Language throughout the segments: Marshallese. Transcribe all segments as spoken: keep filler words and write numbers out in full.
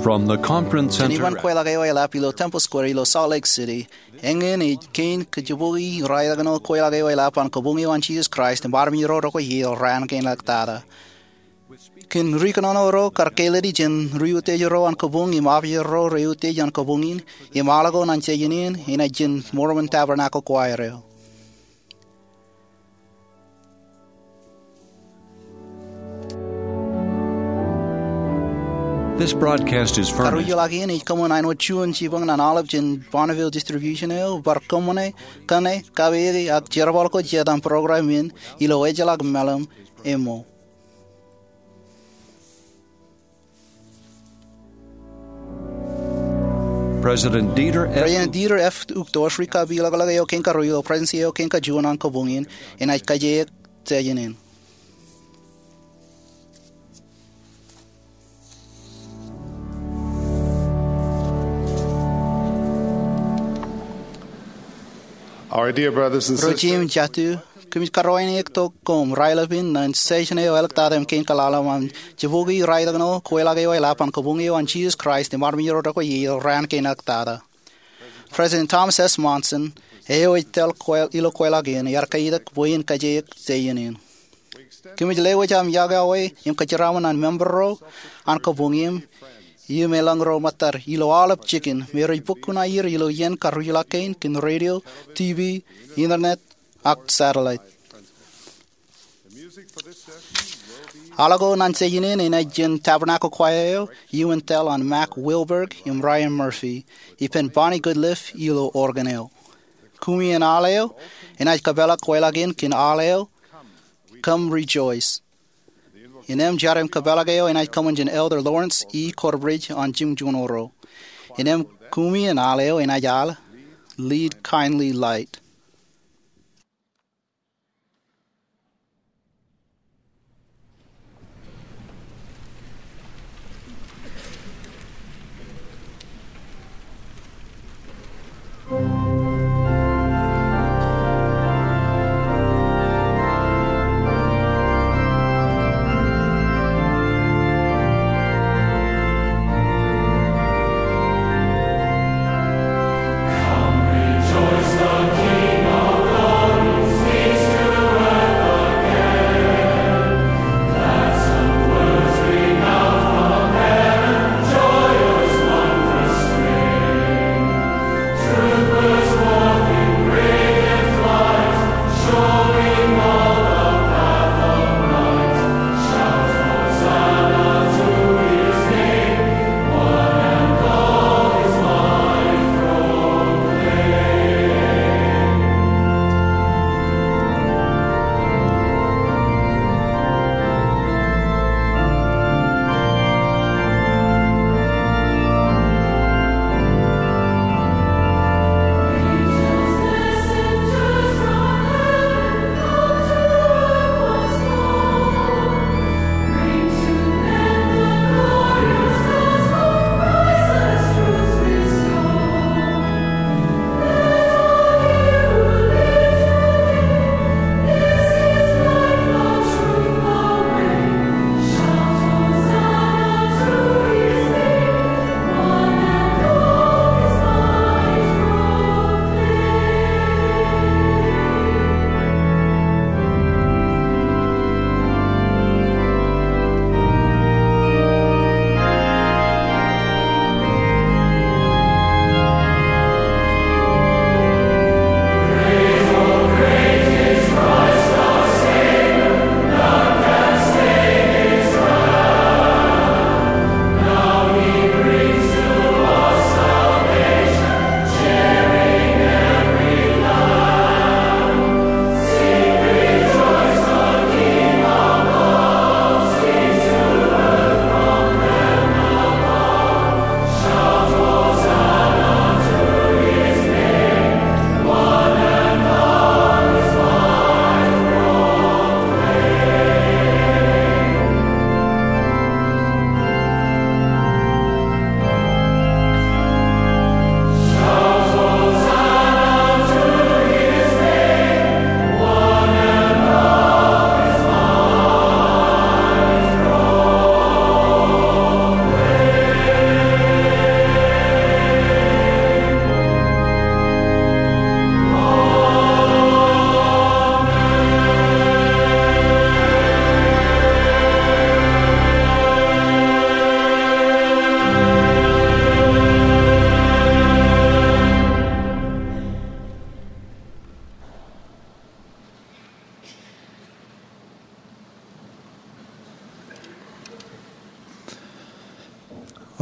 From the Conference Center. Kōn iban kweilọk eo eḷap ilo Temple Square ilo Salt Lake City, eñin ej kein kajibukwi ri-idakin kweilọk eo eḷap an kabuñ eo an Jisōs Kraist im armej ro rekwe iiō raan kein ḷọk tata. Kōn ri-kōnono ro kar kāālōt jān ri-utiej ro an kabuñ im apier ro rej utiej an kabuñ in, im aḷ ko ñan jeje in enaaj jān Mormon Tabernacle Choir eo. This broadcast is furnished. Karuj ḷọk in ej kōṃṃan āinwōt juon jipañ ñan aolep jān Bonneville Distribution eo, bar kōṃṃane, kōṇe, kaweiki ak jerbal ko jet an program in ilo ejjeḷọk meḷeḷe eo. President Dieter F. President Dieter F. Uchtdorf, ri kapiḷọkḷọk eo kein karuo ilo Presidentsi eo kein kajuon an kabuñ in, enaaj kajeik session in. Our dear brothers and sisters. Ro jeiū im jatū, kōmij karuwaineik tok koṃ raelep in ñan session eo eḷọk tata im kein kaḷaḷ aṃ an jibukwi ri-idakin kweilọk eo eḷap an kabuñ eo an Jisōs Kraist im armej ro rekwe iiō raan kein ḷọk tata. President Thomas S. Monson, eo ej tōl kwe-, ilo kweilọk in, ear kaitak bwe en kajeik session in. Kōmij lewōj aṃ yokwe im kōjeraaṃṃan ñan member ro an kabuñ in im eḷaññe ro ṃōttad ilo aolep jikin me rej bōk kuṇaer ilo iien karuj ḷọk kein kōn radio, TV, internet, ak satellite. Aḷ ko ñan session in enaaj jān Tabernacle Choir eo, iuun tōl an Mac Wilberg im Ryan Murphy, ippān Bonnie Goodliff ilo organ eo. Kumi in aḷ eo, enaaj kōpeḷḷọk kweilọk in kōn aḷ eo, Come Rejoice. Innem jar im kōpeḷḷọk eo enaaj kōṃṃan jān Elder Lawrence E. Corbridge an Jimjuonñoul Ruo. Innem kumi in aḷ eo enaaj aḷ, Lead Kindly Light.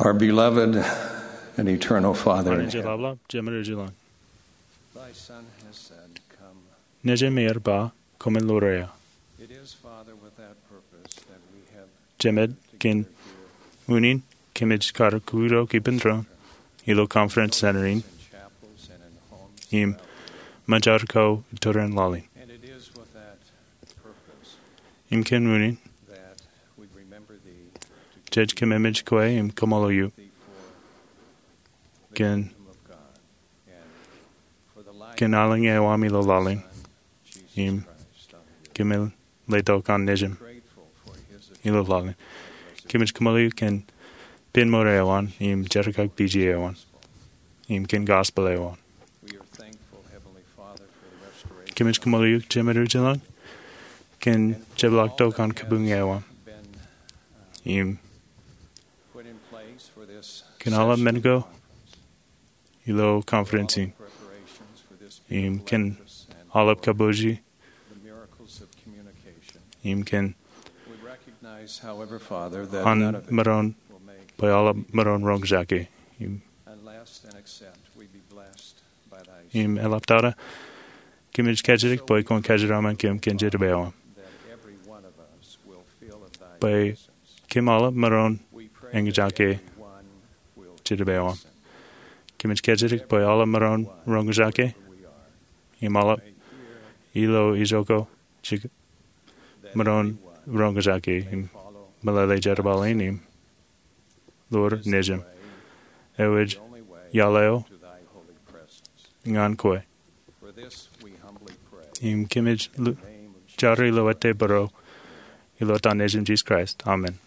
Our beloved and eternal Father in heaven. Jemād eo ej ilọk. Thy Son has said, "Come." Nejin eṃṃan ej ba, "Koṃwin ḷoor eō." It is, Father, with that purpose that we have Jemād, kōn unin kōmij kar kūrtok ippān doon ilo Conference Center in im ṃōjarjar ko iturin laḷ in. And it is with that purpose Im kōn unin that we remember thee, jej kōmemej kwe im kaṃṃoolol eok thee for the kōn kingdom of God and for the life kōn aelōñ eo aṃ ilo laḷ in, Jesus im Christ, our Lord. Kōmij letok an Nejin ilo laḷ in. Kōmij kaṃṃoolol eok kōn pen mour eo an, im jerkakpeje eo an, im kōn gospel eo an. We are thankful, Heavenly Father, for the restoration Kōmij kaṃṃoolol eok Jemād eo ej ilọk kōn jepḷaaktok an kabuñ eo an, im put in place for this kōn aolep men ko ilo conference in, im kōn aolep kabbokbok, im kōn an maroñ bwe aolep maroñ roñjake. Im, im eḷaptata, kōmij kajjitōk bwe kwōn kajjitōk kōm kōn Jetōb eo aṃ, bwe kōm aolep maroñ eñjake Jetōb eo aṃ. Kōmij kajjitōk bwe aolep maroñ roñjake, im aolep ilo ijoko jikō maroñ roñjake im meḷeḷe jerbal in im ḷoor Nejin eo ej iaḷ eo ñan kwe. Im kōmij jar ilo ettā bōro ilo etan Nejin Jisōs Kraist. Amen.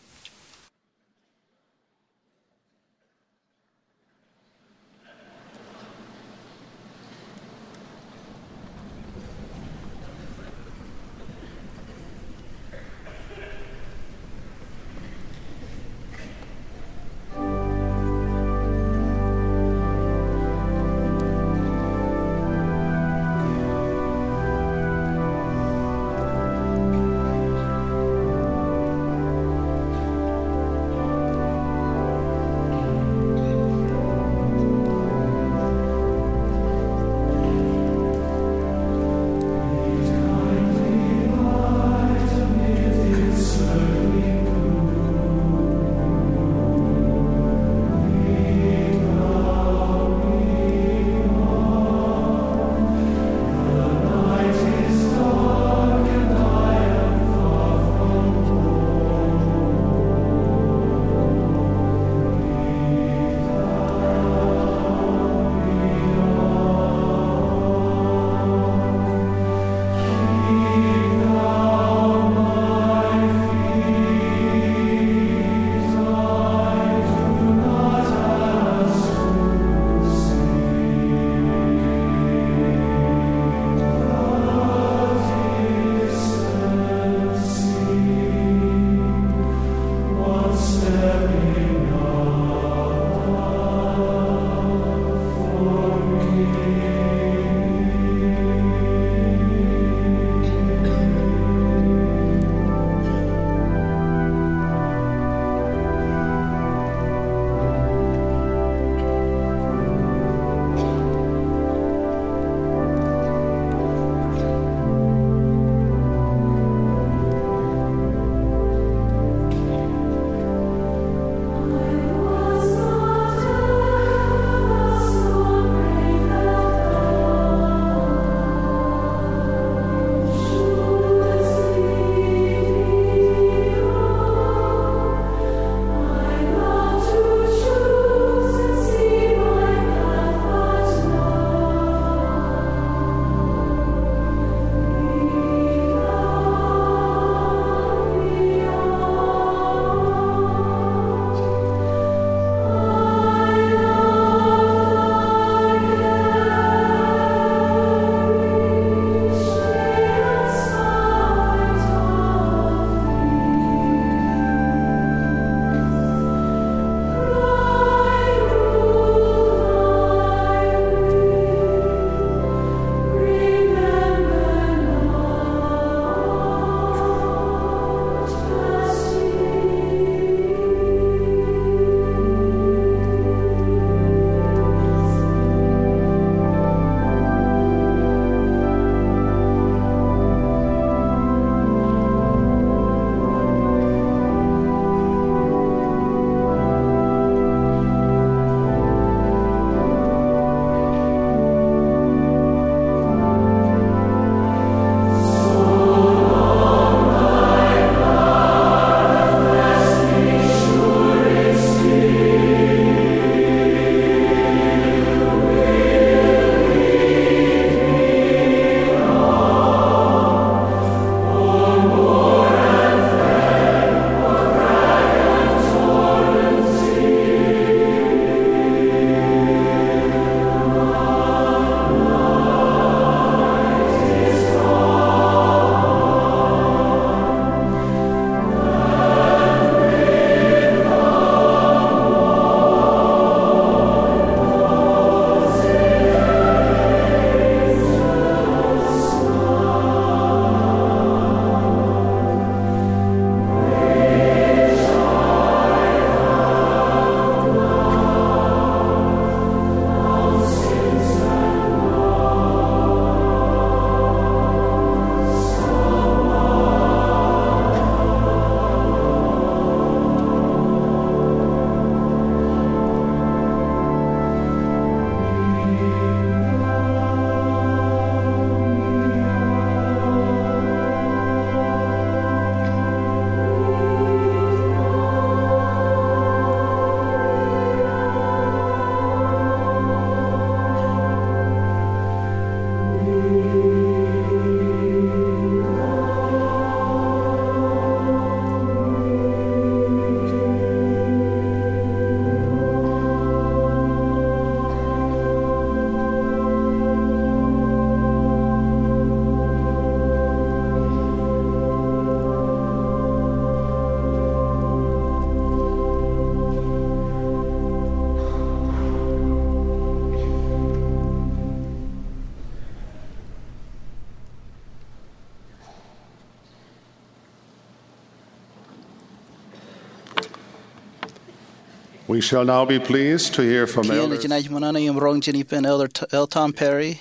We shall now be pleased to hear from Kien Elders. Jenaaj ṃōṇōṇō im roñ jān ippān Elder T-, L. Tom Perry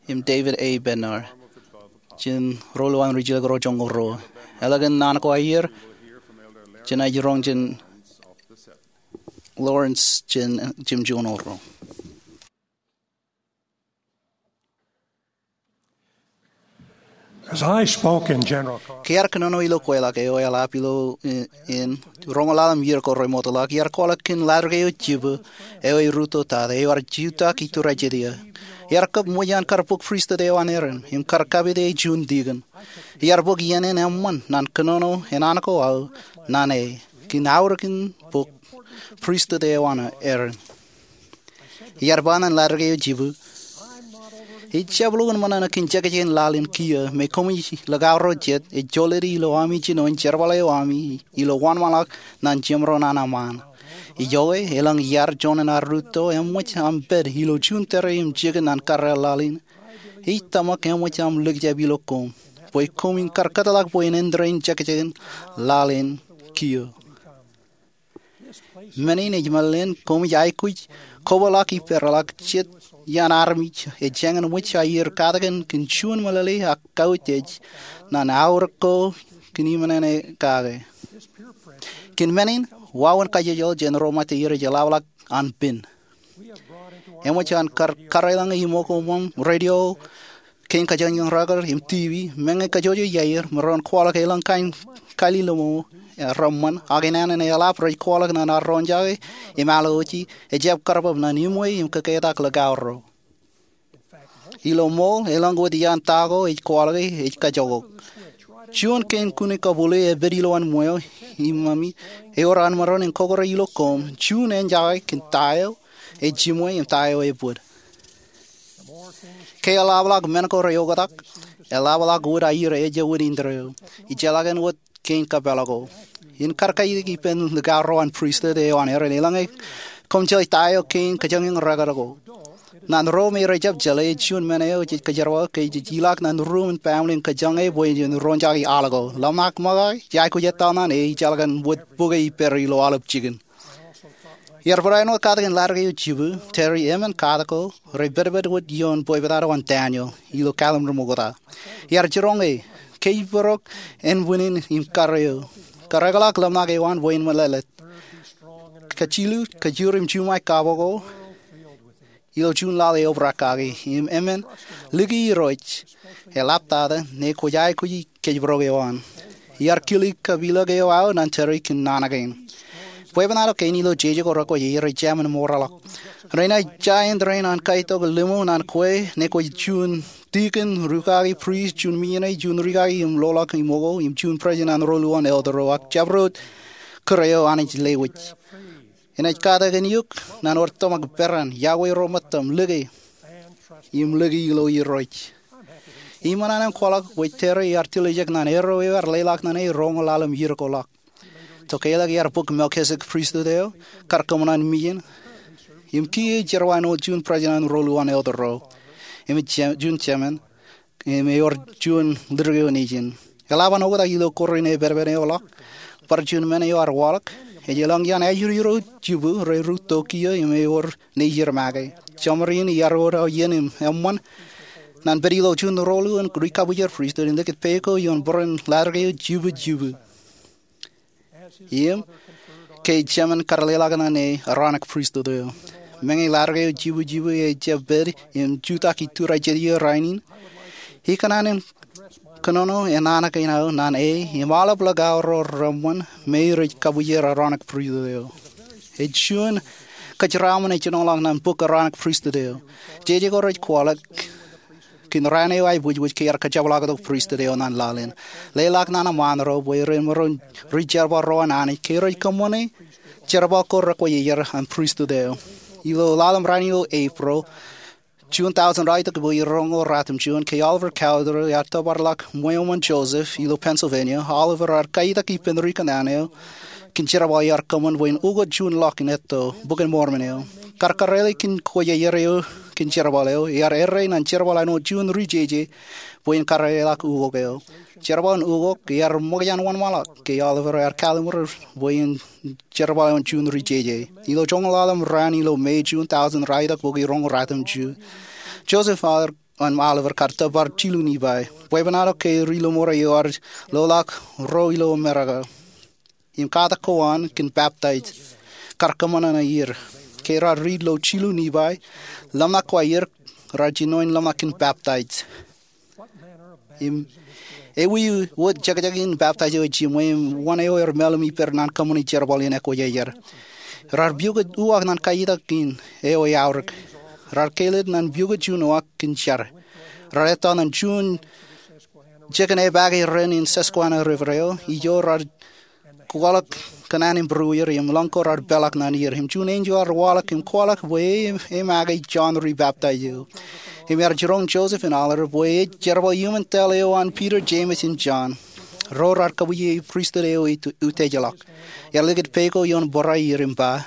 im David A. Bednar jān ro ḷọk ri jilkinḷọk ro joñoul ruo. Eḷaññe naan ko aer, jenaaj roñ jān Lawrence jān jimjuon ro. As I spoke in General Conference, ke iar kōnono ilo kweilọk eo eḷap ilo in, in roñoul ḷalem iiō ko remootḷọk, iar kwaḷọk kōn latūr eo jibu eo erūtto tata eo ear jutak iturajete eō. Iar kab ṃōj an kar bōk pristut eo an Aaron im kar kapit e juon dikon. Iar bōk iien in eṃṃan ñan kōnono enana ko aō ñan e kōn aorōk in bōk pristut eo an Aaron. Iar ba ñan latūr eo jibu, ij jab lukkuun ṃōṇōṇō kōn jekjek in laḷ in kiiō me koṃij likao ro jet ej jolōti ilo ami jino in jerbal eo ami ilo wōnṃaanḷọk ñan jemro ñan aṃaan. Ijoke, elōñ iar juon in ad rūtto eṃōj aṃ pād ilo juon tōre im jikin ñan karreoḷ laḷ in, ij tōmak eṃōj aṃ likjab ilo koṃ bwe koṃ in kar kōtḷọk bwe en āindein jekjek in laḷ in kiiō. Men in ej meḷeḷein koṃij aikuj kobōḷọk ippāerḷọk jet iaan armej ej jañin ṃōj aier katakin kōn juon meḷeḷe ak kautiej ñan aorōk ko kōn iṃōṇōṇō kake. Kōn men in, wāween kajjojo jān ro ṃōtteier ej eḷapḷọk an pen. Eṃōj an kar, kar eḷaññe iṃōko ṃōṃ radio kein kōjañjañ record im TV, meñe kōjjojo iaer, im ren kwaḷọk eḷaññe kain kalilomo reṃṃan, ak enana eḷap rej kwaḷọk ñan ad roñjake im alwōje, ejjab karbab ñan iṃwe im kōketak likao ro. Ilo ṃool, eḷaññe wōt iaan ta ko ej kwaḷọke ej kajjojo. Juon kein kune kabule epād ilowaan ṃweo im ami, ewōr an maroñ in kọkkure ilo koṃ juon enjake kōn ta eo ej jiṃwe im ta eo ej bōd. Ke eḷapḷọk men ko reoktak, eḷapḷọk wōt aier ejja wōt indeeo. Ijjeḷọk en wōt kein kōpeḷḷọk ko. In kar kaitik ippān likao ro an pristut eo an Aaron eḷaññe koṃ jeḷā ta eo kein kōjañjañ record ko. Ñan ro me rejjab jeḷā, ej juon men eo jej kōjerbal ke jej ilọk ñan ruuṃ in baaṃle in kōjañe bwe jen roñjake al ko. Ḷōmṇak ṃōkaj, ij aikuj etal ñan e ijjeḷọk an wōt bukwe ippāer ilo aolep jikin. Iar barāinwōt katakin latūr eo jibu, Terry, emān katak ko, rej pedped wōt ioon bwebwenato an Daniel ilo Kalimur Mokta. Iar jiroñ e, kōjparok ānbwinnin im kar eo. Kōrreḷọk ḷōmṇak eo an bwe en meḷeḷe. Kōjilu, kōjur im juṃae kabo ko ilo juon laḷ eobrak kaki, im emān liki Irooj, eḷaptata ñe kwōj aikuji kōjparok eo an. Iar kili kapilōk eo aō ñan Terry kōn naan kein. Bwebwenato kein ilo jeje ko rekwōj er rej jāmin mourḷọk. Renaaj ja āindein an kaitok limo ñan kwe ñe kwōj juon dikon, rūkaki, prist, juon misineri, juon rikaki im loḷọk iṃōko, im juon president an ro luwaan elder ro, ak jabdewōt kūr eo Anij lewōj. Enaaj katakin eok ñan wōt tōmak peran, iọkwe ro ṃōttam, lōke, im lōke ilo Irooj. Iṃōṇōṇō im kwaḷọk bwe Terry ear tiljek ñan erro eo ear leḷọk ñan e roñoul ḷalem iiō ko ḷọk. Tokālik ear bōk Melkisedek pristut eo, kar kōṃṃan an misin, im kiiō ej jerbal āinwōt juon president an ro luwaan elder ro, im ej je-, juon chairman, im ewōr juon leader eo nejin. Eḷap an oktak ilo kōrā in epedped eo ḷọk, bar juon men eo ear waḷọk, ej eḷaññe iaan ajri ro jibu rej rūtto kiiō im ewōr nejid make. Jeṃri in iar wōr aō iien im eṃṃan ñan pād ilo juon ro luwaan ri kabwijer pristut in likūt pā ko ioon bōran latūr eo jibu jibu. Im, ke ej chairman, kar leḷọk ñan e Aaronic pristut eo. Meñe latūr eo jibu jibu ejjab pād im jutak iturajete eō rainin, ikōṇaan in kōnono enana kein aō ñan e im aolep likao ro reṃṃan me rej kabwijer Aaronic pristut eo. Ej juon kōjeraaṃṃan ejjeḷọk ñan bok Aaronic pristut eo. Jeje ko rej kwaḷọk kōn raan eo aebwijbwij ke ear kōjepḷaaktok pristut eo ñan laḷ in. Leḷọk ñan aṃaan ro bwe ren maroñ ri jerbal ro an Anij ke rej kōṃṃane jerbal ko rekwōj iar an pristut eo. Ilo ḷalem raan eo Eprōḷ, juon tọujin ralitōk bọwiin roñoul ratimjuon, ke Oliver Cowdery ear tōparḷọk ṃweo ṃōn Joseph ilo Pennsylvania, Oliver ear kaitak ippān ri kōnnaan eo kōn jerbal eo ear kōṃṃan bwe en ukōt juon ḷọk in etto Bok in Mormon eo. Kar kōrā ḷọk kōn kwōjarjar eo kōn jerbal eo, ear errā ñan jerbal āinwōt juon ri jeje bwe en kōrā ḷọk ukok eo. jerbal in ukok, iar ṃōkaj an wōnṃaanḷọk ke Oliver ear kallimur bwe en jerbal eo an juon ri jeje. Ilo joñoul ḷalem raan ilo May, June, tọujin ralitōk bukwi roñoul ratimjuon, Joseph Oliver an Oliver kar tōpar jilu Nifai. Bwebwenato ke ri-lọmọọr eo ear loḷọk ro ilo Amerika im katak ko an kōn baptaij kar kōṃṃan ṇe er. Ke raar riit ilo jilu Nifai, ḷōmṇak ko aer raar jino in ḷōmṇak kōn baptaij. Im ewi wōt jekjek in baptaij eo ejiṃwe im wōn eo er mālim ippād ñan kōṃṃani jerbal in ekwe iar. Raar piukōj uwaak ñan kaitiek in eo eaorōk. Raar kelōt ñan piukōj juon uwaak kōn jar. Raar ettā ñan juon jikin epaake ren in Susquehanna River eo, ijo raar kwaḷọk kōn an imbūruer im ḷọñ ko raar peḷḷọk ñan er. Im juon enjeḷ ear waḷọk im kwaḷọk bwe e make Jon Ri Baptaij eo. Im ear jiroñ Joseph in Oliver bwe ej jerbal iuṃwin tōl eo an Peter, James im John, ro raar kabwijeje pristut eo eutiejḷọk. Ear likūt peiṃ ko ioon bōrā er im ba,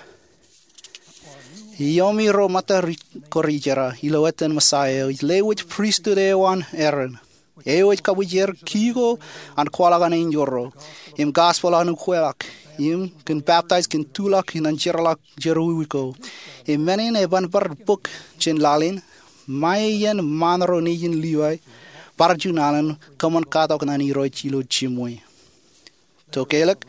Iuṃwin ro ṃōtta ko rijerā, ilo etan Messiah eo, ij lewōj pristut eo an Aaron, eo ej kabwijer kiiō an kwaḷọk an enjeḷ ro, im gospel an ukweḷọk, im kōn baptaij kōn tuḷọk ñan jeorḷọk jerọwiwi ko. Im men in eban bar bōk jān laḷ in, ṃae iien ṃaan ro nejin Livai bar juon alen kōṃṃan katok ñan Irooj ilo jiṃwe. Tokālik,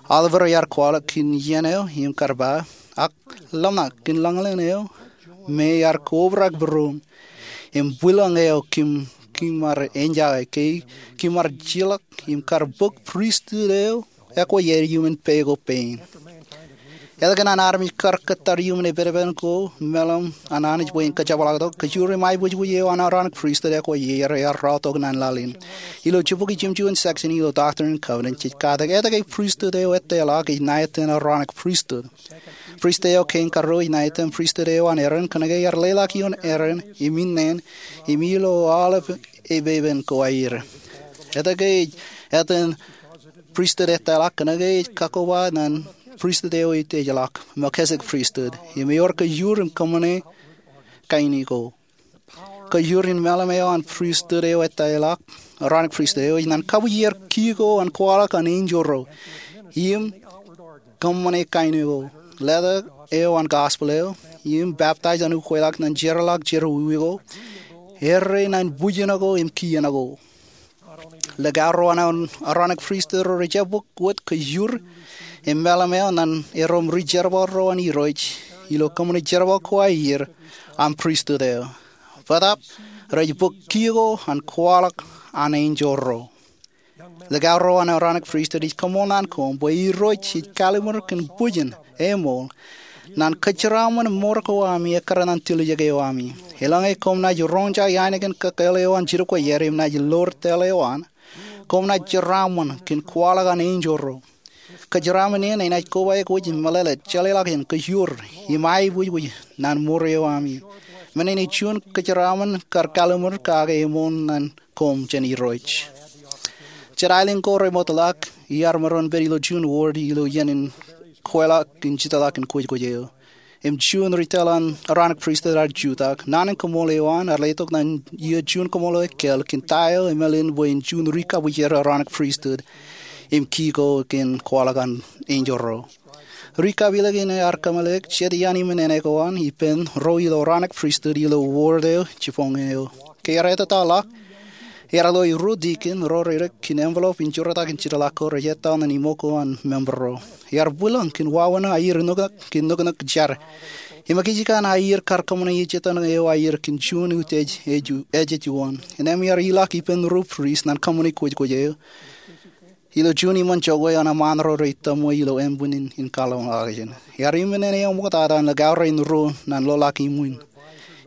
Oliver ear kwaḷọk kōn iien eo im kar ba, ak ḷōmṇak kōn lañlōñ eo me ear kobrak būruōṃ im bwilōñ eo kōm, kōm ar enjoy ke kōm ar jeorḷọk im kar bōk pristut eo ekwe iuṃwin peiṃ ko pein. Etke ñan armej kar kōttar iuṃwin epedepen ko mālim an Anij bwe en kōjepḷaaktok? Kōjro im aiboojoj eo an Aaronic Pristut ekwe iar, ear raotok ñan laḷ in. Ilo jibukwi jimjuon section ilo Doctrine and Covenants, jej katak etke pristut eo ettoḷọk ej ṇa etan Aaronic Pristut. Pristut eo kein karuo ej ṇa etan pristut eo an Aaron, kōnke ear leḷọk ioon Aaron im innām im ilo aolep epepen ko aer. Etke ej etan pristut ettoḷọk? Kōnke ej kakoba ñan pristut eo eutiejḷọk, Melchizedek Pristut, im ewōr kōjur in kōṃṃane kain ko. Kōjur in mālim eo an pristut eo ettoḷọk, Aaronic Pristut eo, ej ñan kabwijer kiiō an kwaḷọk an enjeḷ ro, im kōṃṃane kain ko, letok eo an gospel eo, im baptaij an ukweḷọk ñan jeorḷọk jerọwiwi ko, erreo ñan bwijin ko im kien ko. Likao ro an Aaronic Pristut ro rej jab bōk wōt kōjur im mālim eo ñan erom ri jerbal ro an Irooj ilo kōṃṃani jerbal ko aer an pristut eo. Bōtaab rej bōk kiiō an kwaḷọk an enjeḷ ro. Likao ro an Aaronic Pristut, ij kaṃṃool ñan koṃ bwe Irooj ej kallimur kōn bwijin eṃool ñan kōjeraaṃṃan mour ko ami ekkar ñan tiljek eo ami. Eḷaññe koṃ naaj roñjake ainikien kōkāāl eo an jidik ko iar im naaj loor tōl eo an, koṃ naaj jeraaṃṃan kōn kwaḷọk an enjeḷ ro. Kōjeraaṃṃan in enaaj koba eok wōj meḷeḷe, jeḷāḷọkjeṇ, kōjur im aiboojoj ñan mour eo ami. Men in ej juon kōjeraaṃṃan kar kallimur kake eṃool ñan koṃ jān Irooj. Jet aelōñ ko remootḷọk, iar maroñ pād ilo juon ward ilo iien in kweilọk in jitōḷọk in kwōjkwōj eo. Im juon ri tōl an Aaronic Pristut ear jutak. Naan in koṃṃool eo an ear letok ñan iiō juon koṃṃool eo ekāāl kōn ta eo eṃṃan bwe en juon ri kabwijer Aaronic Pristut im kiiō kōn kwaḷọk an enjeḷ ro. Ri kapilōk in ear kōmeḷeḷe jet iaan iṃōn āne ko an ippān ro ilo Aaronic Pristut ilo ward eo jibboñ eo. Ke ear ettōḷọk, ear lo ruo tikin ro redik kōn envelope in joortak in jitōḷọk ko rej ettā ñan iṃōk ko an member ro. Ear bwilōñ kōn wāween aer nuknuk kōn nuknuk jar. Im ekijjeen aer kar kōṃṃane ejetan eo aer kōn juon utiej ej, ej juon. Innām ear ilọk ippān ruo priest ñan kōṃṃani kwōjkwōj eo. Ilo juon iṃōn jokwe an eṃṃaan ro rej tōṃwe ilo ānbwinnin in kaḷōḷḷọkjeṇ. Ear iṃōn āne eo ṃoktata an likao rein ruo ñan loḷọk iṃwin.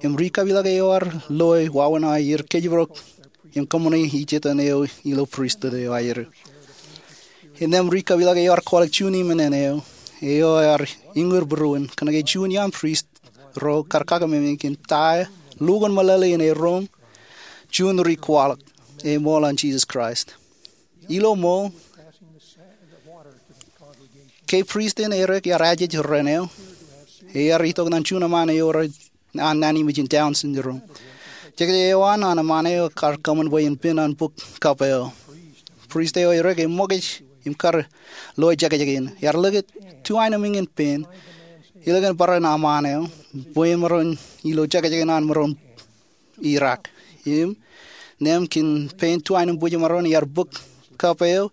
Im ri kapilōk eo ear loe wāween aer kōjparok im kōṃṃane ejetan eo ilo pristut eo aer. Innām ri kapilōk eo ear kwaḷọk juon iṃōn āne eo, eo ear iñūr būruon, kōnke juon iaan priest ro kar kakememej kōn ta lukkuun meḷeḷe in erom juon ri kwaḷọk eṃool an Jisōs Kraist. Ilo ṃool, ke priest in erik ear ajej ren eo, ear itok ñan juon eṃṃaan eo rej an naan in mejān Down syndrome. Jekjek eo an an eṃṃaan eo kar kōṃṃan bwe en pen an bok kab eo. Prist eo erik eṃṃakūt im kar lo jekjek in. Ear likūt tuainaming in pein. Ilo kōn bōran eṃṃaan eo, bwe maroñ ilo jekjek in an maroñ irak. Im neeṃ kōn pein tuainambwijmaroñ ear bōk kab eo,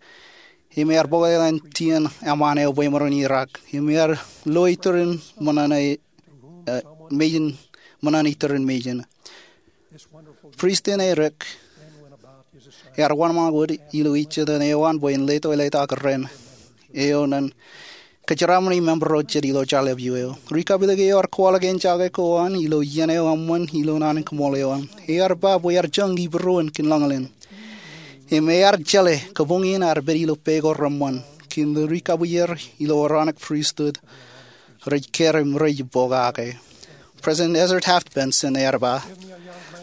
im ear bōk eḷaññe tien eṃṃaan eo bwe maroñ irak. Im ear lo iturin ṃōṇōṇō, eh, mejin, ṃōṇōṇō iturin mejin. Prist in erik ear wōnṃaanḷọk wōt ilo ijjien eo an bwe en letok eḷḷā tok ren eo ñan kōjeraaṃṃani member ro jet ilo jọḷọk eo. Ri-kapilōk eo ear kwaḷọk enjake ko an ilo iien eo eṃṃan ilo naan in koṃṃool eo an. Ear ba bwe ear joñak ippān kōn lañlōñ. Im ear jeḷā kabuñ in ear pād ilo pā ko reṃṃan kōn ri-kabwijer ilo Aaronic Pristut rej kar im rej pokake. President Ezra Taft Benson ear ba,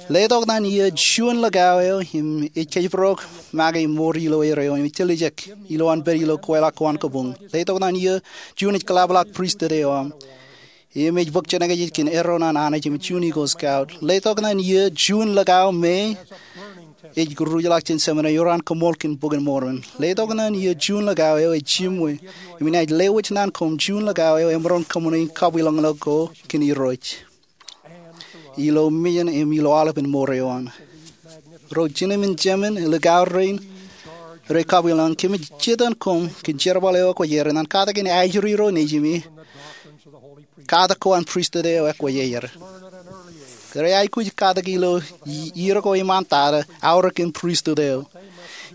letok ñan eō juon likao eo im ej kōjparok make im mour ilo erreo im ej tiljek ilowaan pād ilo kweilọk ko an kabuñ. Letok ñan eō juon ej kōḷapḷọk pristut eo aṃ im ej bōk jenaaj kōn erro ñan Anij im juon Eagle Scout. Letok ñan eō juon likao me ej ruj ḷọk jān seminary eo an koṃṃool kōn Bok in Mormon. Letok ñan eō juon likao eo ej jiṃwe im inaaj lewōj ñan koṃ juon likao eo emaroñ kōṃṃane kabwilōñlōñ ko kōn Irooj ilo mejān im ilo aolep in mour eo an. Ro jinōmin jemān likao rein rej kabwilōñ, kōmij jitōñ koṃ kōn jerbal eo ekwōjarjar ñan katak in ajri ro nejimi katak ko an pristut eo ekwōjarjar. Rej aikuj katak ilo i-, ier ko iṃaantata aorōk in pristut eo.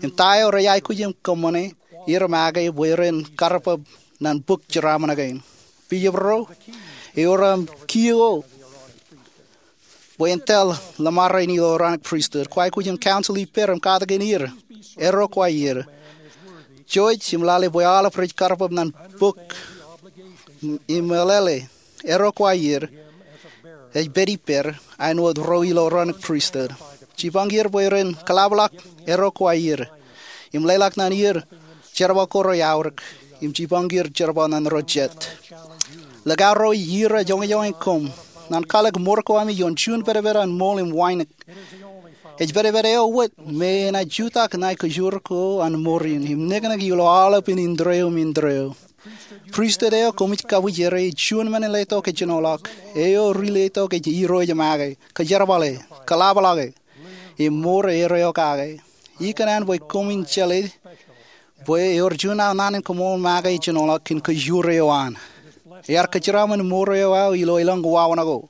Im ta eo rej aikuj im kōṃṃane er make bwe ren karreoḷọk ñan bok jeraaṃṃan kein. Bishop ro, ewōr aṃ kiiō bwe en tōl ḷōṃaro in ilo Aaronic Pristut. Kwaikuj im council ippāer im katakin er. Erro kwaer. Jouj im lale bwe aolep rej karreoḷọk ñan bok im eḷeḷe. Erro kwaer. Ej pād ippāer āinwōt ro ilo Aaronic Pristut. Jipañ er bwe ren kōḷapḷọk erro kwaer im leḷọk ñan er jerbal ko rej aorōk im jipañ er jerbal ñan ro jet. Likao ro, ij irooj joñojoñe koṃ ñan kwaḷọk mour ko ami ioon juon pedped an ṃool im wānōk. Ej pedped eo wōt me enaaj jutak ṇae kōjoor ko an mour in im neknek ilo aolepān indeeo im indeeo. Pristut eo koṃij kabwijere ej juon men in letok ejenoḷọk. Eo ri letok ej irooj make, kōjerbale, kōḷapḷọke, im mour erreo kake. Ikōṇaan bwe koṃwin jeḷā bwe ewōr juon aō naan in koṃṃool make ejenoḷọk kōn kōjoor eo an. Ear kōjeraaṃṃan mour eo aō ilo elōñ wāween ko.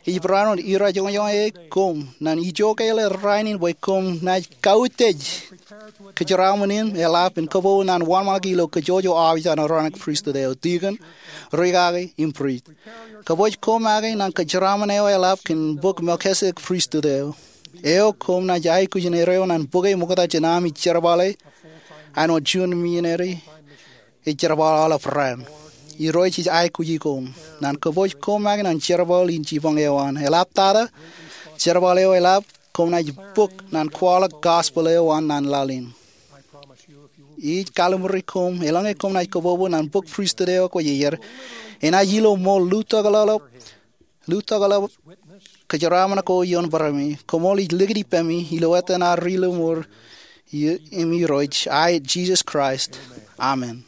Ij barāinwōt irooj joñojoñe koṃ ñan ijoke ḷọk rainin bwe koṃ naaj kautiej kōjeraaṃṃan in eḷap im kōpooj ñan wōnṃaanḷọk ilo kōjwōj eo aolep an Aaronic Pristut eo, dikon, rikaki, im prist. Kōpooj koṃ make ñan kōjeraaṃṃan eo eḷap kōn bok Melchizedek Pristut eo. Eo koṃ naaj aikuj in erreo ñan bōke ṃokta jān ami jerbale āinwōt juon misineri ej jerbal aolep raan. Irooj ej aikuji koṃ ñan kōpooj koṃ make ñan jerbal in jipañ eo an. Eḷaptata jerbal eo eḷap, koṃ naaj bōk ñan kwaḷọk gospel eo an ñan laḷ in. Ij kalimjek koṃ, eḷaññe koṃ naaj kōpooj ñan bok pristut eo ekwōjarjar, enaaj ilo ṃool lutokḷọk, lutokḷọk kōjeraaṃṃan ko ioon barāmi. Koṃṃool, ij likūt ippemi ilo etan ad ri lọmọọr im Irooj, aet Jisōs Kraist. Amen.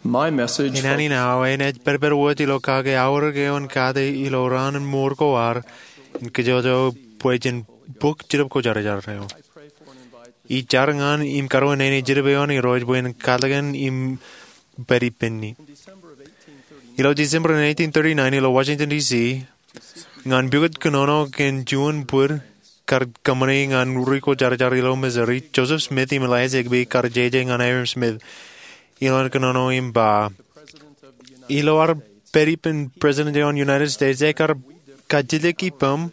My message Naan in aō enaaj pedped wōt ilo kake aorōk eo an kate ilo raan in mour ko ad in kōjwōj bwe jen bōk Jetōb Kwōjarjar eo. Ij jar ñan im karuwainene Jetōb eo an Irooj bwe en katakin im pād ippān. Ilo December in eighteen thirty-nine ilo Washington D C, ñan pukot kōnono kōn juon bōd kar kōṃṃane ñan ri kwōjarjar ilo Missouri, Joseph Smith im Elias Higbee kar jeje ñan Hyrum Smith ilowaan kōnono im ba, ilo ad pād ippān President eo an United States, ekar kajjitōk ippaṃ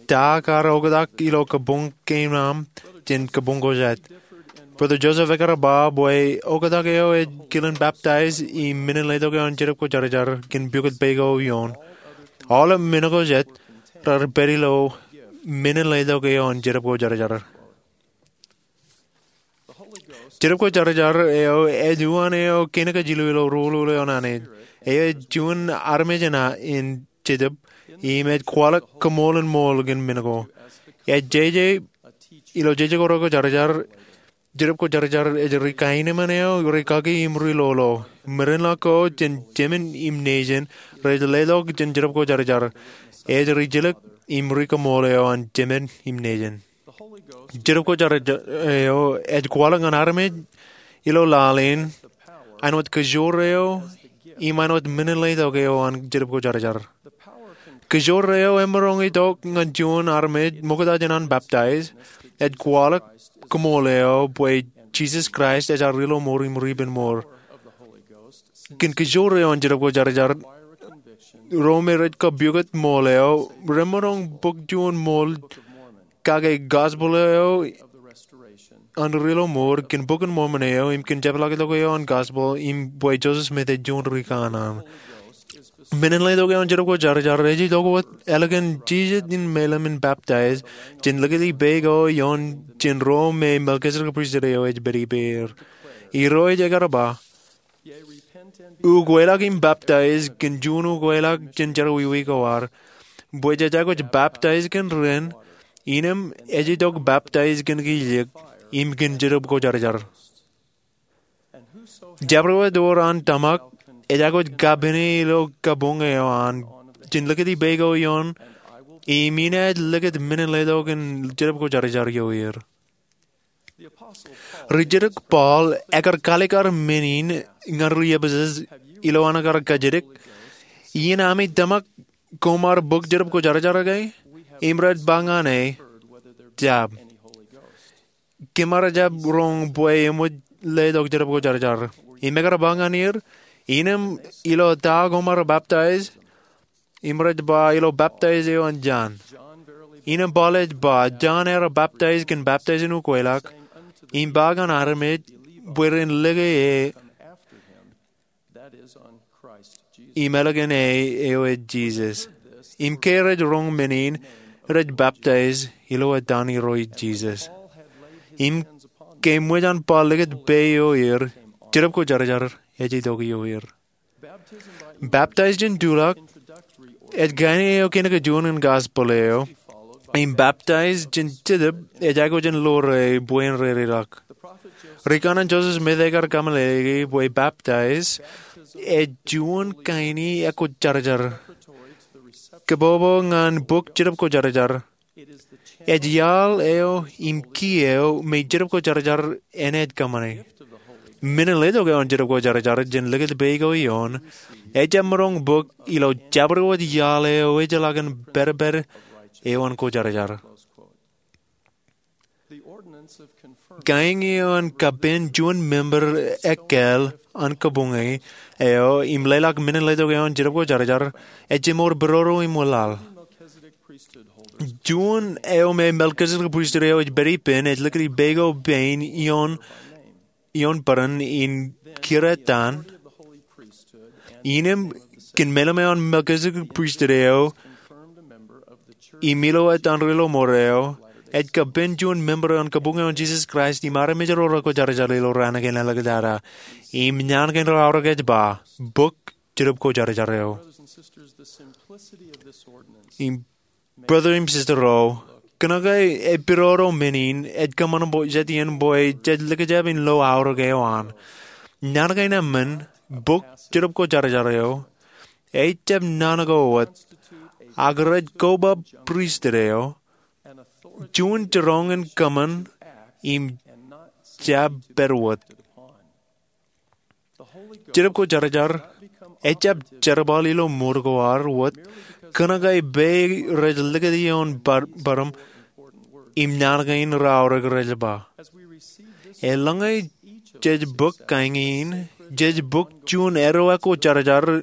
ta kar oktak ilo kabuñ kein aṃ jān kabuñ ko jet. Brother Joseph ekar ba bwe oktak eo ej kilen baptize im men in letok eo an Jetōb Kwōjarjar kōn pukot pā ko ioon. Aolep men ko jet raar pād ilo men in letok eo an Jetōb Kwōjarjar. Jetōb Kwōjarjar eo ej uwaan eo kein kajilju ilo ruo ḷọk eo an Anij. Eo ej juon armej in Jetōb im ej kwaḷọk kaṃool in ṃool kōn men ko. Ej jeje ilo jeje ko reko jarjar, Jetōb Kwōjarjar ej ri kaenōṃṃan eo, ri kaki im ri lolo. Merenḷọk ko jān jemān im nejin rej letok jān Jetōb Kwōjarjar. Ej ri jilōk im ri kaṃool eo an jemān im nejin. Jetōb Kwōjarjar eo ej kwaḷọk ñan armej ilo laḷ in āinwōt kajoor eo im āinwōt menin letok eo an Jetōb Kwōjarjar. Kajoor eo emaroñ itok ñan juon armej ṃokta jān an baptize, ej kwaḷọk kaṃool eo bwe Jisōs Kraist ej ad Ri-lọmọọr im Ri-penmour. Kōn kajoor eo an Jetōb Kwōjarjar, ro me rej kab pukot ṃool eo remaroñ bōk juon ṃool kake gospel eo an Ri-lọmọọr, kōn Bok in Mormon eo, im kōn jepḷaaktok eo an gospel, im bwe Joseph Smith ej juon ri kanaan. Menin letok eo an Jetōb Kwōjarjar ej itok wōt ālikin jijet in meḷeḷe in baptize jān likūt i peikiiō ioon jān ro me Melchizedek Priesthood eo ej pād ippāer. Irooj ekar ba, ukweḷọk im baptize kōn juon ukweḷọk jān jerọwiwi ko ad. Bwe jej aikuj baptize kōn ren, innām ej itok baptize kōn kijeek im kōn Jetōb Kwōjarjar. Jabdewōt ewōr an tōmak ej aikuj kapene ilo kabuñ eo an jān likūt i peikiiō ioon, im inaaj likūt menin letok in Jetōb Kwōjarjar ioer. Ri-Judok Paul ekar kaalikkar men in ñan ri-Epesōs ilo an ekar kajidik, iien ami tōmak koṃ ar bōk Jetōb Kwōjarjar ke? Im rej ba ñan e, jab. Kōm ar jab roñ bwe eṃōj letok Jetōb Kwōjarjar. Im ekar ba ñan er, innām ilo ta koṃ ar baptize? Im rej ba, ilo baptize eo an Jon. Innām Paul ej ba, Jon ear baptize kōn baptize in ukweḷọk, im ba ñan armej bwe ren lōke e im ālikin e eo ej Jisōs. Im ke rej roñ men in, rej baptize ilo etan Irooj Jisōs. Im ke eṃōj an Paul likūt peikiiō er, Jetōb Kwōjarjar ej itok ioer. Baptize jān tulọk ej kain eo kein kōj juon in gospel eo. Im baptize jān Jetōb ej aikuj in ḷoore bwe en reireḷọk. Ri kanaan Joseph Smith ekar kōmeḷeḷeiki bwe baptize ej juon kain in ekwōjarjar, kōpopo ñan bōk Jetōb Kwōjarjar. Ej iaḷ eo im ki eo me Jetōb Kwōjarjar enaaj kōṃṃane. Menin letok eo an Jetōb Kwōjarjar jān likūt peikiiō ioon ejjab maroñ bōk ilo jabdewōt iaḷ eo ejjeḷọk in pedped eo an kwōjarjar. Kaeñe eo an kapen juon member ekkāāl an kabuñe eo im leḷọk menin letok eo an Jetōb Kwōjarjar ej jemor pidodo im wōnlaḷ. Juon eo me Melchizedek Priesthood eo ej pād ippān ej likūt i peikiiō pein ioon bōran in kūr etan. Innām kōn meḷeḷe eo an Melchizedek Priesthood eo im ilo etan Ri-lọmọọr eo, ej kapen juon member eo an kabuñ eo an Jisōs Kraist im armej ro rekwōjarjar ilo raan kein āliktata. Im naan kein ro aorōk ej ba, bōk Jetōb Kwōjarjar eo. Im brother im sister ro, kōnke epidodo men in ej kōṃṃan bwe jet iien bwe jej likjab in lo aorōk eo an. Naan kein eṃṃan, bōk Jetōb Kwōjarjar eo, ejjab naan ko wōt, ak rej koba pristut eo, juon jiroñ in kōṃṃan im jab pād wōt. Jetōb Kwōjarjar ejjab jerbal ilo mour ko ad wōt kōnke peikiiō rej likūt ioon bōd im naan kein raorōk rej ba. Eḷaññe jej bōk kaeñe in, jej bōk juon eddo ekwōjarjar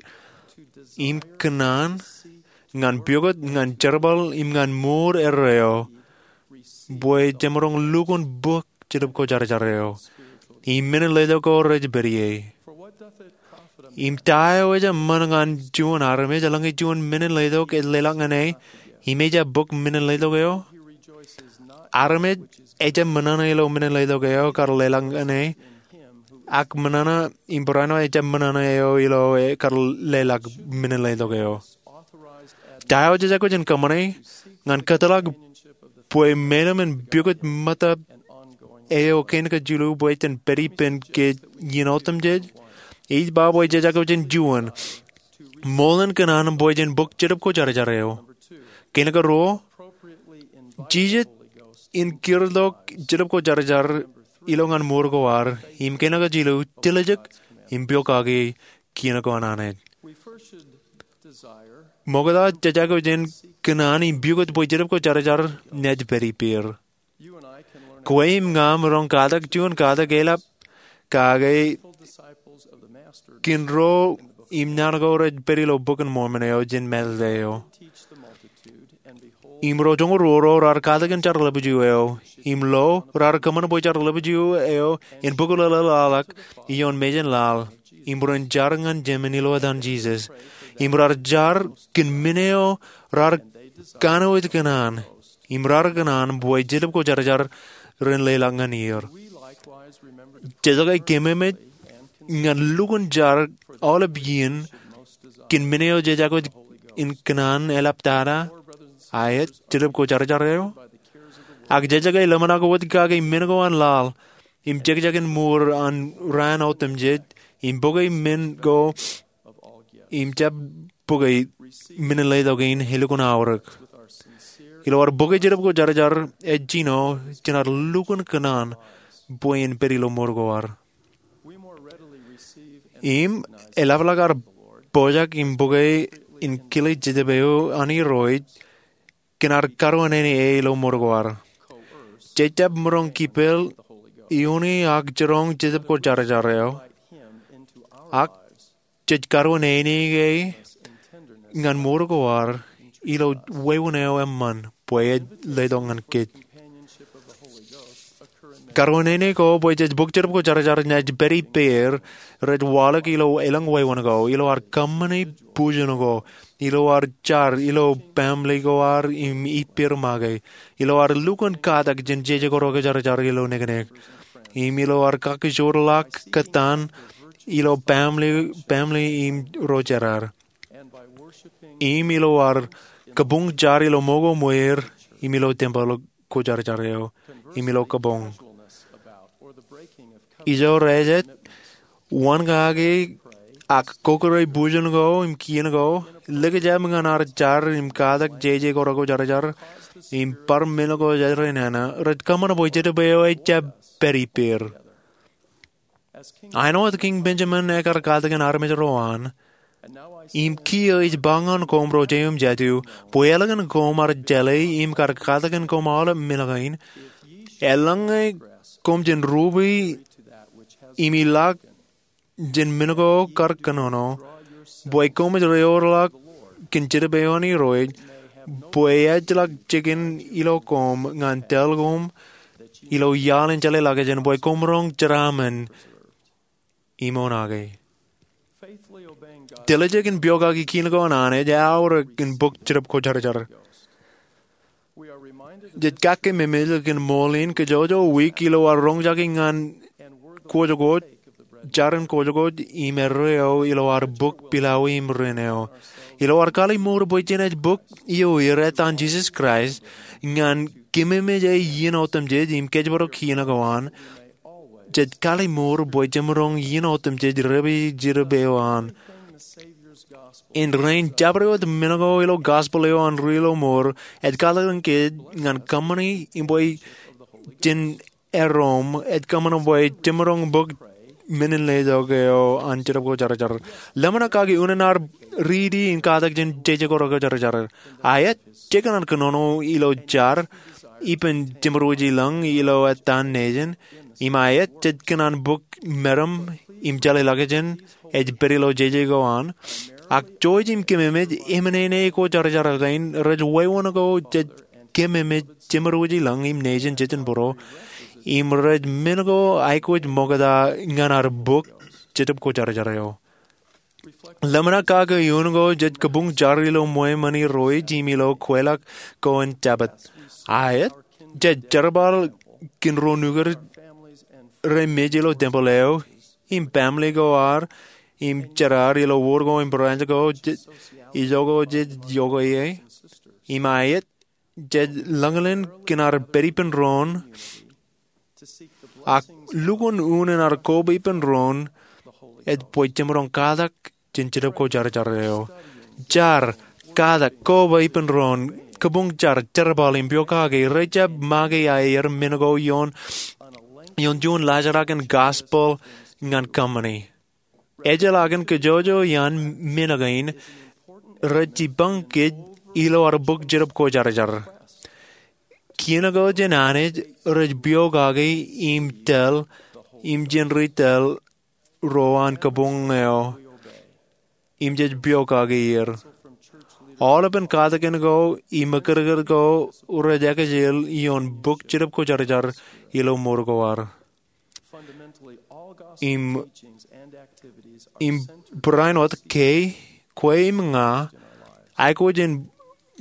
im kōṇaan ñan pukot, ñan jerbal im ñan mour eddo eo, bwe jemaroñ lukkuun bōk Jetōb Kwōjarjar eo im menin letok ko rej pād ie. Im ta eo ejjab ṃōṇōṇō ñan juon armej eḷaññe juon menin letok ej leḷọk ñan e im ejjab bōk menin letok eo? Armej ejjab ṃōṇōṇō ilo menin letok eo kar leḷọk ñan e, ak ṃōṇōṇō im barāinwōt ejjab ṃōṇōṇō eo ilo kar leḷọk menin letok eo. Ta eo jej aikuj in kōṃṃane ñan kōtḷọk bwe meḷeḷe in pukot ṃōttan eo kein kajilu bwe jen pād ippān ke iien otemjej? Ij ba bwe jej aikuj in juon ṃool in kōṇaan bwe jen bōk Jetōb Kwōjarjar eo. Kein karuo, jijet in kūrtok Jetōb Kwōjarjar ilo ñan mour ko ad. Im kein kajilu, tiljek im pokake kien ko an Anij. Ṃokta, jej aikuj in kōṇaan im pukot bwe Jetōb Kwōjarjar ṇe ej pād ippāer. Kwe im ña maroñ katak juon katak eḷap kake kōn ro im naan ko rej pād ilo Bok in Mormon eo jān mātōt eo. Im ro joñoul ruo ro raar katakin jar ḷapḷap eo, im lo raar kōṃṃan bwe jar ḷapḷap eo en bōk lōḷḷap ioon mejān laḷ, im ren jar ñan Jemān ilo etan Jisōs. Im raar jar kōn men eo raar kanooj kōṇaan, im raar kōṇaan bwe Jetōb Kwōjarjar ren leḷọk ñan er. Jej aikuj in kememej ñan lukkuun jar aolep iien kōn men eo jej aikuj in kōṇaan eḷaptata, aet, Jetōb Kwōjarjar eo. Ak jej aikuj in ḷōmṇak wōt kake men ko an laḷ im jekjekin mour an raan otemjej, im bōke men ko im jab bōke men in letok in elukkuun aorōk. Ilo ad bōke Jetōb Kwōjarjar, ej jino jān ad lukkuun kōṇaan bwe en pād ilo mour ko ad. Im eḷapḷọk ad pojak im bōke im kile Jetōb eo an Irooj kōn ad karuwainene e ilo mour ko ad. Jej jab maroñ kipel iuṇe ak jiroñ Jetōb Kwōjarjar eo, ak jej karuwainene e ñan mour ko ad ilo wāween eo eṃṃan bwe ej letok ñan kōj. Karuwainene ko bwe jej bōk Jetōb Kwōjarjar ṇe ej pād ippāer rej waḷọk ilo elōñ wāween ko, ilo ad kōṃṃane bujen ko, ilo ad jar ilo baaṃle ko ad im ippāer make, ilo ad lukkuun katak jān jeje ko rekwōjarjar ilo niknik, im ilo ad kakkijorḷọk kōttan ilo baaṃle, baaṃle im ro jar ad, im ilo ad kabuñ jar ilo ṃōko ṃweer, im ilo tempel kwōjarjar eo, im ilo kabuñ. Ijo rejet, wōn kake, ak kokore bujen ko im kien ko, likjab ñan ad jar im katak jeje ko rekwōjarjar, im bar men ko rej nana, rej kōṃṃan bwe Jetōb eo ejjab pād ippāer. Āinwōt Kiiñ Benjamin ekar katakin armej ro an, im kiiō ij ba ñan koṃ ro jeiū im jatū, bwe eḷaññe koṃ ar jeḷā im kar katakin koṃ aolep men kein, eḷaññe koṃ jen rupe im ilọk jān men ko kar kōnono, bwe koṃij reorḷọk kōn Jetōb eo an Irooj, bwe ejjeḷọk jikin ilo koṃ ñan tōl koṃ ilo iaḷ in jeḷā ḷọkjeṇ, bwe koṃ roñ jeraaṃṃan im oṇaake. Tiljek in pokake kien ko an Anij eaorōk in bōk Jetōb Kwōjarjar. Jej kakkememej kōn ṃool in kōjwōjwōj wiik ilo ad roñjake ñan kwōjkwōj, jar in kwōjkwōj im erreo ilo ad bōk pilawij im rin eo. Ilo ad kaḷimour bwe jenaaj bōk ioer etan Jisōs Kraist ñan kememej e iien otemjej im kōjparok kien ko an, jej kaḷimour bwe jemaroñ iien otemjej repe Jetōb eo an. Im rein jabdewōt men ko ilo gospel eo an Ri Ilo Mour ej katakin kōj ñan kōṃṃani im bwe jen erom ej kōṃṃan bwe jemaroñ bōk men in letok eo an Jetōb Kwōjarjar. Ḷōmṇak kake unin ad riiti in katak jān jeje ko rekwōjarjar. Aet, jekōṇaan kōnono ilo jar ippān jeṃrooj i lañ ilo etan nejin. Im aet, jej kōṇaan bōk meram im jeḷā ḷọkjeṇ ej pād ilo jeje ko an. Ak jouj im kememej eṃṃan ṇe kwōjarjar kein rej wāween ko jej kememej jeṃrooj i lañ im nejin jejin būruō. Im rej men ko aikuj ṃokta ñan ad bōk Jetōb Kwōjarjar eo. Ḷōmṇak kake iuun ko jej kabuñ jar ilo ṃweo ṃōn Irooj im ilo kweilọk ko in Jabōt. Aet, jej jerbal kōn ro nukūr rej mej ilo tempel eo, im baaṃle ko ad, im jar ad ilo wōr ko im branch ko, jej, ijoko jej iọkwe ie, im aet, jej lōñlōñ kōn ad pād ippān doon, ak lukkuun unin ad koba ippān doon, ej bwe jemaroñ katak jān Jetōb Kwōjarjar eo. Jar, katak, koba ippān doon, kabuñ jar, jerbal im piokaki, rej jab make aer men ko ioon, ioon juon laajrak in gospel ñan company. Ejjeḷọkin kōjojoi an men kein rej jipañ kōj ilo ad bōk Jetōb Kwōjarjar. Kien ko jān Anij rej piokaki im tōl, im jān ri tōl ro an kabuñ eo, im jej piokaki er. Aolepān katakin ko im ekkidkid ko rej ekjel ioon bōk Jetōb Kwōjarjar ilo mour ko ad. Im, im barāinwōt ke kwe im ña, aikuj in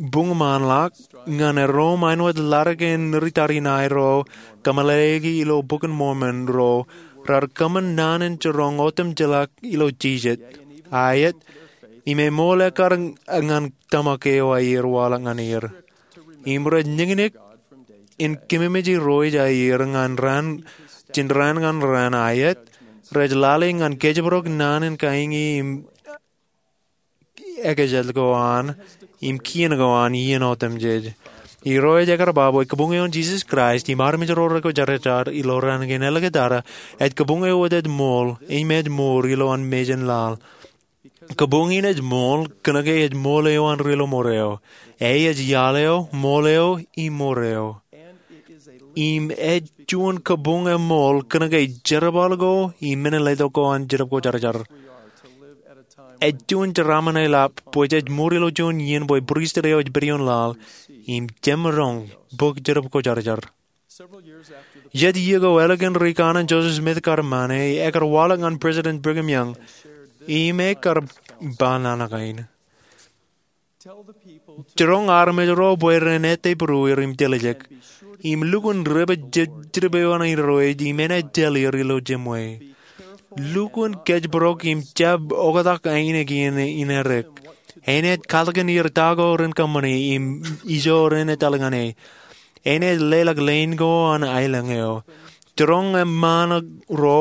buñmaanḷọk ñan erom āinwōt ḷadik in ri tariṇae ro kameḷeḷeiki ilo Bok in Mormon ro raar kōṃṃan naan in jiroñ otemjeḷọk ilo jijet, aet, im eṃool ekkar ñan tōmak eo aer waḷọk ñan er. Im rej niñniñ in kememej irooj aer ñan raan, jān raan ñan raan, aet, rej lale ñan kōjparok naan in kain im ekjel ko an, im kien ko an iien otemjej. Irooj ekar ba bwe kabuñ eo an Jisōs Kraist im armej ro rekwōjarjar ilo raan kein āliktata, ej kabuñ eo wōt ej ṃool, im ej mour ilowaan mejān laḷ. Kabuñ in ej ṃool, kōnke ej ṃool eo an Ri-lọmọọr eo. E ej iaḷ eo, ṃool eo, im mour eo. Im ej juon kabuñ eṃool, kōnke jerbal ko, im men in letok ko an Jetōb Kwōjarjar. Ej juon jeraaṃṃan eḷap, bwe jej mour ilo juon iien bwe pristut eo ej pād ioon laḷ, im jemaroñ bōk Jetōb Kwōjarjar. Jet iiō ko ālikin ri kanaan Joseph Smith kar ṃane, ekar waḷọk ñan President Brigham Young, im ekar ba naan kein. Jiroñ armej ro bwe ren ettā būrueir im tiljek, im lukkuun rej baj je-, Jetōb eo an Irooj, im enaaj tōl er ilo jemwe. Lukkuun kōjparok im jab oktak ainikien in edik. Enaaj katakin er ta ko ren kōṃṃani im ijo ren etal ñan e. Enaaj leḷọk leen ko an aelōñ eo. Jiroñ eṃṃaan ro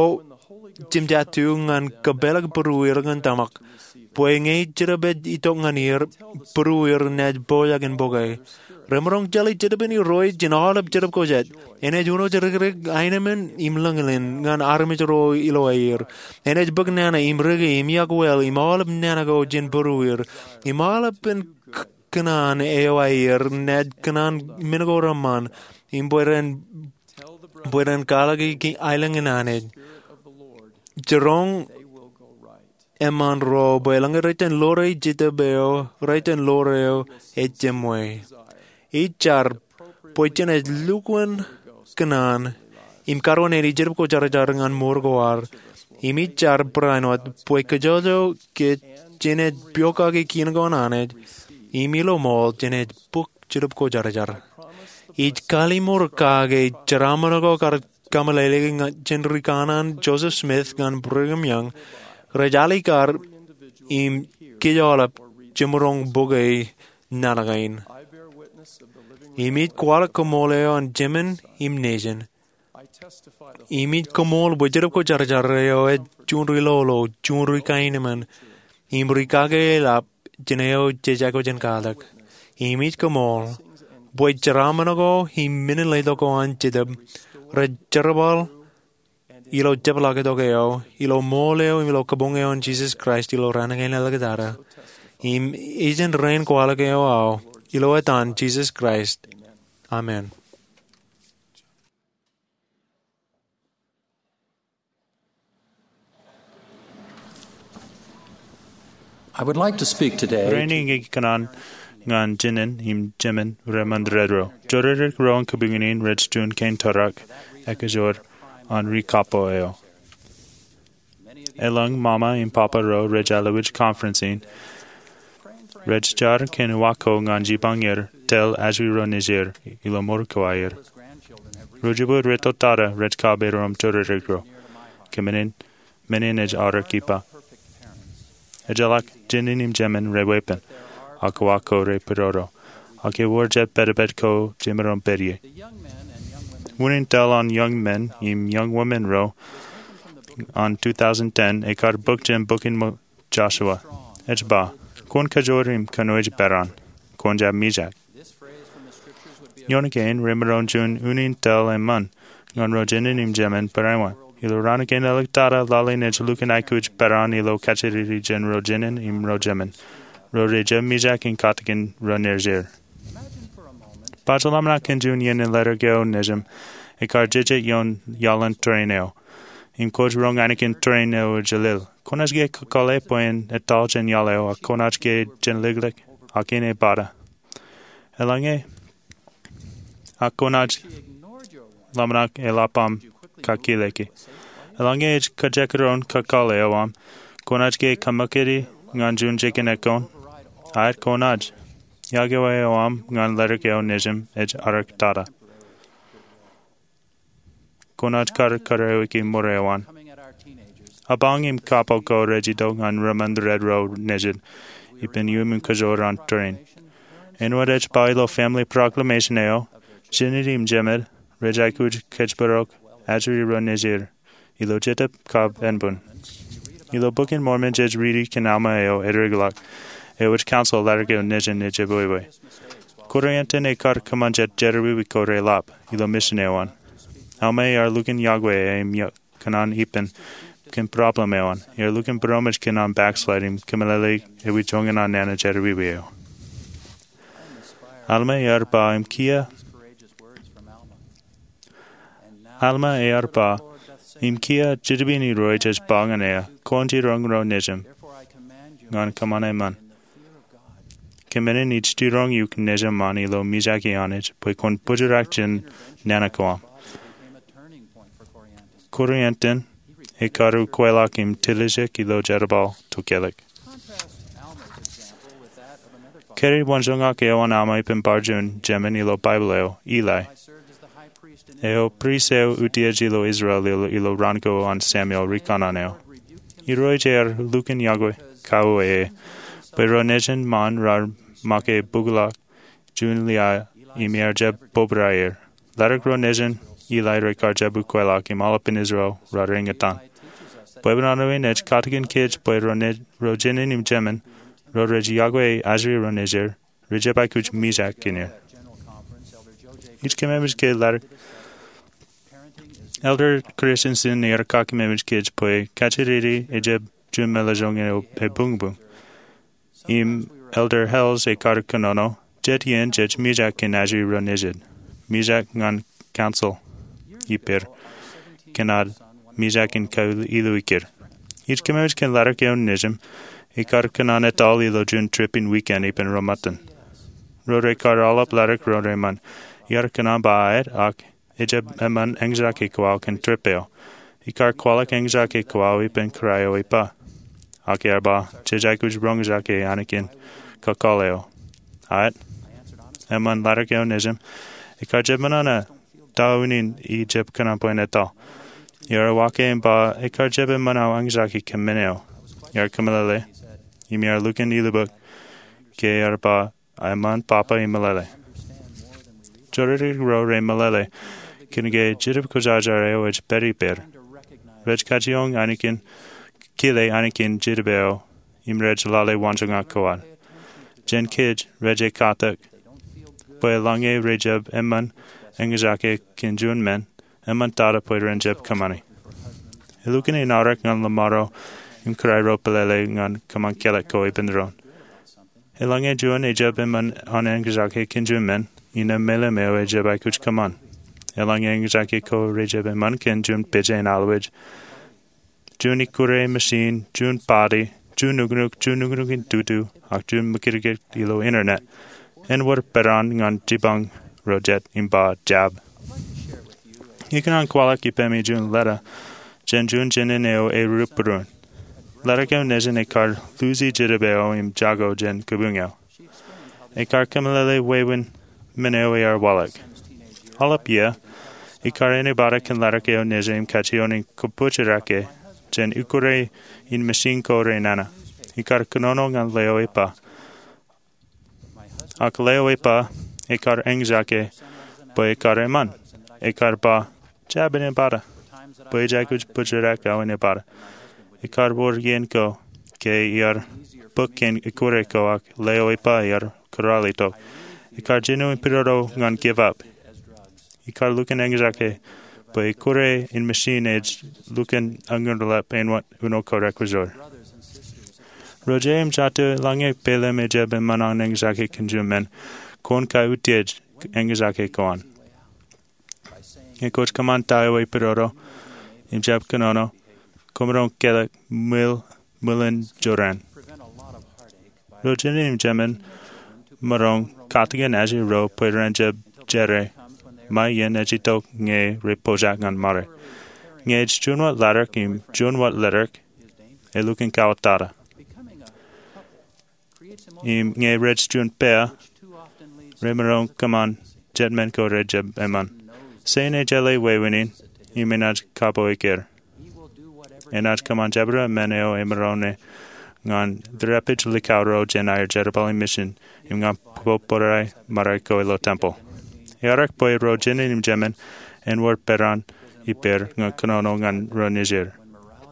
jemjaatu ñan kōpeḷḷọk būrueir ñan tōmak. Bwe ñe Jetōb ej itok ñan er, būrueir naaj pojak in bōke. Remaroñ jeḷā Jetōb in Irooj jān aolep jetōb ko jet. Enaaj uno jidikdik aenōṃṃan im lōñlōñ ñan armej ro ilo aer. Enaaj bōk nana im riki im iọkwe im aolep nana ko jān būrueir. Im aolepān k-, kōṇaan eo aer naaj kōṇaan men ko reṃṃan. Im bwe ren, bwe ren kwaḷọk ki aelōñ in Anij. Jiroñ eṃṃaan ro bwe eḷaññe rej jen ḷoore Jetōb eo, rej jen ḷoore eo ejjab jemwe. Ij jar bwe jenaaj lukkuun kōṇaan im karuwainene Jetōb Kwōjarjar ñan mour ko ad. Im ij jar barāinwōt bwe kōjọjọ ke jenaaj piokaki kien ko an Anij, im ilo ṃool jenaaj bōk Jetōb Kwōjarjar. Ij kallimur kake jeraaṃṃan ko kar kameḷeḷeiki jān ri kanaan Joseph Smith ñan Brigham Young, rej alikkar im kōj aolep jemaroñ bōke naan kein. Im ij kwaḷọk koṃṃool eo an Jemān im Nejin. Im ij koṃṃool bwe Jetōb Kwōjarjar eo ej juon ri-lolo, juon ri-kaenōṃṃan, im ri-kake eḷap jān eo jej aikuj in katak. Im ij koṃṃool bwe jeraaṃṃan ko im men in letok ko an Jetōb rej jerbal ilo jepḷaaktok eo, ilo ṃool eo, ilo kabuñ eo an Jisōs Kraist ilo raan kein āliktata. Im ej jen rein kwaḷọk eo aō, ilo etan Jisōs Kraist. Amen. I would like to speak today. Rainin ikōṇaan ñan Jemān im Jemān reṃōn ro. Jodikdik ro in kabuñ in rej juon kein tōrak ekajoor an ri kapo eo. Elōñ mama im papa ro rej alwōj conference in, rej jar kōn uwaak ko ñan jipañ er tōl ajri ro nejier ilo mour ko aer. Ro jibwe rej tōtata rej kab erom jodikdik ro. Kōmān in, men in ej aorōk ippa. Ejjeḷọk Jemān im Jemān reweeppān. ak wa ko rej pidodo, ak ewōr jet pedped ko jemaroñ pād ie. Unin tōl an young men im young women ro an two thousand ten ekar bōk jān bok in Joshua. Ej ba, kwōn kajoor im kōnooj peran, kwōn jab mijak. Ioon kein remaroñ juon unin tōl eṃṃan ñan ro jined im jemān barāinwōt. Ilo raan kein āliktata, lale in ej lukkuun aikuj peran ilo kajjitōk jān ro jined im ro jemān, ro rej jab mijak in katakin ro nejid. Baj ḷōmṇak kōn juon iien in ledik eo nejin ekar jeje ioon iaḷan tūrin eo im kwōj roñ annikin tūrin eo ejjeḷọk. Kwōnaaj ke kakōḷḷe bwe en etal jān iaḷ eo ak kwōnaaj ke jān liklik ak in epata. Eḷaññe ak kwōnaaj ḷōmṇak eḷap aṃ kakileke. Eḷaññe ej kajekdọọn kakōḷḷe eo aṃ, kwōnaaj ke kōṃakūt ñan juon jikin ekkoṇ. Aet, kwōnaaj. Iọkwe eo aṃ ñan ledik eo nejin ej āliktata. Kwōnaaj kar kōrā eo ikijjeen ṃōrā eo an. Apañ im kapo ko rej itok ñan rūṃṃan red ro nejid ippān iuṃwin kajoor an tūrin. Āinwōt ej ba ilo Family Proclamation eo, jined im jemān rej aikuj kōjparok ajri ro nejid ilo Jetōb kab Enbun. Ilo Bok in Mormon jej riiti kōn Alma eo eddekḷọk eo ej counsel ledik eo nejin ej jebwebwe. Korianton ekar kōṃṃan jet jerọwiwi ko reḷap ilo misin eo an. Alma ear lukkuun iọkwe e im iọkwe kōn an ippān kōn problem eo an. Ear lukkuun būroṃōj kōn an backslide im kōmeḷeḷe ewi joñan an nana jerọwiwi eo. Alma ear ba im kiiō Alma ear ba, im kiiō Jetōb in Irooj ej ba ñan eō, kwōn jiroñ ro nejin ñan kōṃṃan eṃṃan. Kōmānen ij jiroñ eok nejin ilo mijak an Anij bwe kwōn bōjrak jān nana ko aṃ. Korianton ekar ukweḷọk im tiljek ilo jerbal tokālik. Carried waanjoñak eo an Alma ippān bar juon jemān ilo Baibōḷ eo, Eli. Eo priest eo utiej ilo Israel ilo, ilo raan ko an Samuel rikanaan eo. Irooj ear lukkuun iọkwe kauwe e bwe ro nejin ṃaan raar make bukḷọk juon liaḷ im ear jab bōbraer. Ledik ro nejin Eli rekar jab ukweḷọk im aolepān Israel raar eñtaan. Bwebwenato in ej katakin kōj bwe ro ne, ro jined im jemān, ro rej iọkwe ajri ro nejid, rej jab aikuj mijak kōn er. Ij kōmemej ke ledik Elder Christensen ear kakememej kōj bwe kajjitōk ej jab juon meḷeḷe joñan ebuñbuñ. Im Elder Hales ekar kōnono, jet iien jej mijak kōn ajri ro nejid. Mijak ñan council ippāer kōn ad mijak in kailōkḷọk er. Ij kōmemej kōn ledik eo nejin ekar kōṇaan etal ilo juon trip in weekend ippān ro ṃōttan. Ro rekar aolep ledik ro reṃṃan. Iar kōṇaan ba aet ak ejab eṃṃan eñjake ko aō kōn trip eo. Ekar kwaḷọk eñjake ko aō ippān kōrā eo ej ba. Ak ear ba, jej aikuj roñjake annikin kakōḷḷe eo. Aet, eṃṃan ledik eo nejin ekar jab unin ta unin ij jab kōṇaan bwe en etal. Iar uwaak im ba, ekar jab eṃṃan aō eñjake kōn men eo. Iar kōmeḷeḷe, im iar lukkuun ilubōk, ke ear ba, eṃṃan papa im meḷeḷe. Jodikdik ro remeḷeḷe kōn ke Jetōb Kwōjarjar eo ej pād ippāer. Rej kajjioñ annikin, kile annikin Jetōb eo, im rej lale waanjoñak ko ad. Jān kōj rej katak bwe eḷaññe rej jab eṃṃan eñjake kōn juon men, eṃṃantata bwe ren jab kōṃṃani. Elukkuun inaorōk ñan ḷōṃaro im kōrā ro pālele ñan kōṃṃan kālọk ko ippān doon. Eḷaññe juon ej jab eṃṃan an eñjake kōn juon men, innām meḷeḷe eo ej jab aikuj kōṃṃan. Eḷaññe eñjake ko rej jab eṃṃan kōn juon pejān alwōj, juon ikkure machine, juon party, juon nuknuk, juon nuknuk in tutu, ak juon ṃakūtkūt ilo internet, en wōr peran ñan jipañ ro jet im ba jab. Ikōṇaan kwaḷọk ippāmi juon leta jān juon jined eo erup būruon. Ledik eo nejin ekar luuji Jetōb eo im jako jān kōbuñ eo. Ekar kōmeḷeḷe wāween men eo ear waḷọk. Aolep iiō, ekar ānebatok kōn ledik eo nejin im kajjioñ in kōbōjrak e jān ikkure in machine ko renana. Ekar kōnono ñan ḷeo ej ba, Ak lewōj ba, ekar eñjake bwe ekar eṃṃan. Ekar ba, jab inepata, bwe ij aikuj bōjrak aō inepata. Ekar wōr iien ko ke iar bōk kōn ikkure ko ak lewōj ba iar kūrālitok. Ekar jino in pidodo ñan give up. Ekar lukkuun eñjake bwe ikkure in machine ej lukkuun añurḷap āinwōt uno ko rekwōjor. Ro jet im jatū, eḷaññe peiḷ im ejjab eṃṃan an eñjake kōn jumen, kwōn kautiej eñjake ko an. Ñe kwōj kōṃṃan ta eo epidodo im jab kōnono, koṃ maroñ kelọk ṃwiin, ṃwiin jorrāān. Ro jined im jemān maroñ katakin ajri ro bwe ren jab jere ṃae iien ej itok ñe rej pojak ñan ṃare. Ñe ej juon wōt ḷaddik im juon wōt leddik, elukkuun kawōttata. Im ñe rej juon pea, remaroñ kōṃṃan jet men ko rej jab eṃṃan. Setan ejeḷā wāween in, im enaaj kapo ekkar. Enaaj kōṃṃan jabdewōt men eo emaroñ ñan tōre epij likao ro jān aer jerbal im mission, im ñan bōbrae ṃare ko ilo tempeḷ. Eaorōk bwe ro jined im jemān en wōr peran ippāer ñan kōnono ñan ro nejier.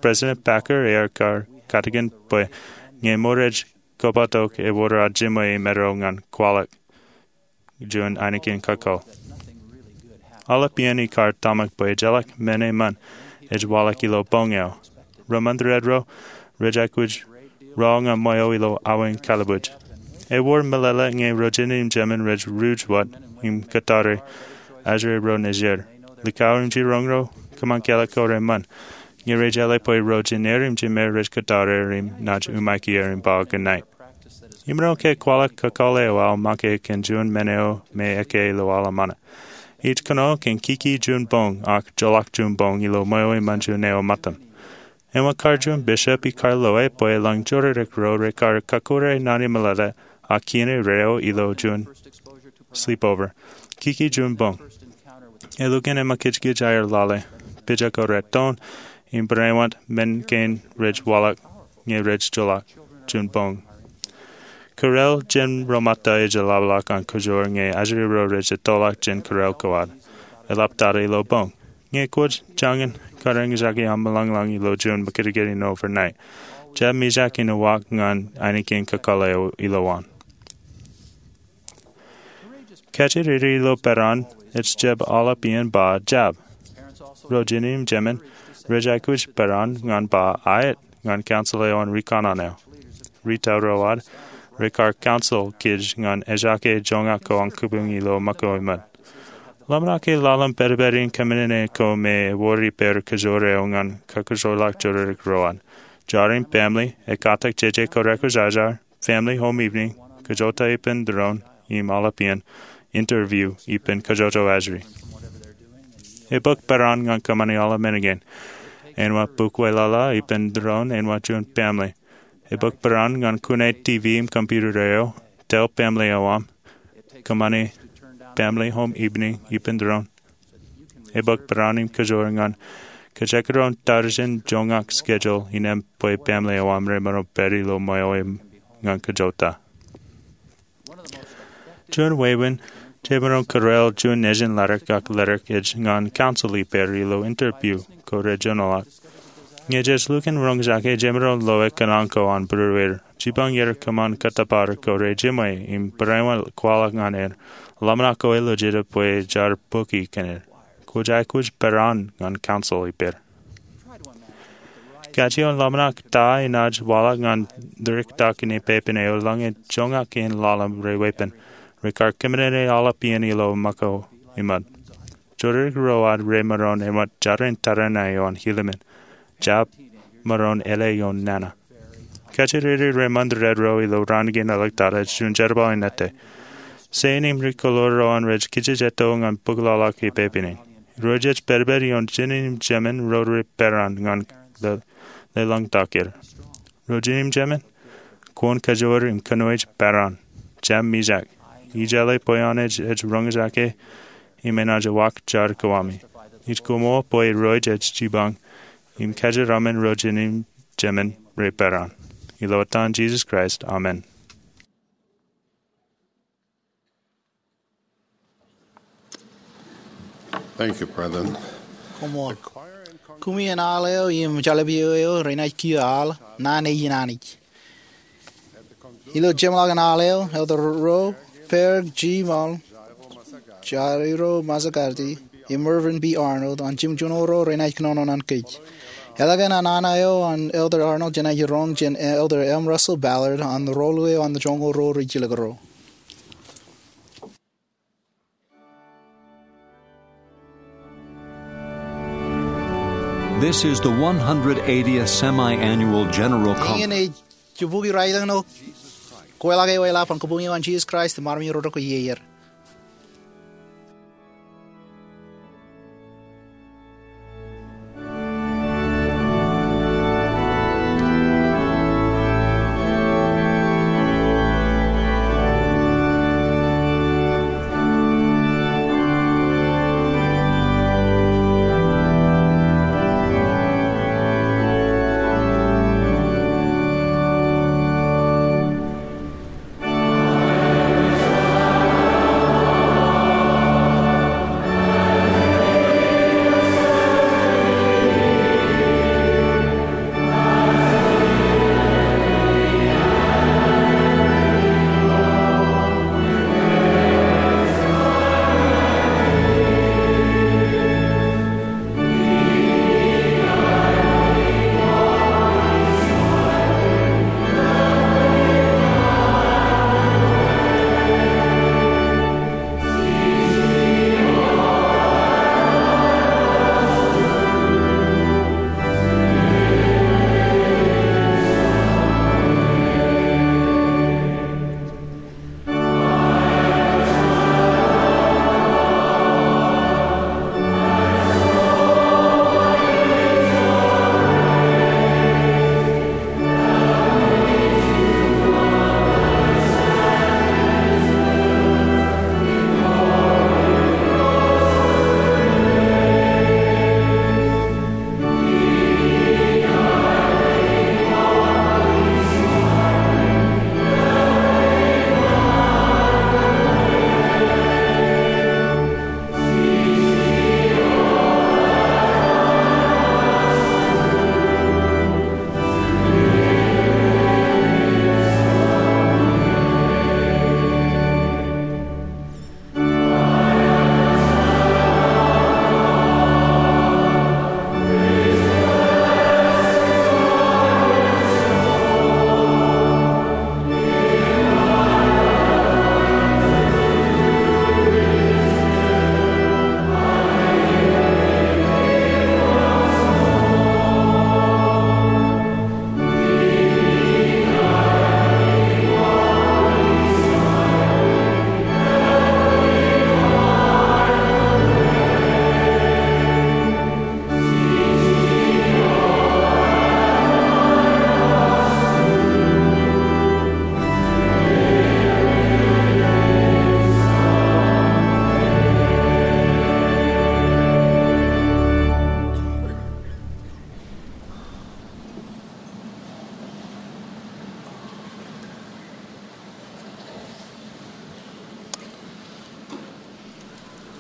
President Packer ear kar katakin bwe ñe ṃōrej kobatok ewōr ad jiṃwe im eddo ñan kwaḷọk juon ainikien kakōḷ. Aolep iien ikar tōmak bwe ejjeḷọk men eṃṃan ej waḷọk ilo boñ eo. Ro ṃandered ro rej aikuj ro ñan ṃweo ilo awein kalbuuj. Ewōr meḷeḷe ñe ro jined im jemān rej ruj wōt im kōttar ajri ro nejier. Likao im jiroñ ro kōṃṃan kelọk ko reṃṃan. Ñe rej jeḷā bwe ro jined im jemān rej kōttar im naaj umaik er im ba good night. Imaroñ ke kwaḷọk kakōḷ eo aō make kōn juon men eo me ekkā ilo aḷ eo ṃōṇōṇō. Ij kōnono kōn kiki juon boñ ak joḷọk juon boñ ilo ṃweo eṃṃan juon eo ṃōttan. Āinwōt kar juon bishop ikar loe bwe eḷaññe jodikdik ro rekar kakure naan in meḷeḷe ak kien erreo ilo juon sleepover. Kiki juon boñ. Elukkuun emakijkij aer lale. Pija ko reton im barāinwōt men kein rej waḷọk ñe rej joḷọk juon boñ. Kōrā jān ro ṃōtta ej jeḷāḷọk an kōjoor ñe ajri ro rej ettoḷọk jān kōrā ko ad. Eḷaptata ilo boñ. Ñe kwōj jañin kar eñjake aṃ ḷañḷañ ilo juon makūtkūt in overnight, jab mijak in uwaak ñan ainikien kakōḷ eo ilowaan. Kajjitōk ilo peran ej jab aolep iien ba jab. Ro jined im jemān rej aikuj peran ñan ba aet ñan council eo an rikanaan eo. Ri-tōl ro ad rekar council kōj ñan ejaake joñak ko an kōbuñ ilo ṃōko iṃōn. Ḷōmṇak ke laḷ im pedped in kōṃṃane ko me ewōr ippāer kōjoor eo ñan kakajoorḷọk jodikdik ro ad. Jar im family, ekkatak jeje ko rekwōjarjar, family home evening, kajota ippān tōre in, im aolep iien interview ippān kajjojo ajri. Ebōk peran ñan kōṃṃani aolep men kein. Āinwōt bukweḷaḷa ippān tōre in āinwōt juon family. Ebōk peran ñan kune TV im computer eo, tōl family eo aṃ, kōṃṃani family home evening ippān tōre in. Ebōk peran im kōjoor ñan kajekdọọn tarijen joñak schedule innām bwe family eo aṃ remaroñ pād ilo ṃweo eṃ ñan kajota. Juon wāween jemaroñ kūrāāl juon nejin ḷaddik ak leddik ej ñan council ippāer ilo interview ko rejoñoḷọk. Ñe jej lukkuun roñjake, jemaroñ loe kōṇaan ko an būrueir. Jipañ er kōṃṃan kōttōpar ko rejiṃwe im barāinwōt kwaḷọk ñan er. Ḷōmṇak ko ej lọjilñier bwe jar bōki kōn er. Kwōj aikuj peran ñan council ippāer. Kajjioñ ḷōmṇak ta enaaj waḷọk ñan ḷaddik tak in epepen eo eḷaññe joñak kein ḷalem reweeppān. Rekar kōṃṃane aolep iien ilo ṃōko iṃōn. Jodikdik ro ad remaroñ āinwōt jaren tōre in eo an ilimen. Jab maroñ āle ioon nana. Kajjitōk reṃandered ro ilo raan kein ḷọk tata juon jerbal in ettā. Sein im ri-kōḷoor ro an rej kijejeto ñan bōkḷọk epepen in. Ro jej pedped ioon jined im jemān ro rej peran ñan le-, leḷọñtak er. Ro jined im jemān, kwōn kajoor im kōnooj peran. Jab mijak. Ij jeḷā bwe an ej, ej roñjake im enaaj uwaak jar ko ami. Ij koṃṃool bwe Irooj ej jipañ im kajeraṃṃan ro jined im jemān rej peran. Ilo etan Jisōs Kraist, amen. Thank you, brethren. Koṃṃool. Kumi in aḷ eo im jeḷā eo eo renaaj kiiō aḷ, Naan Nejin Anij. Ilo jeṃḷọkin aḷ eo, Elder ro Berg G. Mull, Jairo Mazzagardi, im Mervyn B. Arnold, an jimjuon ro renaaj kōnono ñan kōj. Eḷaññe an aṇa eo an Elder Arnold jenaaj roñ jān Elder M. Russell Ballard an rolu eo an joñoul ro rijjilōk ro. This is the one hundred eightieth Semi-Annual General Conference. Iien ej jibukwi raelōñ ṇe kweḷḷọk eo eḷap an Kabuñ eo an Jisōs Kraist im armej ro rekwōj iiō er.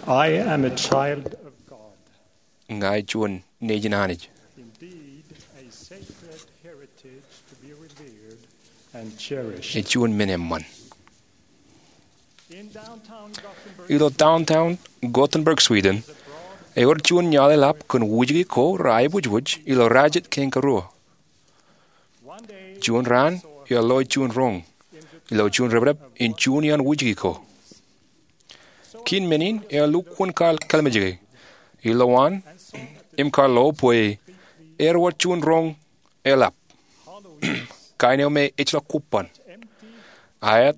I am a child of God. Ña ij juon nejin Anij. Indeed, a sacred heritage to be revered and cherished. Ej juon men eṃṃan. In downtown Gothenburg, ilo downtown Gothenburg, Sweden, ewōr juon iaḷ eḷap kōn wūjke ko reaibōjbōj ilo rajet kangaroo. Juon raan eo ḷeo juon roñ ilo juon depdep in juon iaan wūjke ko. Kien men in ear lukkuun kar kallimjeke ilowaan im kar lo bwe ewōr juon roñ eḷap, kain eo me ejjeḷọk kobban. Aet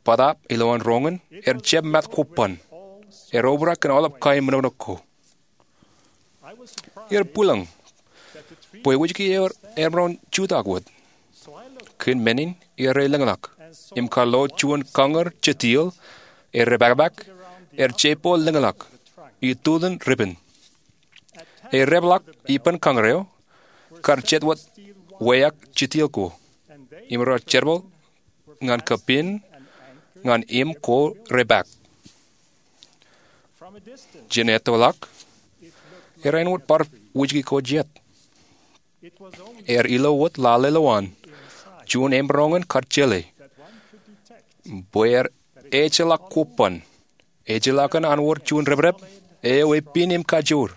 bōtaab ilowaan roñ in er jab mat kobban, er obrak kōn aolep kain ṃōṇōṇō ko. Iar bwilōñ bwe wūjke eo emaroñ jutak wōt. Kien men in iar lōñḷọk im kar lo juon kañūr jetiōl er epakpak er jeipo lōñḷọk itutin ripen. Ear epḷọk ippān kañūr eo kar jet wōt wāween jetiōl ko im rej jerbal ñan kapen ñan im ko repak. jān ettoḷọk, ear āinwōt bar wūjki ko jet. Ear ilo wōt lale lowaan juon eṃroñ in kar jeḷā bwe ear ejjeḷọk kobban, ejjeḷọk an wōr juon reprep eo epin im kajoor.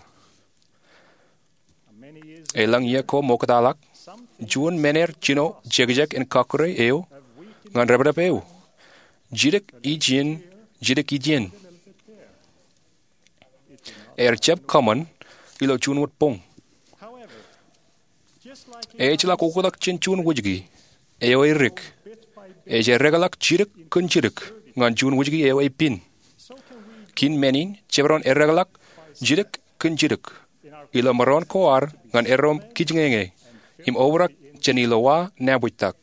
Elōñ iiō ko ṃoktaḷọk, juon men ear jino jekjek in kọkkure eo ñan reprep eo, jidik ijin, jidik ijin. Ear jab kōṃṃan ilo juon wōt boñ. Ejjeḷọk oktak jān juon wūjki eo erik, ej erekḷọk jidik kōn jidik ñan juon wūjki eo epin. Kōn men in, jemaroñ erekḷọk jidik kōn jidik ilo maroñ ko ad ñan erom kijñeñe im obrak jān ilowa nabōjtak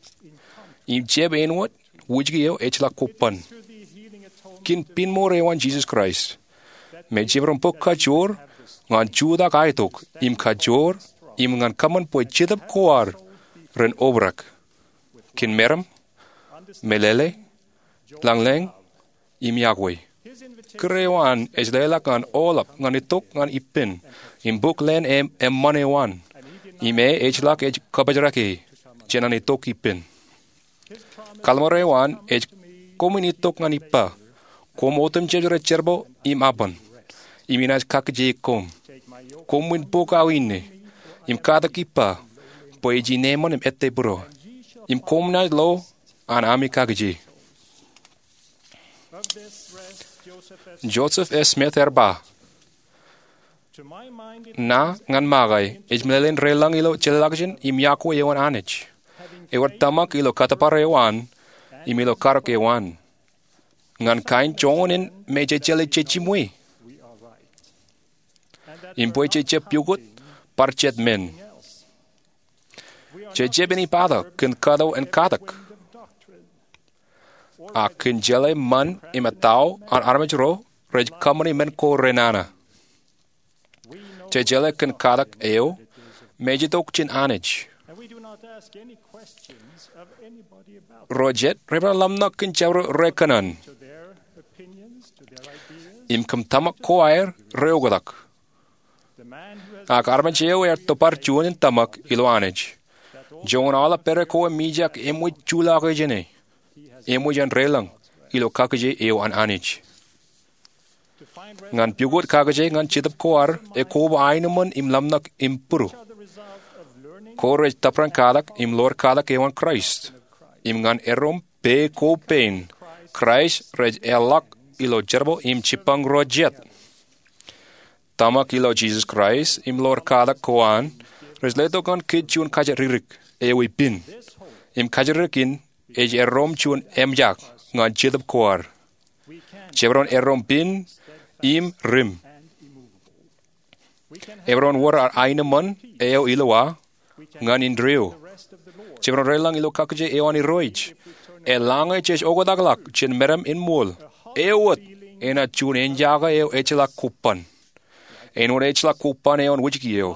im jab āinwōt wūjki eo ejjeḷọk kobban. Kōn pinmour eo an Jisōs Kraist, me jemaroñ bōk kajoor ñan jutak aetok im kajoor im ñan kōṃṃan bwe Jetōb ko ad ren obrak kōn meram, meḷeḷe, lañlōñ, im iọkwe. Kūr eo an ej leḷọk ñan aolep ñan itok ñan ippān im bōk leen eṃṃan eo an, im e ejjeḷọk ej kōpojrake jān an itok ippān. Kallim̧ur eo an ej, koṃwin itok ñan ippa, koṃ otemjej rej jerbal im abṇ, im inaaj kakkije koṃ. Koṃwin bōk aō inne im katak ippa, bwe ij ineeṃṃan im ettepūro, im koṃ naaj lo an ami kakkije. Joseph F. Smith ear ba, ña ñan ṃōkaj ej meḷeḷein relōñ ilo jeḷāḷọkjeṇ im iọkwe eo an Anij, ewōr tōmak ilo kōttōpar eo an im ilo karōk eo an. Ñan kain joñan in me jej jeḷā jejiṃwe im bwe jej jab piukot bar jet men. Jej jab āinwōt ipata kōn kato en katak, ak kōn jeḷā ṃan im etao an armej ro rej kōṃṃani men ko renana. Jej jeḷā kōn katak eo me ej itok jān Anij. Ro jet rebar ḷōmṇak kōn jabdewōt ro rekōṇaan im kōm tōmak ko aer reoktak. Ak armej eo ear tobar juon in tōmak ilo Anij, joñan aolep pere ko emwijak eṃōj juḷọke jāne, eṃōj en relōñ ilo kakkije eo an Anij. Ñan piukot kakkije ñan Jetōb ko ad ekoba aenōṃṃan im ḷōmṇak im būru. Ko rej tōprak katak im ḷoor katak eo an Kraist. Im ñan erom pā ko pein, Kraist rej eḷḷọk ilo jerbal im jibbañ ro jet. Tōmak ilo Jisōs Kraist im ḷoor katak ko an rej letok ñan kōj juon kajjitōk eo epin. Im kajjitōk in ej erom juon emjak ñan Jetōb ko ad. Jemaroñ erom pin im rim. Emaroñ wōr aenōṃṃan eo ilo wa ñan indeeo. Jemaroñ relōñ ilo kakkije eo an Irooj. Eḷaññe jej oktakḷọk jān meram in ṃool, eo wōt enaaj juon enjake eo ejjeḷọk kobban. Āinwōt ejjeḷọk kobban eo an wūjki eo,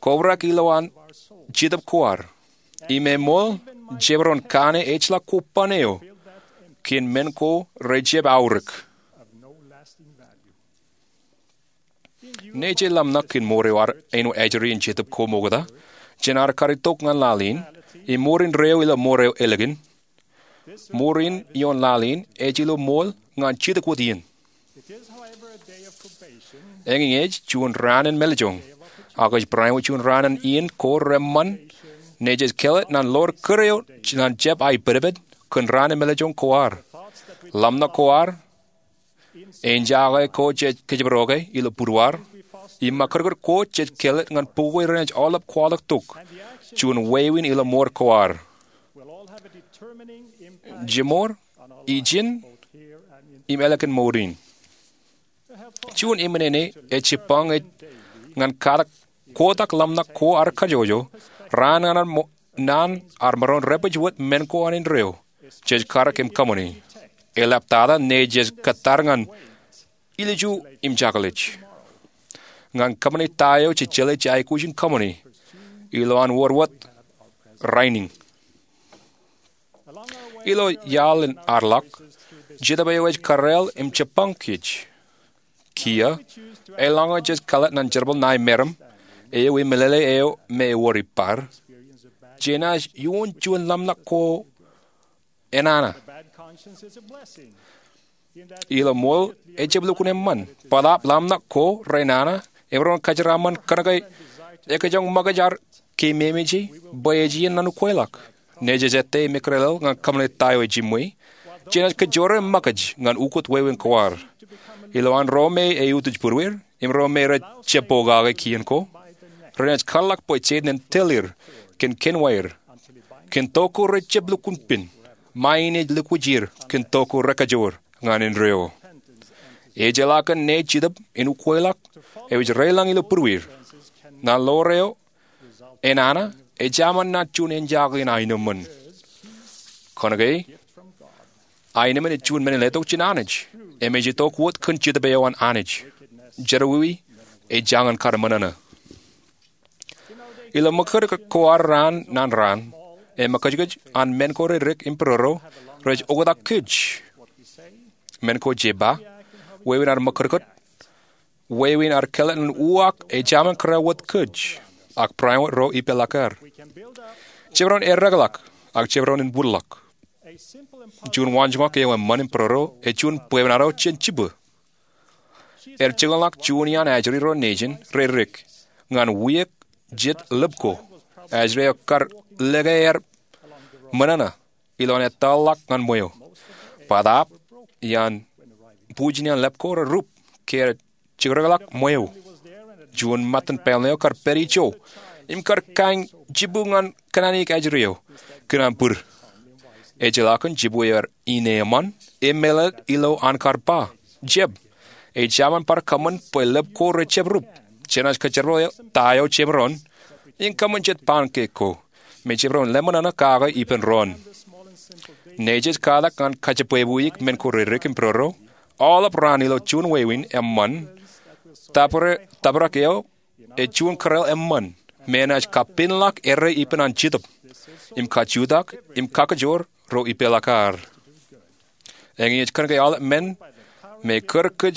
kobrak ilowaan Jetōb ko ad. Im eṃool, jemaroñ kanooj ejjeḷọk kobban eo kōn men ko rejjab aorōk. Naaj ḷōmṇak kōn mour eo ad āinwōt ajri in Jetōb ko ṃokta jān ad kar itok ñan laḷ in, im mour indeeo ilo mour eo ālikin. Mour in ioon laḷ in ej ilo ṃool ñan jidik wōt iien. Eñin ej juon raan in mālejjoñ, ak ej bareinwōt juon raan in iien ko reṃṃan, naaj kōḷḷe ñan ḷoor kūr eo ñan jab aipedped kōn raan in mālejjoñ ko ad. Ḷōmṇak ko ad, enjake ko jej kōjparok ilo būruaar, im ṃakūtkūt ko jej kōḷḷe ñan bukwe renaaj aolep kwaḷọk tok juon wāween ilo mour ko ad. Jemour, ijin, im ālikin mour in. Juon eṃṃan eo ej jibbañ ej ñan katak kotak ḷōmṇak ko ad kajjojo, raan ñan ad mo-, naan ad maroñ rej pād wōt men ko an indeeo jej karōk im kōṃṃani. Eḷaptata naaj kōttar ñan ilju im jekḷaj. Ñan kōṃṃani ta eo jej jeḷā jej aikuj in kōṃṃani, ilowaan wōr wōt rainin. Ilo iaḷ in ad ḷọk, Jetōb eo ej kōrāāl im jibbañ kōj. Kiiō, eḷaññe jej kōḷḷā ñan jerbal ṇae meram eo im meḷeḷe eo me ewōr ippaar, jenaaj ioon juon ḷōmṇak ko enana. Ilo ṃool, ejjab lukkuun eṃṃan. Bōtaab ḷōmṇak ko renana emaroñ kōjeraaṃṃan kōnke ekajoñ ṃōkaj ad keememej bwe ej iien an ukweḷọk. Nejū ej ettā im ekrelel ñan kōṃṃane ta eo ejiṃwe. Jenaaj kōjro ṃōkaj ñan ukōt wāween ko ad. Ilo an ro me eutiej būrueir im ro me rej jab pokake kien ko, renaaj kōtḷọk bwe Setan en tōl er kōn kenwaer kōn tok ko rej jab lukkuun pen. Ṃae in ej lukkuun jier kōn tok ko rekajoor ñan indeeo. Ejjeḷọk kōn ṇe Jetōb in ukweḷọk eo ej reiḷọñ ilo būrueir. Ñan ḷoor eo enana, ejāmin naaj juon enjake in aenōṃṃan. Kōnke aenōṃṃan ej juon men in letok jān Anij im ej itok wōt kōn Jetōb eo an Anij. Jerọwiwi ej jañin kar ṃōṇōṇō. Ilo ṃōkaj ko ad raan ñan raan, eṃōkajkōj an men ko re dik im pororo rej oktak kōj. Men ko jepa, wāween ad ṃōkajkōj, wāween ad kōḷḷā ñan uwaak ejāmin kōrā wōt kōj, ak bareinwōt ro ipeḷḷọk ad. Jemaroñ eddekḷọk, ak jemaroñ en būrḷọk. Juon waanjoñak eo eṃṃan im pororo ej juon bwebwenato jān jibwe. Ej jekōḷḷọk juon iaan ajri ro nejin re dik ñan wiaik jet lōb ko. Ajri eo kar lōke er ṃōṇōṇō ilo an ettoḷọk ñan ṃweo. Bōtaab iaan bujen iaan lōb ko rerup ke ej jekdekḷọk ṃweo. Juon ṃōttan pālle eo kar pād ijo im kar kañ jibwe ñan kōṇaan iik ajri eo kōn an bwid. Ejjeḷọk kōn jibwe eo ad ine eṃṃan im meḷeḷe ilo an kar ba, jab, ejāmin bar kōṃṃan bwe lōb ko rej jab rup. Jenaaj kōjerbal ta eo jemaroñ in kōṃṃan jet paan keik ko me jemaroñ in ḷōmṇōṇō kake ippān doon. Nejū ej katak ñan kajebwebweik men ko re dik im pororo. Aolep raan ilo juon wāween eṃṃan, tōprak eo ej juon kōrā eṃṃan me enaaj kapenḷọk errā ippān an Jetōb im kajutak im kakajoor ro ipeḷḷọk ad. Eñin ej kōnke aolep men me kar kōj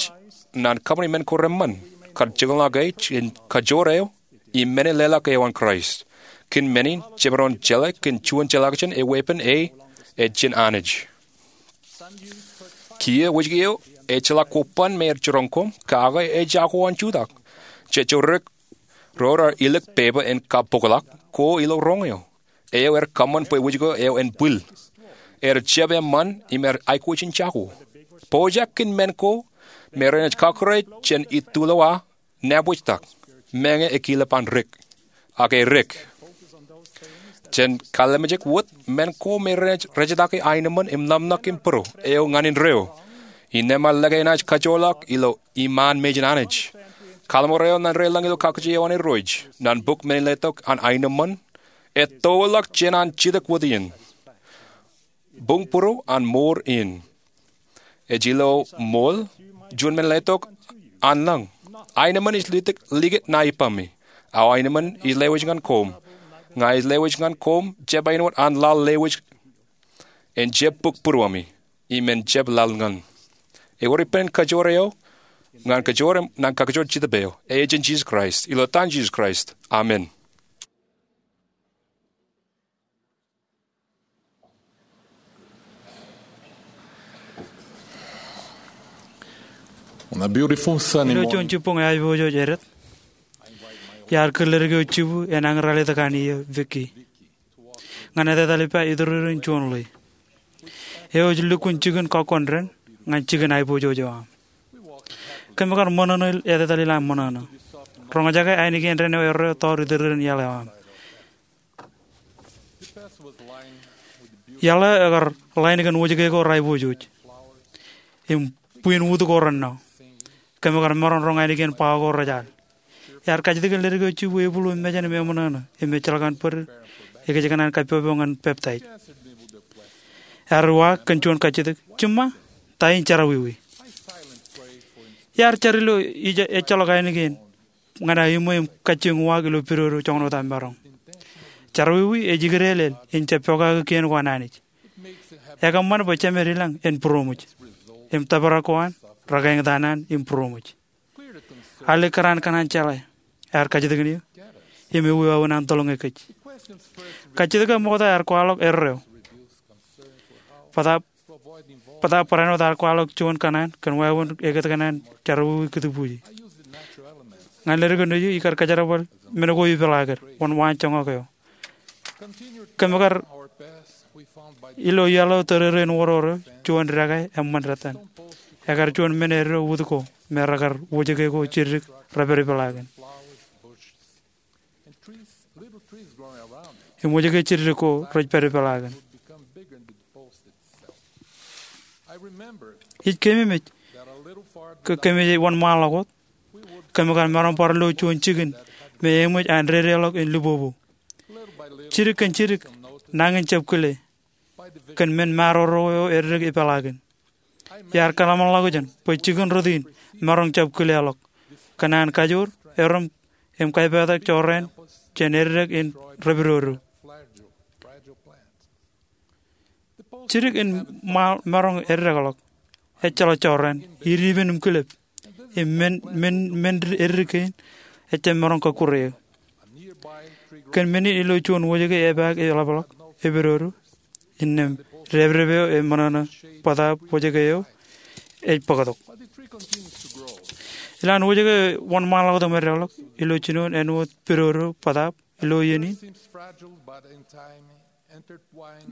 ñan kōṃṃani men ko reṃṃan kar jekḷọk jān kajoor eo im men in leḷọk eo an Kraist. Kōn men in jemaroñ jeḷā kōn juon jeḷā kajin eweeppān E ej jān Anij. Kiiō wōjke eo ejjeḷọk kobban me ej jiroñ koṃ kake ej jako an jutak. Jejjo dik ro rej ilikin pepa in kabokḷọk ko ilo roñ eo. Eo ej kōṃṃan bwe wōjke eo en bwil. Ej jab eṃṃan im ej aikuj in jako. Pojak kōn men ko me renaaj kakūrā jān itulowa nabwejtak, meñe ekilep an dik, ak edik. Jen kallimjek wōt men ko me renaaj rejtake aenōṃṃan im ḷōmṇak im būrueir eo ñan indeeo. Innām ear lōke enaaj kajoorḷọk ilo iṃaan mejān Anij. Kaḷmar eo ñan deḷọñ ilo kakkije eo an Irooj ñan bok men in letok an aenōṃṃan ettoḷọk jān an jidik wōt in. Buñ būruo an mour in. Ej ilo ṃool juon men letok an lañ. Aenōṃṃan ej likūt ṇae ippaṃ. Aō aenōṃṃan ij lewōj ñan koṃ. Ña ij lewōj ñan koṃ jab āinwōt an laḷ lewōj en jab bōk būruemi im en jab laḷ ñan. Ewōr ippān kajoor eo ñan kajoor im ñan kakajoor Jetōb eo. Ej jān Jisōs Kraist. Ilo etan Jisōs Kraist, amen. On a beautiful Sunday morning, ilo juon jibboñ aiboojoj edet, iar kōn ledik eo jibwe enañin ralitōk an iiō, Vicki. Ñan etetal ippa ituririn juon ḷe. Eo ej lukkuun jikin kọkkọnde ñan jikin aiboojoj eo aṃ. Kōm kar ṃōṇōṇō etetal in ṃōṇōṇō. Roñjake ainikien dān eo erreo tọọr ituririn iaḷ eo aṃ. Iaḷ eo ekar ḷain kōn wōjke ko rej aiboojoj im bwiin wūt ko rennọ. Kōm kar maroñ roñ ainikien ba ko rej al. Iar kajjitōk in ledik eo jibwe ebuḷ im mejān im eṃōṇōṇō im ejjeḷọk an bōd ekōjkan an kappọpọ ñan peptaij. Ear uwaak kōn juon kajjitōk, Jiṃṃa, ta in jerọwiwi? Iar jar ilo ejjeḷọk ainikien ñan aō iṃwe im kajjioñ uwaak ilo pidodo joñan wōt aō maroñ. Jerọwiwi ej ikdeelel in jab pokake kien ko an Anij. Ekōṃṃan bwe Jemed i lañ en būroṃōj im tōprak ko an rekaeñtaan an im būroṃōj. Alikkar an kōṇaan jeḷā ear kajjitōkin eō im ewi wāween an tōḷñe kōj. Kajjitōk eo ṃokta ear kwaḷọk erreo. Bōtaab, bōtaab barāinwōt ear kwaḷọk juon kōṇaan kōn wāween ekōtkōṇaan jerọwiwi kūtbuuji. Ñan ledik eo nejiṃ ikar kajerbal men ko ipeḷaakid wōn waanjoñak eo. Kōm kar ilo iaḷ eo tōrerein wōrōrō juon dekā eṃṃan dettan. Ekar juon men eddo wūd ko me rekar wōjke ko jiddik rej pād ipeḷaakin. Im wōjke jiddik ko rej pād ipeḷaakin. Ij keememej ke kōmij wōnṃaanḷọk wōt, kōm kar maroñ bar lo juon jikin me eṃōj an dedeḷọk in libobo. Jidik kōn jidik, nañin jab kile kōn men maroro eo eddek ipeḷaakin. Iar kōḷmānḷọkjeṇ bwe jikin rot in maroñ jab kileḷọk kōn an kajoor, erom, im kaipeetak jorrāān jān eddek in repidodo. Jidik in maroñ eddekḷọk, ejjeḷọk jorrāān, idipen im kilep, im men, men, men eddik kein ejjab maroñ kọkkure eō. Kōn men in ilo juon wōjke epaak eḷapḷọk, epidodo, innām dāpdep eo eṃōṇōṇō bōtaab wōjke eo ej bōktok. Ilowaan wōjke wōnṃaanḷọk eo eddekḷọk ilo jinoin āinwōt pidodo bōtaab ilo iien in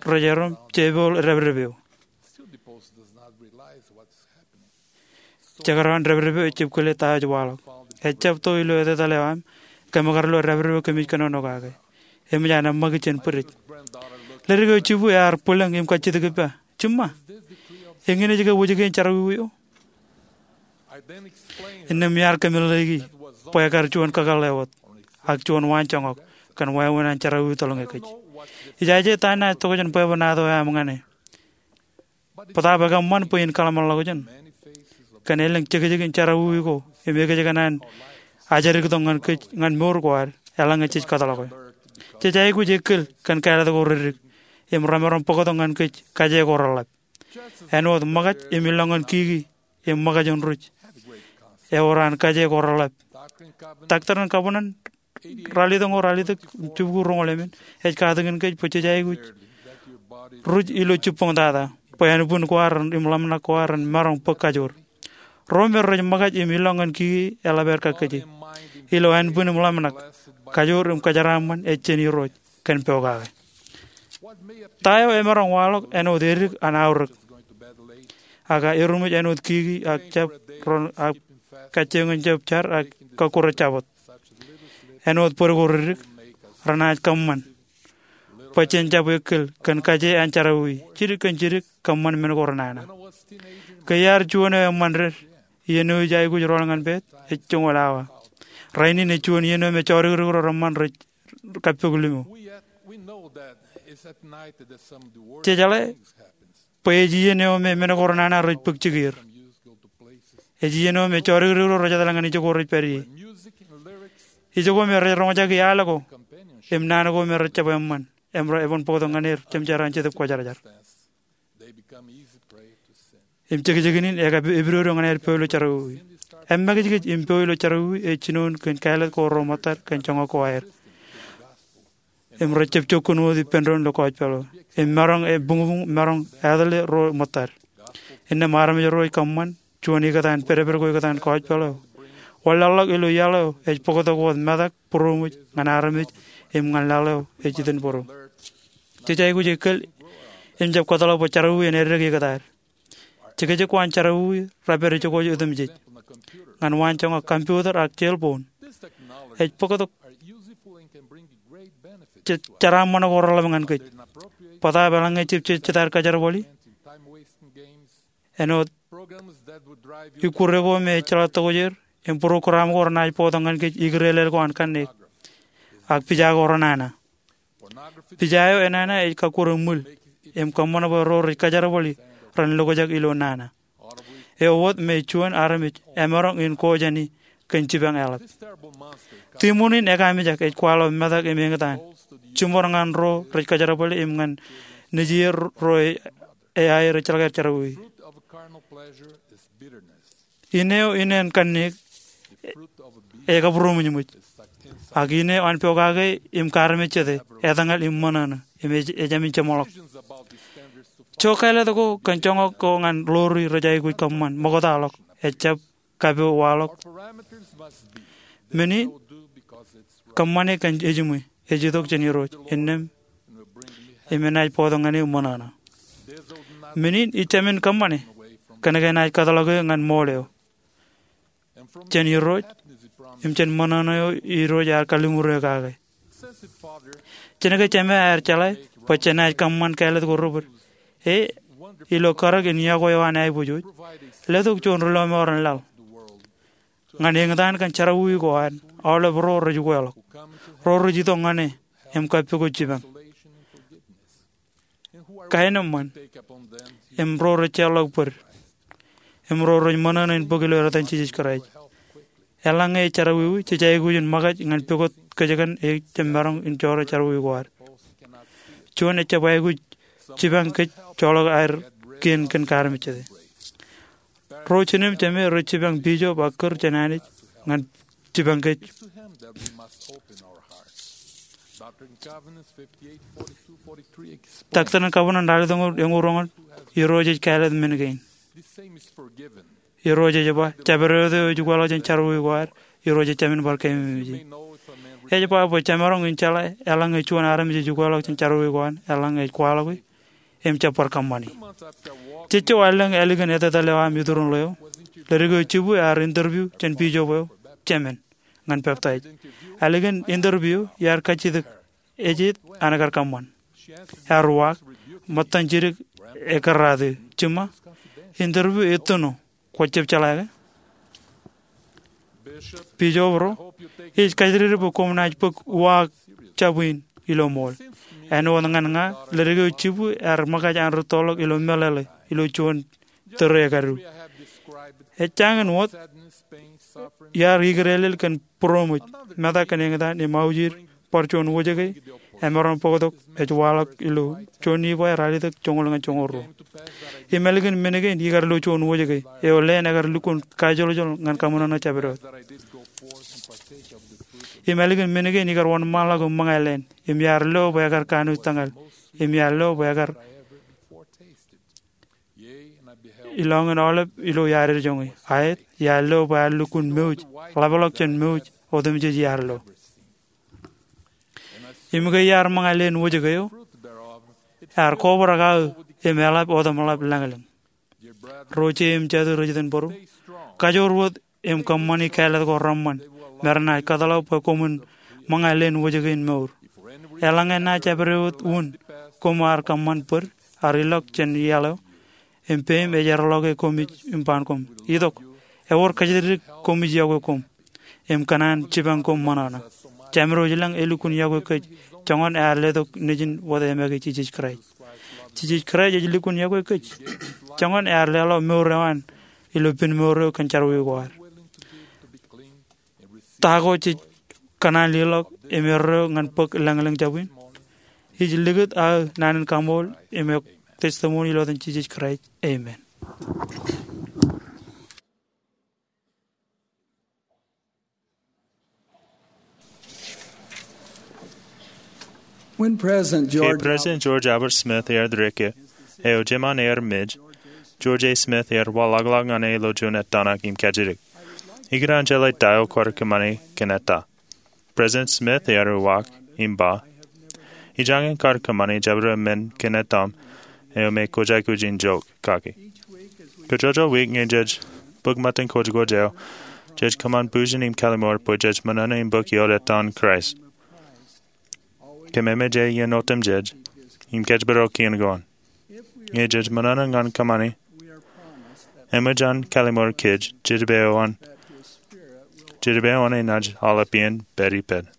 rej erom jepool dāpdep eo. Jekdọọn dāpdep eo ejjab kile ta eo ej waḷọk. Ejjab to ilo etetal eo aṃ, kōm kar lo dāpdep eo kōmij kōnono kake. Eṃōj an eṃṃakūt jān bwidej. Ledik eo jibukwi ear bwilōñ im kajjitōk ippa, Jiṃṃa, eñin ej ke wōjke in jerọwiwi eo? Innām iar kōmeḷeḷeiki bwe ekar juon kakōḷḷe wōt ak juon waanjoñak kōn wāween an jerọwiwi tōḷñe kōj. Ijaje ta enaaj tokjān bwebwenato eo aṃ ñan e. Bōtaab ekōṃṃan bwe in kōḷmānḷọkjeṇ kōn elōñ jekjek in jerọwiwi ko im ekōjkan an ajjadiktok ñan kōj ñan mour ko ad eḷaññe jej kōtḷọke. Jej aikuj ekkōl kōn kāālōt ko reddik im remaroñ bōktok ñan kōj kaje ko reḷap. Āinwōt ṃōkaj im ilọññan kiki im ṃōkaj in ruj ewōr an kaje ko reḷap. Doctrine and Covenants ralitōk ro, ralitōk jibukwi roñoul emān, ej katakin kōj bwe jej aikuj ruj ilo jibboñtata bwe ānbwin ko ad im ḷōmṇak ko ad ren maroñ bōk kajoor. Ro me rej ṃōkaj im ilọññan kiki eḷap aer kakkije. Ilo ānbwin im ḷōmṇak, kajoor im kōjeraaṃṃan ej jān Irooj kōn pokake. Ta eo emaroñ waḷọk āinwōt edik an aorōk, ak eruṃwij āinwōt kiki ak jab ro, ak kajjioñ in jab jar ak kọkkure jabōt. Āinwōt bōd ko reddik, renaaj kōṃṃan bwe jen jab ekkōl kōn kaje an jerọwiwi. Jidik kōn jidik, kōṃṃan men ko renana. Ke iar juon eo eṃṃan ded, iien eo ij aikuj rọọl ñan pād ej joñoul awa. Rainin ej juon iien eo me jodikdik ro reṃṃan rej kappok limo. Jejeḷā bwe ej iien eo me men ko renana rej bōk jikier. Ej iien eo me jodikdik ro rej etal ñan ijoko rej pād ie. Ijoko me rej roñjaki al ko im naan ko me rej jab eṃṃan im rej bōktok ñan er jemjeraan Jetōb Kwōjarjar. Im jekjekin in ekapidodo ñan aer peo ilo jerọwiwi. Eṃṃakijkij im peo ilo jerọwiwi ej jinoin kōn kāālōt ko ro ṃōttad kōn joñak ko aer. Im rej jab jokkun wōt ippān doon ilo gospel eo. Im maroñ ebuñbuñ, maroñ etale ro ṃōttad. Innām armej ro ej kōṃṃan juon ikōtaan, pedped ko ikōtaan gospel eo. Wanlaḷḷọk ilo iaḷ eo ej bōktok wōt metak būroṃōj ñan armej im ñan laḷ eo ej itin bōro. Jej aikuj ekkōl im jab kōtḷọk bwe jerọwiwi en eddek ikōtaad. Jekjek ko an jerọwiwi rej pād ijoko otemjej ñan waanjoñak computer ak cell phone. Ej bōktok je-, jeraaṃṃan ko reḷap ñan kōj. Bōtaab eḷaññe jab jej jitōb kōjerbali, āinwōt ikkure ko me ejjeḷọk tokjāer im program ko renaaj bōktok ñan kōj ikdeḷeḷ ko an kanniōk ak pija ko renana. Pija eo enana ej kakkure ṃwil im kōṃṃan bwe ro rej kōjerbali ren lokjak ilo nana. Eo wōt me juon armej emaroñ in ko jāni kōn jipañ eḷap. Tiṃoṇ in ekaamijak ej kwaḷọk metak im eñtaan jiṃor ñan ro rej kōjerbali im ñan nejier ro e-, eaer ejjeḷọk aer jerọwiwi. In eo in en kanniōk Ej kabūroṃōjṃōj. Ak ine āinwōt pokake im kaarmejjete, etōñal im ṃōṇōṇō, im ej, ejāmin jeṃḷọk. Ijo kāālōt ko kōn joñak ko ñan ḷoori rej aikuj kōṃṃan ṃoktaḷọk, ejjab kapo waḷọk. Men in kōṃṃane kōn ejiṃwe, ej itok jān Irooj, innām im enaaj bōktok ñan eō ṃōṇōṇō. Men in ij jāmin kōṃṃane kōn ke enaaj kōtḷọk eō ñan ṃool eo jān Irooj im jān ṃōṇōṇō eo Irooj ear kalliṃur eō kake. Jen ke Jema ear jeḷā bwe jenaaj kōṃṃan kāālōt ko rej bōd, e, ilo karōk in yokwe eo an aiboojoj, letok juon ri-lọmọọren laḷ ñan eñtaan kōn jerọwiwi ko an aolep ro rej ukweḷọk, ro rej itok ñan e im kappukot jipañ. Kaenōṃṃan, im ro rej jeorḷọk bōd, im ro rej ṃōṇōṇō in bōk ilo etan Jisōs Kraist. Eḷaññe ej jerọwiwi, jej aikuj in ṃōkaj ñan pukot kōjkan e jab maroñ in jọọro jerọwiwi ko ad. Juon ejjab aikuj jipañ kōj joḷọk aer kien kōn kaarmejjete. Ro jinōm Jema rej jipañ Bishop ak kūr jān Anij ñan jipañ kōj. Doctrine and Covenants ralitōñoul eñoul roñoul, Irooj ej kāālōt men kein. Irooj ej ba, jabdewōt eo ej ukweḷọk jān jerọwiwi ko ad, Irooj ejjāmin bar keememej e. Ej ba bwe jemaroñ in jeḷā eḷaññe juon armej ej ukweḷọk jān jerọwiwi ko an, eḷaññe ej kwaḷọke im jab bar kōṃṃani. Jejjo, elōñ ālikin etetal eo aṃ iturin ḷeo, ledik eo jibwe ear interview jān bishop eo, Jemān, ñan peptaij. Ālikin interview eo iar kajjitōk ejjet an kar kōṃṃan. Ear uwaak, ṃōttan jidik ekkar raat eō, jiṃa, interview ettino, kwōjjab jeḷā ke? Bishop ro, ij kajjitōk bwe koṃ naaj bōk uwaak jab in ilo ṃool. Āinwōt ñan ña, ledik eo jibwe ear ṃōkaj an rūttoḷọk ilo meḷeḷe ilo juon tōre ekadu. Ejjañin wōt, iar ikdeelel kōn būroṃōj, metak kōn eñtaan im aujir, bar juon wōjke, emaroñ bōktok, ej waḷọk ilo juon Nifai ralitōk joñoul ñan joñoul ruo. Im ālikin men kein ikar lo juon wōjke, eo leen ekar lukkuun kajoljol ñan kaṃōṇōṇō jabdewōt. Im ālikin men kein ikar wōnṃaanḷọk im ṃōñā leen, im iar lo bwe ekar kanooj tōñal, im iar lo bwe ekar ilọñin aolep ilo iar ej joñe. Aet, iar lo bwe ear lukkuun mouj, ḷapḷọk jān mouj, otemjej iar lo. Im ke iar ṃōñā leen wōjke eo, ear kobrak aō im eḷap otemḷap lañlōñ. Ro ije im jatū rej itōn bōro, kajoor wōt im kōṃṃani kāālōt ko reṃṃan, me renaaj kōtḷọk bwe koṃwin ṃōñā leen wōjke in mour. Eḷaññe enaaj jabdewōt wūn koṃ ar kōṃṃan bōd, ar ilọk jān iaḷ eo, im peiṃ ej erḷọke koṃij im ban koṃ. Itok, ewōr kajjitōk koṃij yokwe koṃ im kōṇaan jipañ koṃ ṃōṇōṇō. Jemān eo ej lañ elukkuun yokwe kōj, joñan ear letok Nejin wōt e make Jisōs Kraist. Jisōs Kraist ej lukkuun yokwe kōj, joñan ear leḷọk mour eo an ilo pen mour eo kōn jerọwiwi ko ad. Ta ko jej kōṇaan leḷọk im erreo ñan bōk lañlōñ jabwin? Ij likūt aō naan in kaṃool im eok testimony ilo etan Jisōs Kraist. Amen. When President Ke George President George Albert Smith ear dik, eo jemān aer mej, George A. Smith ear waḷọkḷọk ñan e ilo juon etan ak im kajjitōk. Ikōṇaan jeḷā ta eo kwaar kōṃṃani kōn eta. President Smith ear uwaak im ba, ijañin kar kōṃṃani jabdewōt men kōn etaṃ eo me kwōj aikuj in jook kaki. Kajjojo wiik ñe jej bōk ṃōttan kwōjkwōj eo, jej kōṃṃan bujen im kalliṃur bwe jej ṃōṇōṇō im bōk ioon etan Kraist. Kōmemeje iien otemjej im kōjparok kien ko an. Ñe jej ṃōṇōṇō ñan kōṃṃani, eṃōj an kalliṃur kōj, Jetōb eo an, Jetōb eo an enaaj aolep iien pād ippād.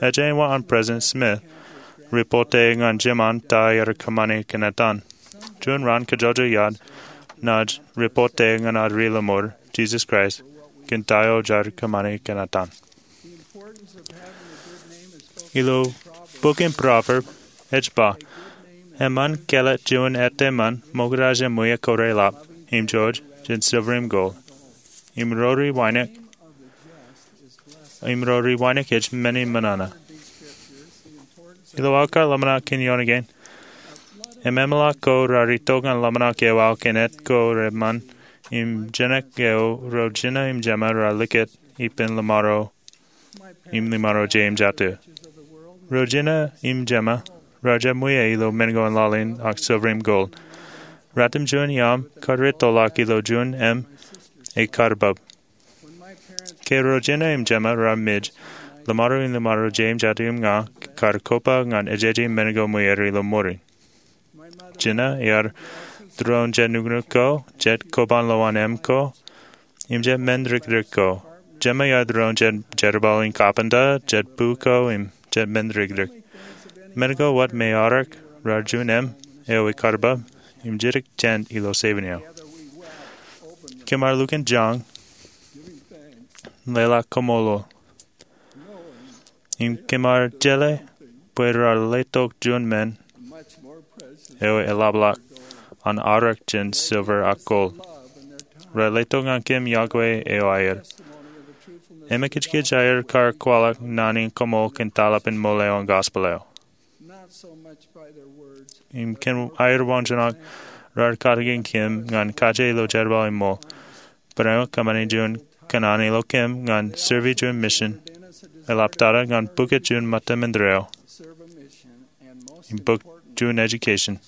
Ej āinwōt an President Smith ripote ñan jemān ta ear kōṃṃani kōn etan, juon raan kajjojo iaad naaj ripote ñan ad ri-lọmọọr, Jisōs Kraist, kōn ta eo jaar kōṃṃani kōn etan. Ilo bok in Proverb, ej ba, eṃṃan kāālōt juon etaṃ ṃōk raij im ṃweiuk ko reḷap, im jouj jān silver im gold, im ro ri wānōk im ro ri wānōk ej men in ṃōṇōṇō. Ilo aō kar ḷōmṇak kōn ioon kein, im eṃṃanḷọk ko raar itok ñan ḷōmṇak eo aō kōn etko reṃṃan im jenak eo ro jina im jema raar likūt ippān ḷōṃaro im ḷōṃaro je im jatū. Ro jina im jema raar jab ṃwiiō ilo men ko in laḷ in ak silver im gold. Ratimjuon iaam kar rūttoḷọk ilo juon im ekarbab. Ke ro jina im jema raar mej, ḷōṃaro im ḷōṃaro je im jatū im ña kar koba ñan ejeje men ko ṃwiier ilo ṃorin. Jina iar tūroon jet nuknuk ko, jet koban lowaan eṃ ko, im jet men rikrik ko. Jema iar tūroon jet jerbal in kapinta, jet bu ko, im jet men rikrik. Men ko wōt me aorōk raar juon im eo ekarbab im jidik jān ilo seven eo. Kōm ar lukkuun jañ, leḷọk koṃṃool, im kōm ar jeḷā bwe raar letok juon men eo eḷapḷọk an aorōk jān silver ak gold. Raar letok ñan kōm yokwe eo aer. Im ekijkij aer kar kwaḷọk naan in koṃṃool kōn taḷap in ṃool eo an gospel eo. Im kōn aer waanjoñak raar katakin kōm ñan kaje ilo jerbal in ṃool. Barāinwōt kōṃṃani juon kōṇaan ilo kōm ñan serve juon mission, eḷaptata ñan bōk juon ṃōttan indeeo, im bōk juon education,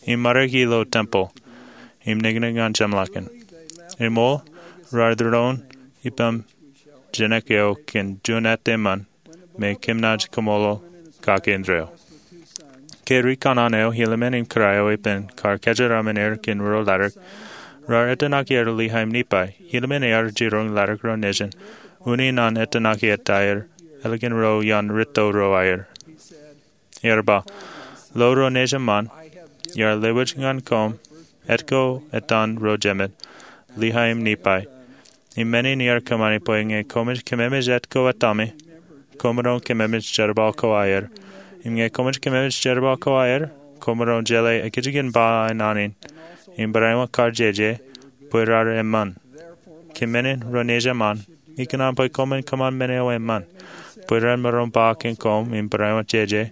im maroñ ilo tempeḷ, im niknik ñan jeṃḷọkin. Im ṃool, raar tūroon ippaṃ jenak eo kōn juon āt eṃṃan me kōm naaj koṃṃool kake indeeo. Ke ri kōṇaan eo Helaman im Kōrā eo ippān kar kōjeraaṃṃan er kōn ruo latōk, raar ettōṇaki er Lehi im Nepai. Helaman ear jiroñ latōk ro nejin, unin an ettōṇaki eta er, ālikin ro iaan rūtto ro aer. Ear ba, Lo ro nejin ṃaan, iar lewōj ñan koṃ etko etan ro jemād, Lehi im Nepai. Im men in iar kōṃṃani bwe ñe koṃij kōmemej etko etaṃe, koṃ maroñ kōmemej jerbal ko aer. Im ñe koṃij kōmemej jerbal ko aer, koṃ maroñ jeḷā ekijjeen ba in naan in, im barāinwōt kar jeje, bwe raar eṃṃan. Kōn men in ro nejin ṃaan, ikōṇaan bwe koṃwin kōṃṃan men eo eṃṃan, bwe ren maroñ ba kōn koṃ im barāinwōt jeje,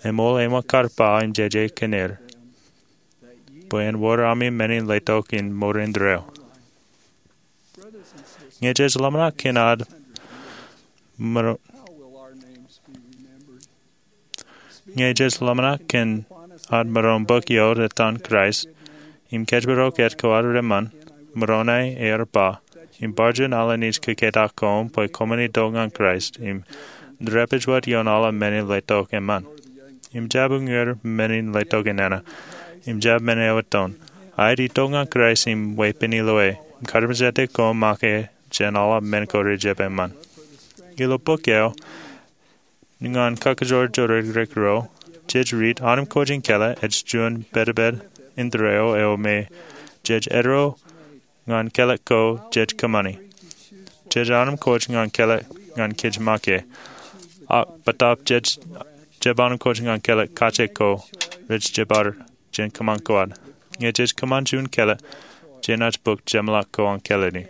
eṃool āinwōt kar ba im jeje kōn er, bwe en wōr ami men in letok in ṃoor indeeo. Ñe jej ḷōmṇak kōn ad maroñ, ñe jej ḷōmṇak kōn ad maroñ bōk ioot etan Kraist, im kōjparok etko ad reṃṃan, Moroni ear ba, im bar juon alen ij kōketak koṃ bwe koṃwin itok ñan Kraist, im rej pād wōt ioon aolep men in letok eṃṃan. Im jab uññūr men in letok enana, im jab men eo eton. Aet itok ñan Kraist im weeppān ilo e, im kalimjete koṃ make jān aolep men ko rejjab eṃṃan. Ilo bok eo, ñan kakajoor jodikdik ro, jej riit, anamkwojen kōḷḷā ej juon pedped indeeo eo me jej eddo ñan kōḷḷā ko jej kōṃṃani. Jej anamkwōj ñan kōḷḷā ñan kōj make. Ak bōtaab jej jab anamkwōj ñan kōḷḷā kaje ko rej jebar jān kōṃṃan ko ad. Ñe jej kōṃṃan juon kōḷḷā, jenaaj bōk jeṃḷọk ko an kōḷḷā in.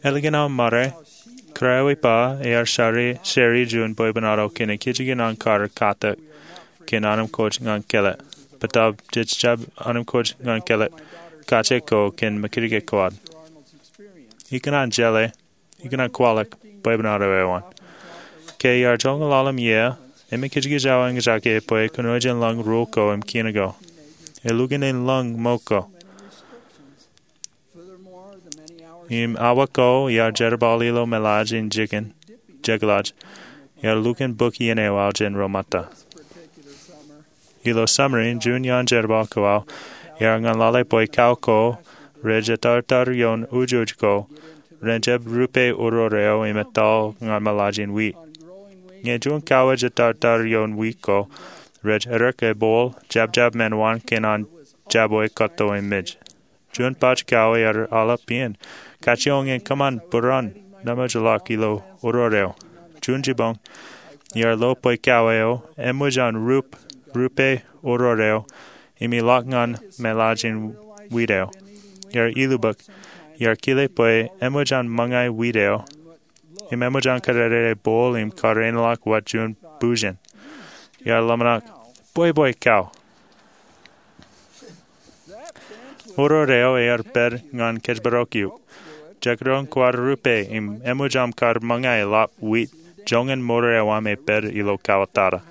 Ālikin aō ṃare, Kōrā eo iba ear share, share juon bwebwenato kōn ekijjeen an kar katak kōn anamkwōj ñan kōḷḷā. Bōtaab jej jab anamkwōj ñan kōḷḷā kaje ko kōn mekdikdik ko ad. Ikōṇaan jeḷā, ikōṇaan kwaḷọk bwebwenato eo an. Ke iar joñoul aḷ im iiō, im ekijkij aō eñjake bwe kōnooj in lōñ ruo ko im kiin ko. Elukkuun in lōñ ṃōk ko. Im awa ko iar jerbal ilo meḷaaj in jikin, jekḷaaj, iar lukkuun bōk iien eo aō jān ro ṃōtta. Ilo summer in, juon iaan jerbal ko aō iar ñan lale bwe kao ko rej etartar ioon ujoj ko ren jab rupe oror eo im etal ñan meḷaaj in wiik. Ñe juon kao ej etartar ioon wiik ko, rej errā ebooḷ, jabjab men waan kōn an jabwe kōtto im mej. Juon baj kao ear aḷap iien, kajjioñ in kōṃṃan būruon nemootḷọk ilo oror eo. Juon jibboñ, iar lo bwe kao eo eṃōj an rup, rupe oror eo, im ilọk ñan meḷaaj in wiik eo. iar ilubōk, iar kile bwe eṃōj an ṃōñā wiit eo im eṃōj an kōrā rej bool im kareinḷọk wōt juon bujen. Iar ḷōmṇak, bwebwe kau. Oror eo ear pād ñan kōjparok eok. Jekdọọn kwaar rupe im eṃōj aṃ kar ṃōñā ḷap wiit joñan ṃor eo aṃ epād ilo kauwōtata.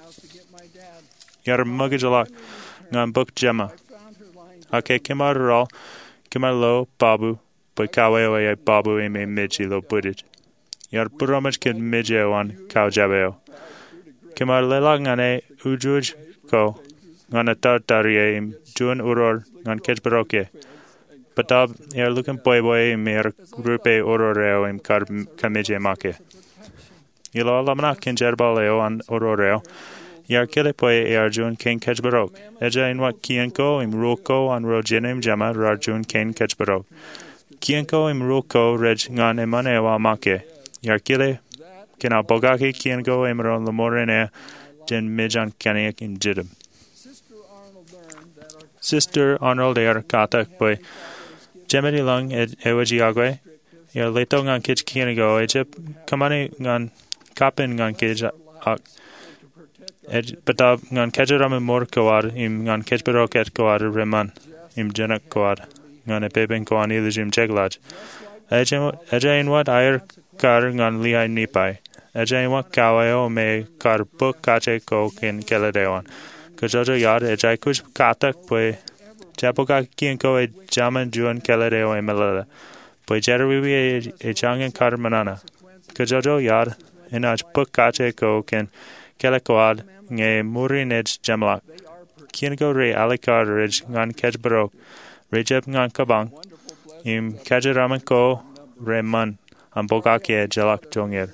Iar ṃōkajḷọk ñan bōk Jema. Ak ke kōm ar rọọl, kōm ar lo babu, bwe kau eo eae babu im emej ilo bwidej. Iar būroṃōj kōn mej eo an kaujab eo. Kōm ar leḷọk ñan e ujuj ko ñan atartar ie im juon oror ñan kōjparok e. Bōtaab ear lukkuun bwebwe im ear rupe oror eo im kar kōmij make. Ilo aō ḷōmṇak kōn jerbal eo an oror eo, iar kile bwe ear juon kein kōjparok. Ejja āinwōt kien ko im ruo ko an ro jinen im jema raar juon kein kōjparok. Kien ko im ruo ko rej ñan eṃṃan eo aō make. Iar kile kōn aō bōkake kien ko emaroñ ḷōṃoren e jān mej an kaniōk im jidim. Sister Arnold ear katak bwe Jemān ilōñ ewōj iọkwe, ear letok ñan kōj kien ko, ejjab kōṃṃani ñan kapen ñan kōj, ak ej bōtaab ñan kōjeraaṃṃan ṃor ko ad im ñan kōjparok jet ko ad reṃṃan im jenak ko ad ñan epepen ko an ilju im jekḷaj. Ejja āinwōt aer kar ñan Lehi Nipai. Ejja āinwōt kau eo me kar bōk kaje ko kōn kāālōt eo an. Kōjjojo iar, ej aikuj katak bwe jabōkake kien ko ej jaṃin juon kāālōt eo emeḷeḷe. Bwe jerọwiwi ej jañin kar ṃōṇōṇō. Kōjjojo iar, enaaj bōk kaje ko kōn kāālōt ko ad ñe ṃuri naaj jeṃḷọk. Kien ko realikkar rej ñan kōjparok, rejjab ñan kōbañ, im kōjeraaṃṃan ko reṃṃan an bōkake ejjeḷọk joñan.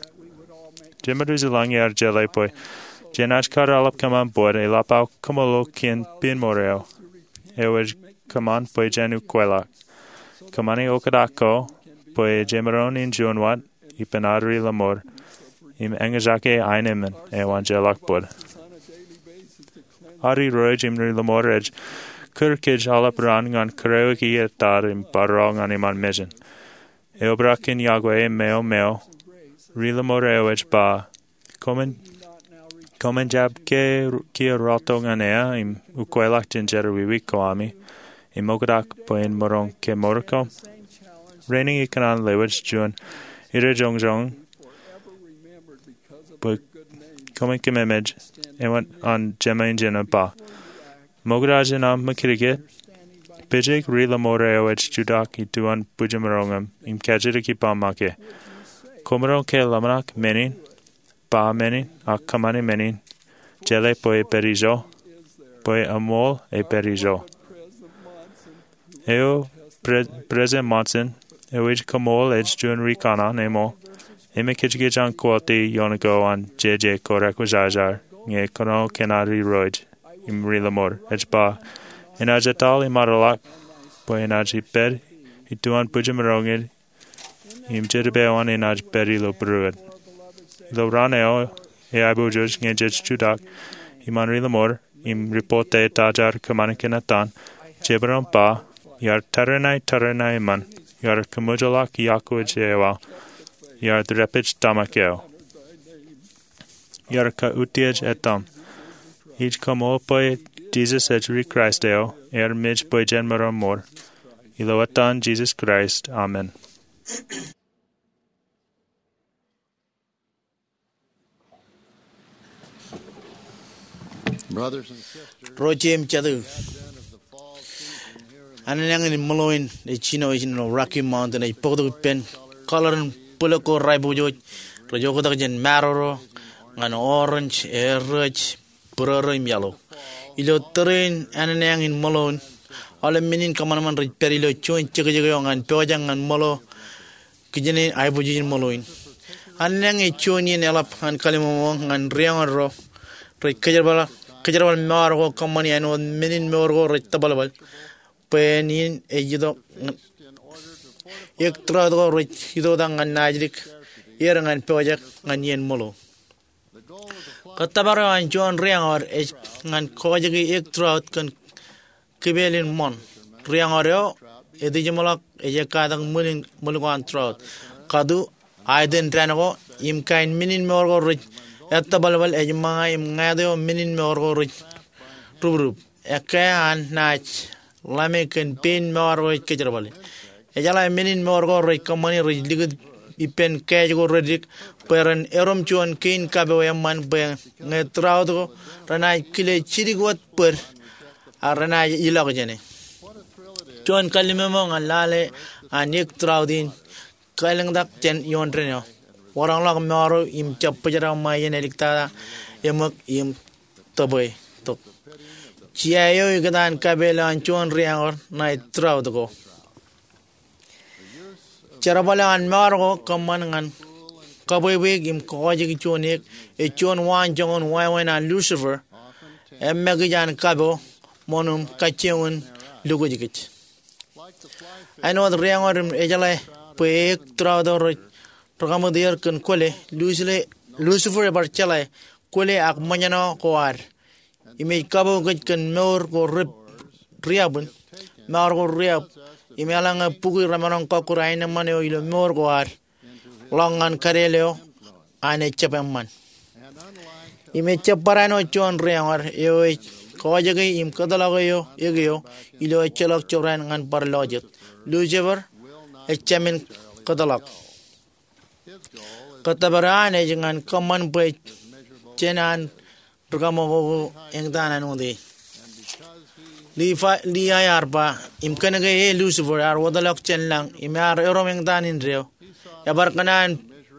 Jemān ilōñ ear jeḷā bwe jenaaj kar aolep kōṃṃan bōd eḷap aō kaṃṃoolol kōn piin ṃor eo. Ewōj kōṃṃan bwe jen ukweḷọk. Kōṃṃani oktak ko bwe jemaroñ in juon wōt ippān ad ri lōṃor im eñjake aenōṃṃan eo an jeḷọk bōd. Ad irooj im ri lōṃor ej kūr kōj aolep raan ñan kūrewiki ettad im barro ñan iṃaan mejān. Eobrak kōn iọkwe meo meo, ri lōṃor eo ej ba, koṃwin jab kiiō rọọltok ñan eō im ukweḷọk jān jerọwiwi ko ami im oktak bwe en maroñ kemour koṃ? Rainin ikōṇaan lewōj juon irejoñjoñ bwe koṃwin kōmemej āinwōt an Jemān injin ba, ṃokta jān aṃ ṃakūtkūt, pejek ri lōṃor eo ej jutak ituan bwijeṃaroñ aṃ im kajjitōk ippaṃ make. Kwōmaroñ ke ḷōmṇak men in, ba men in, ak kōṃṃani men in, jeḷā bwe epād ijo, bwe eṃool epād ijo. Eo President Monson, eo ej koṃṃool ej juon ri kanaan eṃool, emekijkij an quote ioon ko an jeje ko rekwōjarjar ñe kōnono kōn ad irooj im ri lōṃor, ej ba, enaaj etal iṃaanḷọk bwe enaaj ippaad ituan bwijeṃaroñid im Jetōb eo an enaaj pād ilo būruōd. Ilo raan eo eaiboojoj ñe jej jutak iṃaan ri lōṃor im ripote ta jaar kōṃṃan kōn etan, jemaroñ ba, iar tariṇae tariṇae eṃṃan, iar kaṃōjḷọk iọkwe eo aō, iar dāpij tōmak eo, iar kautiej etaṃ. Ij koṃṃool bwe Jisōs ej ri Kraist eo, ear mej bwe jen maroñ ṃool. Ilo etan Jisōs Kraist, amen. Ro jet im jatū, annañin ṃōḷo in ej jino ijin ilo Rocky Mountain ej bōktok ippān kōḷarin bōlōk ko rej aiboojoj, rej oktak jān maroro ñan orange, rej būrōrō im yellow. Ilo tōre in annañin ṃōḷo in, aolep men in kōṃanṃan rej pād ilo juon jekjek eo ñan pojak ñan ṃōḷo kijenien aiboojoj in ṃōḷo in. Annañin ej juon iien eḷap ñan kalliṃōṃō ñan rieoñōn ro rej kōjerbal, kōjerbal mour ko kōṃṃani āinwōt men in mour ko rej tōbalbal. Bwe en iien ej itok, eek trout ko rej itoktak ñan naajdik er ñan pojak ñan iien ṃōḷo. Kōttōpar eo an juon rieoñōd ej ñan kojekjek eek trout kōn kipel in ṃoṇ. Rieoñōd eo etijmḷọk ej ekkatak ṃwil in, ṃwil ko an trout. Katu, aiten dān ko, im kain men in mour ko rej ettōbalbal ej ṃōñā im ñāāt eo men in mour ko rej ruprup. Ekkā an naaj ḷame kōn pein mour ko ej kōjerbale. Ejeḷā men in mour ko rej kōṃṃani rej likūt ippān kāāj ko reddik bwe ren erom juon kein kapo eṃṃan bwe ñe trout ko renaaj kile jidik wōt bōd ak renaaj ilọk jāne. Juon kalliṃōṃo ñan lale an eik trout in kaelōñtak jān ioon dān eo. Waroñḷọk mour eo im jab bōjrak ṃae iien āliktata eṃōk im tōpwe tok. Jea eo ikōtaan kape lowaan juon ri-eñor ṇae trout ko. Jerbal eo an mour ko kōṃṃan ñan kabwebweik im kọkọjiki juon eik ej juon waanjoñoul wāween an Lucifer, eṃṃakij an kapo ṃōṇōṇō kajjioñ in lukwōjkōj. Āinwōt ri-eñor im ejeḷā bwe eik trout ro rej rikaṃwōt er kōn kwōle, Lucifer ebar jeḷā kwōle ak ṃōjṇọ ko ad. Im ej kapo kōj kōn mour ko ri-, riab in, mour ko riab, im eḷaññe bukwi remaroñ kọkkure aenōṃṃan eo ilo mour ko ad ḷọk ñan kadeel eo an ejjab eṃṃan. Im ejjab barāinwōt juon ri-eñor eo ej kọkọjiki im kōtḷọk eo eik eo ilo ejjeḷọk jorrāān ñan bar lọjet. Lucifer ejāmin kōtḷọk. Kōttōpar eo an ej ñan kōṃṃan bwe jān an rikaṃakoko eñtaan āinwōt e. Lehi, Lehi ear ba, im kōnke e Lucifer ear wōtlọk jān lañ im ear erom eñtaan indeeo, ebar kōṇaan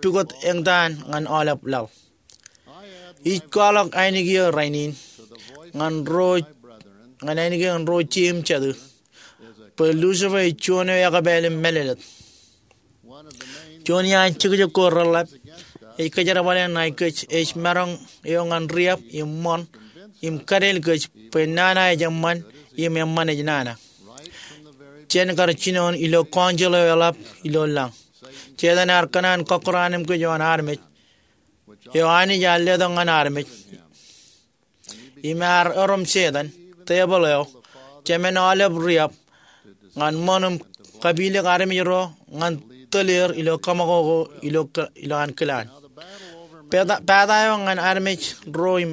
pukot eñtaan ñan aolep laḷ. Ij kwaḷọk ainikien rainin ñan ro, ñan ainikien ro jeiū im jatū, bwe Lucifer ej juon eo ekpāāl im mālōtlōt. Juon iaan jekjek ko reḷḷap ej kōjerbale ṇae kōj ej maroñ eo ñan riab im ṃoṇ im kadeel kōj bwe nana ej eṃṃan im eṃṃan ej nana. Jān kar jinoin ilo council eo eḷap ilo lañ, Setan ear kōṇaan kọkkure anemkwōj ioon armej eo Anij ear letok ñan armej. Im ear erom Setan, tebōḷ eo, jemān aolep riab, ñan ṃoṇ im kapilōk armej ro ñan tōl er ilo kōṃakoko ilo k-, ilo an kilaan. Pata, pata eo ñan armej ro im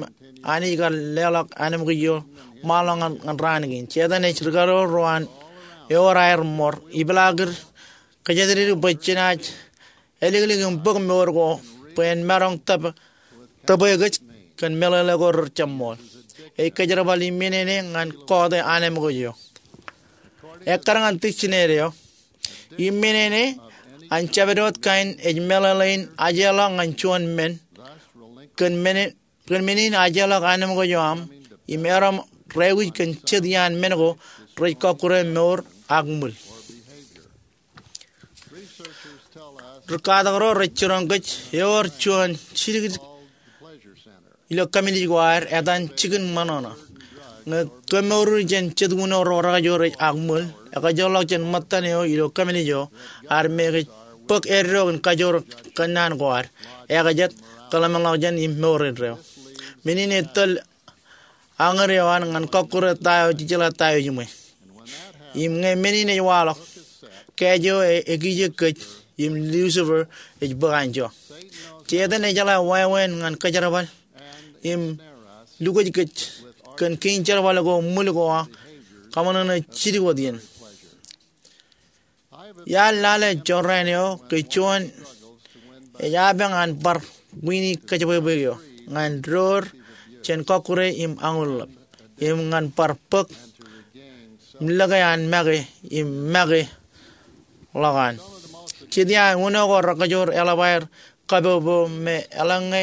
Anij kar leḷọk anemkwōj eo ṃaanḷọk ñan, ñan raan kein. Setan ej rikado ro an ewōr aer ṃor, ipeḷaakid kōjatdikdik bwe jenaaj āliklik im bōk mour ko bwe en maroñ tōp-, tōpwe kōj kōn meḷeḷe ko rejjab ṃool. Ej kōjerbal iminene ñan kọọte anemkwōj eo. Ekkar ñan tikjinede eo, iminene an jabdewōt kain ej meḷeḷein ajeḷọk ñan juon men, kōn men, kōn men in ajeḷọk anemkwōj eo aṃ, im erom rāwij kōn jet iaan men ko rej kọkkure mour ak ṃwil. Ri katak ro rej jiroñ kōj ewōr juon jidik ilo kōmij ko ad etan jikin ṃōṇōṇō. Ñe kōmour eō jān jet uno ro rekajoor ej ak ṃwil, ekajoorḷọk jān ṃōttan eo ilo kōmij eo ad me kōj bōk eddo in kajoor kōnnaan ko ad, ekajet, kōḷmānḷọkjeṇ im mour indeeo. Men in etōl añōd eo an ñan kọkkure ta eo jejeḷā ta eo ejiṃwe. Im ñe men in ej waḷọk, kāāj eo e-, ekijek kōj, im Lucifer ej bōk anjọ. Setan ejeḷā wāween ñan kōjerbal im lukwōj kōj kōn kein jerbal ko ṃwil ko aṃ kaṃōṇōṇō jidik wōt iien. Iar lale jorrāān eo ke juon ej apañ an bar wiini kōjepwebweik eo ñan door jān kọkkure im añuḷḷap im ñan bar bōk im lōke an make im make ḷọk an. Jet iaan uno ko rekajoor eḷap aer kapopo me eḷaññe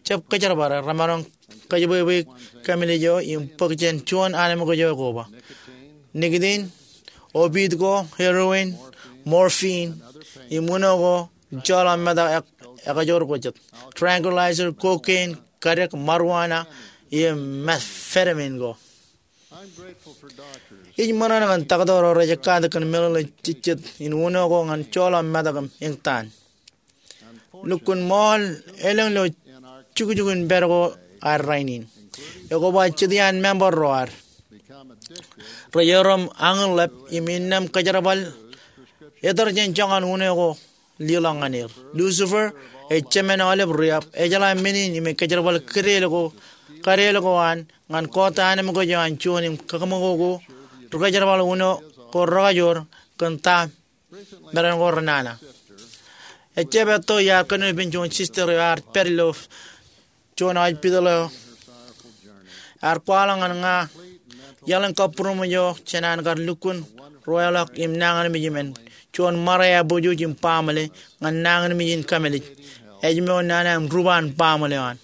jab kōjerbale remaroñ kōjepwebweik kōmij eo im bōk jān juon anemkwōj eo koba. Nicotine, opiate ko, heroin, morphine, im uno ko joḷọk metak ek-, ekajoor ko jet. Tranquilizer, cocaine, kadek, marijuana, im methamphetamine ko. Ij ṃōṇōṇō kōn taktō ro rej ekkatak kōn meḷeḷe jejjet in uno ko ñan joḷọk metak im eñtaan. Lukkuun ṃool elōñ ilo jukjuk in pād ko ad rainin. Ekoba jet iaan member ro ad. Rej erom añinḷap im innām kōjerbal etōr jān joñan uno ko leḷọk ñan er. Lucifer, ej jemān aolep riab, ejeḷā men in im ej kōjerbal kadeel ko, kadeel ko an ñan kọọte anemkwōj eo an juon im kōṃakoko ri-kōjerbal uno ko rekajoor kōn ta meran ko renana. Ejjab etto iar kōnono ippān juon sister eo ear pād ilo juon hospital eo. Ear kwaḷọk ñan ña iaḷ in kabbūroṃōj eo jān an kar lukkuun ruwaeḷọk im nañinmej im en juon ṃare eabwōjwōj im baaṃle ñan nañinmej in kamālij, ājmour nana im rup an baaṃle eo an.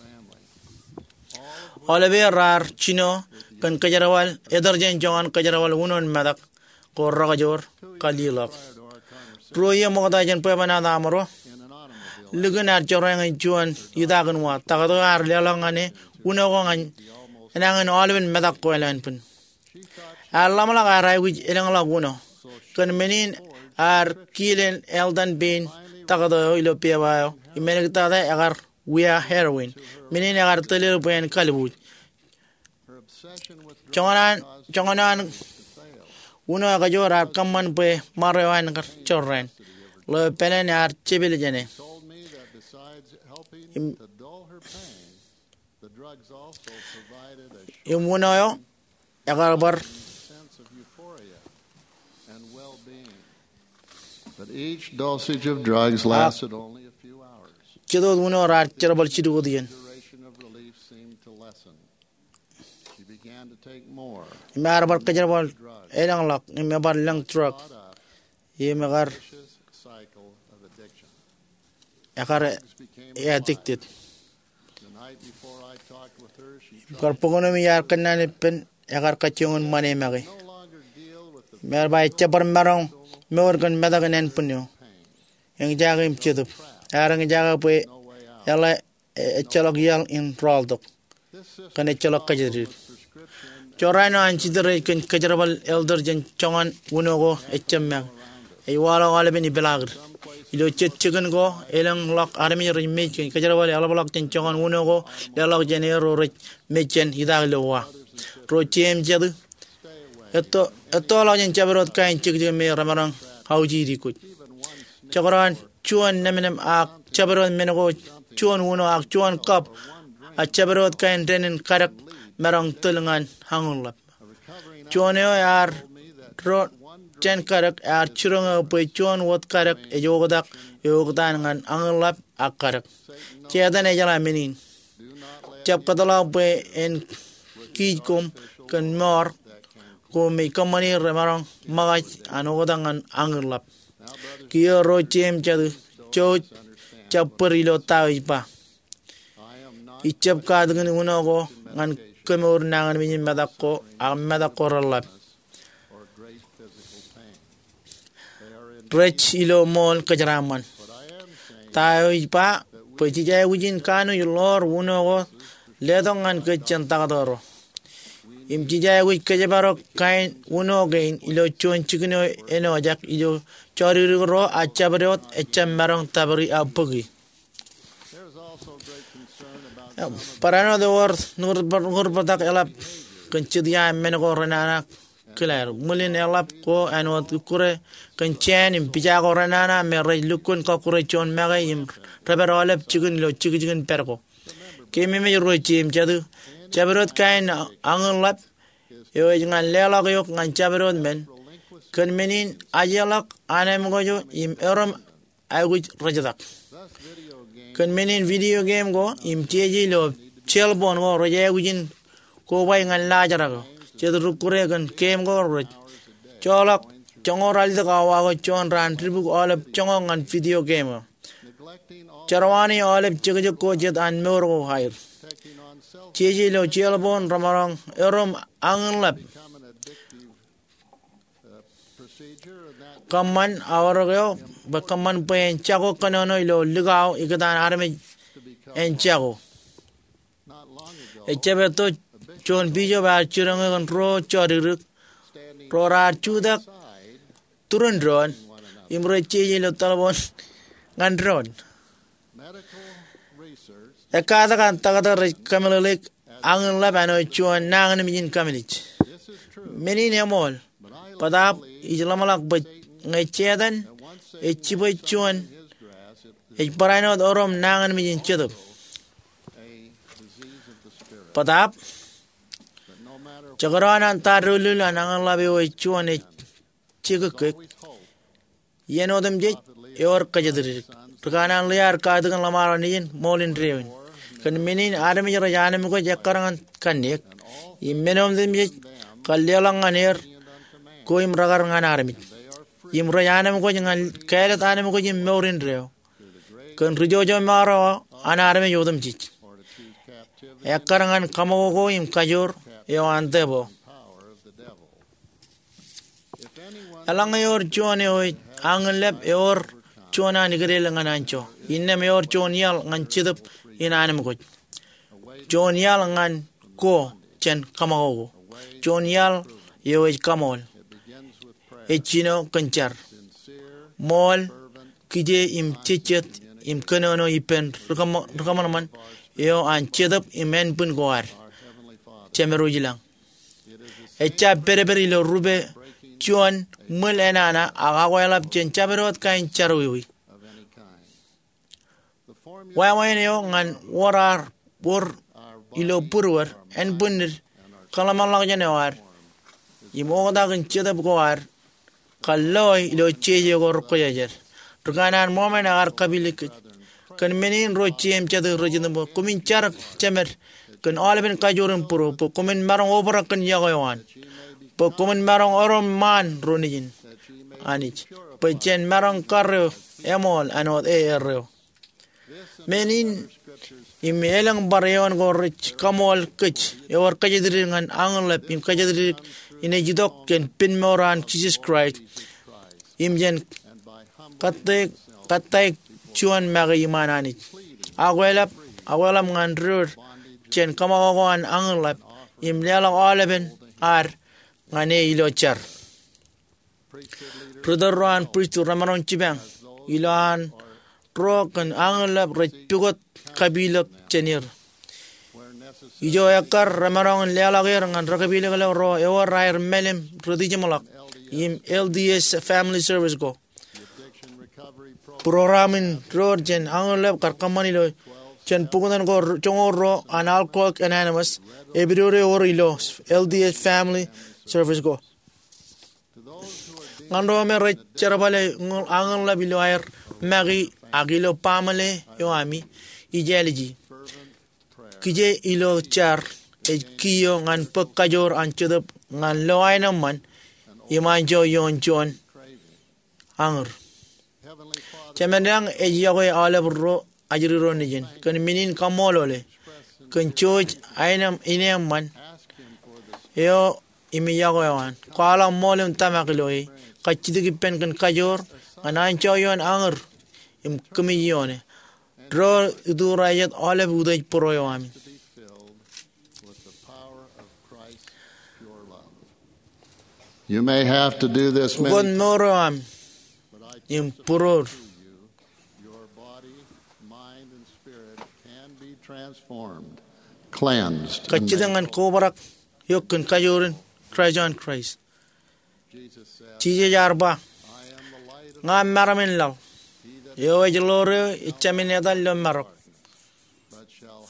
Aolep er raar jino kōn kōjerbal etōr jān joñan kōjerbal uno in metak ko rekajoor kar leḷọk. Ruo iiō ṃokta jān bwebwenato amro, likin ear jorrāān juon itakin wa. Taktō ear leḷọk ñan e uno ko ñan enañin aolepen metak ko eḷaññe pen. Ear ḷōmṇak ear aikuj elōñḷọk uno. Kōn men in ear kile eltan pein taktō eo ilo pepa eo im āliktata ekar wia heroin. Men in ekar tōl er bwe en kalbuuj. Joñan an, joñan an uno ekajoor ear kōṃṃan bwe ṃare eo an kar jorrāān. Ḷeo pāleen ear jepel jāne. Im, im uno eo ekar bar But each dosage of drugs lasted only a few hours. Jitōt uno raar jerbal jidik wōt iien. Duration of relief seemed to lessen. She began to take more. Im ear bar kōjerbal elōñḷọk im ebar lōñ drug. Im ekar Vicious cycle of addiction. Ekar addicted. The night before I talked with her, she Im kar bōk ṇe im iar kōnnaan ippān ekar kajjioñ in ṃane make. Im ear ba ejjab bar maroñ mour kōn metak in ānbwinno. Eñjake im jetōb. Ear eñjake bwe eḷap, ejjeḷọk iaḷ in rọọltok kōn ejjeḷọk kōjatdikdik. Jorrāān eo an sister ej kōn kōjerbal etōr jān joñan uno ko ejjab make. Ej waḷọk aolepen ipeḷaakid. Ilo jet jikin ko elōñḷọk armej rej mej kōn kōjerbal eḷapḷọk jān joñan uno ko leḷọk jān er ro rej mej jān itak ilo wa. Ro jeiū im jatū, etto, ettoḷọk jān jabdewōt kain jekjek me remaroñ aujidi kōj. Jekdọọn juon nemnem ak jabdewōt men ko juon uno ak juon kab a jabdewōt kain dān in kadek maroñ tōl ñan añinḷap. Juon eo ear doon jān kadek ear jiroñ eō bwe juon wōt kadek ej oktak eoktaan ñan añinḷap ak kadek. Setan ejeḷā men in. Jab kōtḷọk bwe en kiij koṃ kōn mour ko me kōṃṃani remaroñ ṃōkaj an oktak ñan añinḷap. Kiiō ro jeiū im jatū, jouj, jab bōd ilo ta eo ij ba. Ij jab katakin uno ko ñan kemour nañinmej in metak ko ak metak ko reḷap. Rej ilo ṃool kōjeraaṃṃan. Ta eo ij ba bwe jej aikuj in kanooj ḷoor uno ko letok ñan kōj jān taktō ro. Im jej aikuj kōjparok kain uno kein ilo juon jikin eo āinwōt ejjab ilo jodikdik ro a jabdewōt ejjab maroñ tōpari ak bōki. Barāinwōt ewōr ñūr, ñūrpōtak eḷap kōn jet ia men ko renana kilaer. Ṃwilin eḷap ko āinwōt ikkure kōn jāān im pija ko renana me rej lukkuun kọkkure juon make im rej pād aolep jikin ilo jekjekin pād ko. Keememej ro jeiū im jatū, jabdewōt kain añinḷap eo ej ñan leḷọk eok ñan jabdewōt men. Kōn men in ajeḷọk anemkwōj im erom aikuj rejetak. Kōn men in video game ko im jeje ilo cell phone ko rej aikuj in kobaik ñan laajrak eo. Jet ri-ikkure kōn game ko rej joḷọk joñoul ralitōk awa ko juon raan dibuk aolep joñak ñan video game eo. Jerwani aolep jekjek ko jet an mour ko aer. Jeje ilo cell phone remaroñ erom añinḷap. Kōṃṃan aorōk eo bwe kōṃṃan bwe en jako kōnono ilo likao ikōtaan armej en jako. Ejjab etto juon bishop ear jiroñ eō kōn ruo jodikdik ro raar jutak turin doon im rej jeje ilo telephone ñan doon. Ekkatak an taktō rej kōmeḷeḷeik añinḷap āinwōt juon nañinmej in kamālij. Men in eṃool, bōtaab ij ḷōmṇak bwe ñe Setan ej jibwe juon, ej barāinwōt erom nañinmej in jetōb. Bōtaab, jekdọọn an ta doulul an añinḷap eo ej juon ej jekōkkōk, iien otemjej ewōr kōjatdikdik. Ri kanaan ḷe ad katakin ḷōṃaro nejin ṃool indeeo in. Kōn men in armej rej anemkwōj ekkar ñan kanniōk, im men otemjej kar leḷọk ñan er ko im rekar ñan armej. Im rej anemkwōj ñan kāālōt anemkwōj im mour indeeo kōn rijojomaro an armej otemjej, ekkar ñan kaṃakoko im kajoor eo an tōpo. Eḷaññe ewōr juon eo ej añinlep, ewōr juon an ikedel ñan anjọ. Innām ewōr juon iaḷ ñan jetōb in anemkwōj, juon iaḷ ñan ko jān kaṃakoko, juon iaḷ eo ej kaṃool, ej jino kōn jar, ṃool, kije im jejjet im kōnono ippān ri kōṃ-, ri kōṃanṃan eo an jetōb im ānbwin ko ad, Jemedwōj ilañ. Ejjab pedped ilo rupe juon ṃwil enana ak akweḷap jān jabdewōt kain jerọwiwi. Wāween eo ñan wōr ad wōr ilo būruod, ānbwinnid, kōḷmānḷọkjeṇ eo ad, im oktak in jetōb ko ad kar loe ilo jeje ko rekwōjarjar. Ri kanaan Mormon ekar kapilōk kōj. Kōn men in ro jeiū im jatū rej itok bwe koṃwin jar jemed kōn aolepen kajoor im būruō, bwe koṃwin maroñ obrak kōn yokwe eo an, bwe koṃwin maroñ erom ṃaan ro nejin Anij, bwe jen maroñ karreo eṃool āinwōt e erreo. Men in im elōñ bar eoon ko rej kaṃool kōj ewōr kōjatdikdik ñan añinlep im kōjatdikdik in ej itok jān pen mour an Jisōs Kraist im jān kattaik, kattaik juon make iṃaan Anij. Akweḷap, akweḷap ñan doon jān kaṃakoko an añinlep im leḷọk aolepen ad ñan e ilo jar. Ritōl ro an pristut remaroñ jipañ ilo an ro kōn añinlep rej pukot kapilōk jān er. Ijo ekkar remaroñ in leḷọk er ñan rekapilōklōk ro ewōr aer mālim rej tijeṃḷọk im L D S Family Service ko. Būroram in doon jān añinlep kar kōṃṃan ilo jān buktan ko joñoul ruo an Alcoholics Anonymous, epidodo ewōr ilo L D S Family Service ko. Ñan ro me rej jerbale añinlep ilo aer make ak ilo baaṃle eo ami, ij āliji. Kije ilo jar ej kiiō ñan bōk kajoor an jetōb ñan lo aenōṃṃan im anjọ ioon juon añūr. Jemān lañ ej yokwe aolep ro ajri ro nejin. Kōn men in kaṃṃoolol e kōn jouj aenōṃ, ineeṃṃan eo im yokwe eo an. Kwaḷọk ṃool im tōmak ilo e. Kajjitōk ippān kōn kajoor ñan anjọ ioon añūr im kōmij ioon e. Ro ituura jet aolep utiej būruō eo ami. You may have to do this many Ukōt mour eo ami im būruod. Your body, mind, and spirit can be transformed, cleansed, and Kajjitōk ñan kobrak eok kōn kajoor in Kraist an Kraist. Jisōs ear ba, "Ña im maroñ in laḷ. Eo ej ḷoor eō ejjāmin etal ilo marok,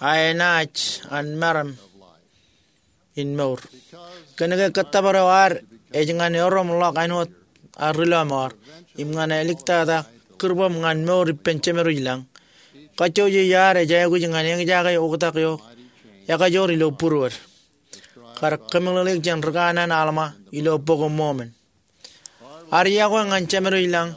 a enaaj an maroñ in mour." Kōnke kōttōpar eo ad ej ñan erom ḷọk āinwōt ad ri lọmọọr im ñan āliktata kūrbōm ñan mour ippān Jemedwōj lañ, kajjojo iar ej aikuj ñan eñjake oktak eo ekajoor ilo būruod. Kar kōmeḷeḷeik jān ri kanaan Alma ilo Bok in Mormon. Ad yokwe ñan Jemedwōj lañ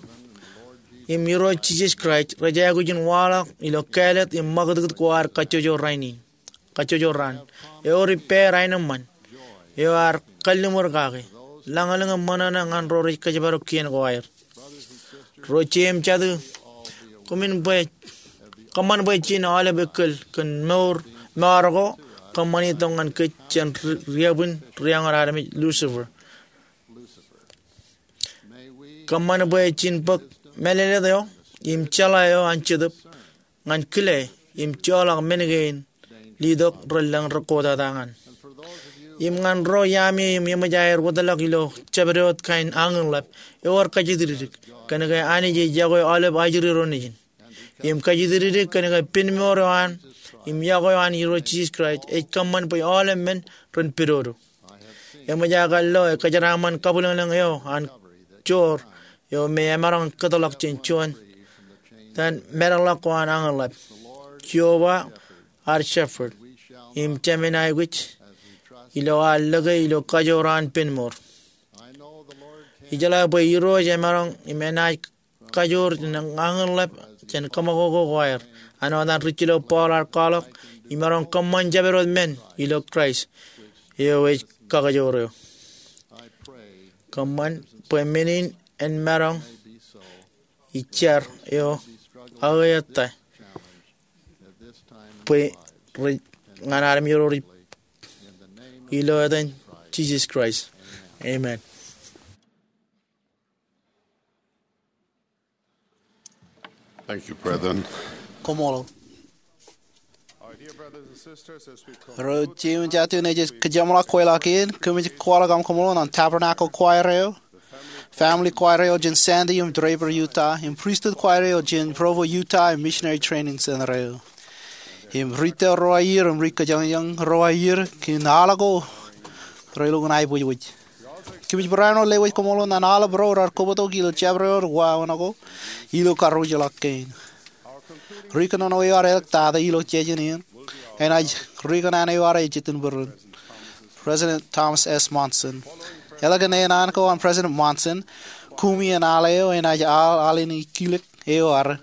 im Irooj Jisōs Kraist rej aikuj in waḷọk ilo kāālōt im ṃakūtkūt ko ad kajjojo rainin, kajjojo raan. Ewōr ippāer aenōṃṃan eo ear kalliṃur kake, lañlōñ im ṃōṇōṇō ñan ro rej kōjparok kien ko aer. Ro jeiū im jatū, kōṃṃan bwe, kōṃṃan bwe jen aolep ekkōl kōn mour, mour ko kōṃṃani tok ñan kōj jān ri-, riabwin rieoñōn armej Lucifer. Kōṃṃan bwe jen bōk mālōtlōt eo im jeḷā eo an Jetōb ñan kile im joḷọk men kein letok relōñ rekwōtata ñan. Im ñan ro iaami eo im eṃōj aer wōtlọk ilo jabdewōt kain añinḷap, ewōr kajjitōk kōnke Anij ej yokwe aolep ajri ro nejin. Im kajjitōk kōnke pinmour eo an im yokwe eo an Irooj Jisōs Kraist ej kōṃṃan bwe aolep men ren pidodo. Eṃōj aō kar lo ekōjeraaṃṃan kabwilōñlōñ eo an joor eo me emaroñ kōtḷọk jān juon tōn meḷọkḷọk ko an añinḷap. Jeova ad shepherd, im jemān aikuj ilo ad lōke ilo kajoor an pinmour. Ijeḷā bwe Irooj emaroñ im enaaj kajoor jān añinḷap jān kōṃakoko ko aer. Āinwōt an ri jilōk Paul ear kwaḷọk, imaroñ kōṃṃan jabdewōt men ilo Kraist eo ej kakajoor eō. Kōṃṃan bwe men in en maroñ ij jar eo aō ettā bwe rej ñan armej ro rej ilo etan Jisōs Kraist. Amen. Thank you, brethren. Koṃṃool. Ro jeiū im jatū, ij kōjeṃḷọk kweilọk in kōmij kwaḷọk aṃ koṃṃool ñan Tabernacle Choir eo, Family Choir eo jān Sandy im Draper, Utah, im Priesthood Choir eo jān Provo, Utah, im Missionary Training Center eo. Im ri tōl ro aer im ri kōjañjañ ro aer kōn aḷ ko relukkuun aiboojoj. Kōmij barāinwōt lewōj koṃṃool ñan aolep ro raar kobōtok ilo jabdewōt wāween ko ilo karreoujḷọk kein. Ri kōnono eo ear eḷḷọk tata ilo jān in enaaj ri kōṇaan eo ear ejjetin bōran, President Thomas S. Monson. Eḷak in āinwōt ko an President Monson, kumi in aḷ eo enaaj aḷ alen ikilōk eo ear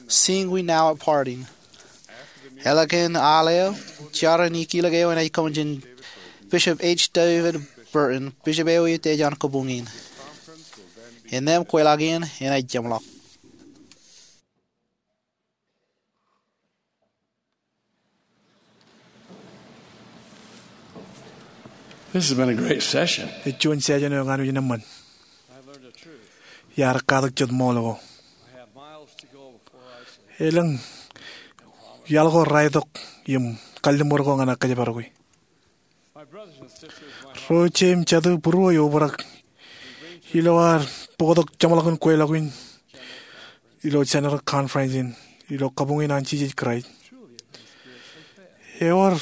Sing We Now at Parting. Eḷak in aḷ eo, jar in ikilōk eo enaaj kōṃṃan jān Bishop H. David Burton, bishop eo ej ej an kabuñ in. Innām kweilọk in enaaj jeṃḷọk. This has been a great session. Ej juon session eo ñan ujin eṃṃan. Iar katak jet ṃool ko. Elōñ iaḷ ko raitok im kalliṃur ko ñan aō kōjparok e. Ro jeiū im jatū, būruō eobrak ilo ad bōktok jeṃḷọkin kweilọk in ilo General Conference in ilo kabuñ in an Jisōs Kraist. Ewōr,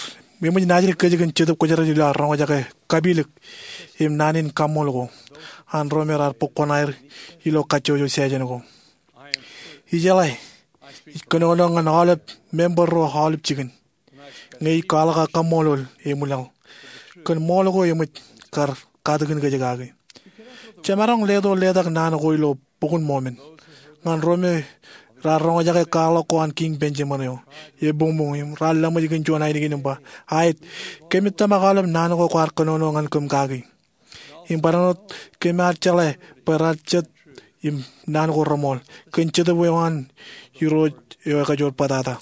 eṃōj naajdik kōj kōn Jetōb Kwōjarjar ilo ad roñjake kapilōk im naan in kaṃṃool ko an ro me raar bōk kuṇaer ilo kajjojo session ko. Ijeḷā ij kōnono ñan aolep member ro aolep jikin ñe ij kwaḷọk aō kaṃṃoolol eṃwilaḷ kōn ṃool ko eṃōj kar katakin kōj kaki. Jemaroñ leto letak naan ko ilo Bok in Mormon ñan ro me raar roñjake kwaḷọk ko an Kiiñ Benjamin eo ebuñbuñ im raar laṃōj kōn juon ainikien im ba, aet, kōmij tōmak aolep naan ko kwaar kōnono ñan kōm kaki. Im barāinwōt kōm ar jeḷā bwe raar jet im naan ko reṃool kōn Jetōb eo an Irooj eo ekajoor bōtata.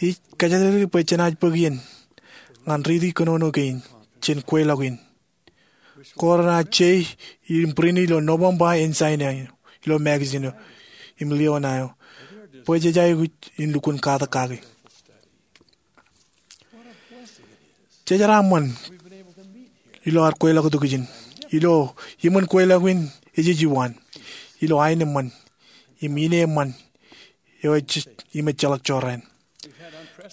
Ij kōjatdikdik bwe jenaaj bōk iien ñan riiti kōnono kein jān kweilọk in ko renaaj jei im print ilo November in China ilo magazine eo im Leona eo bwe jej aikuj in lukkuun katak kaki. Jejeraaṃṃan ilo ad kweilọk tok ijin ilo iṃōn kweilọk in ejej iwaan ilo aenōṃṃan im ineeṃṃan eo ej im ejjeḷọk jorrāān.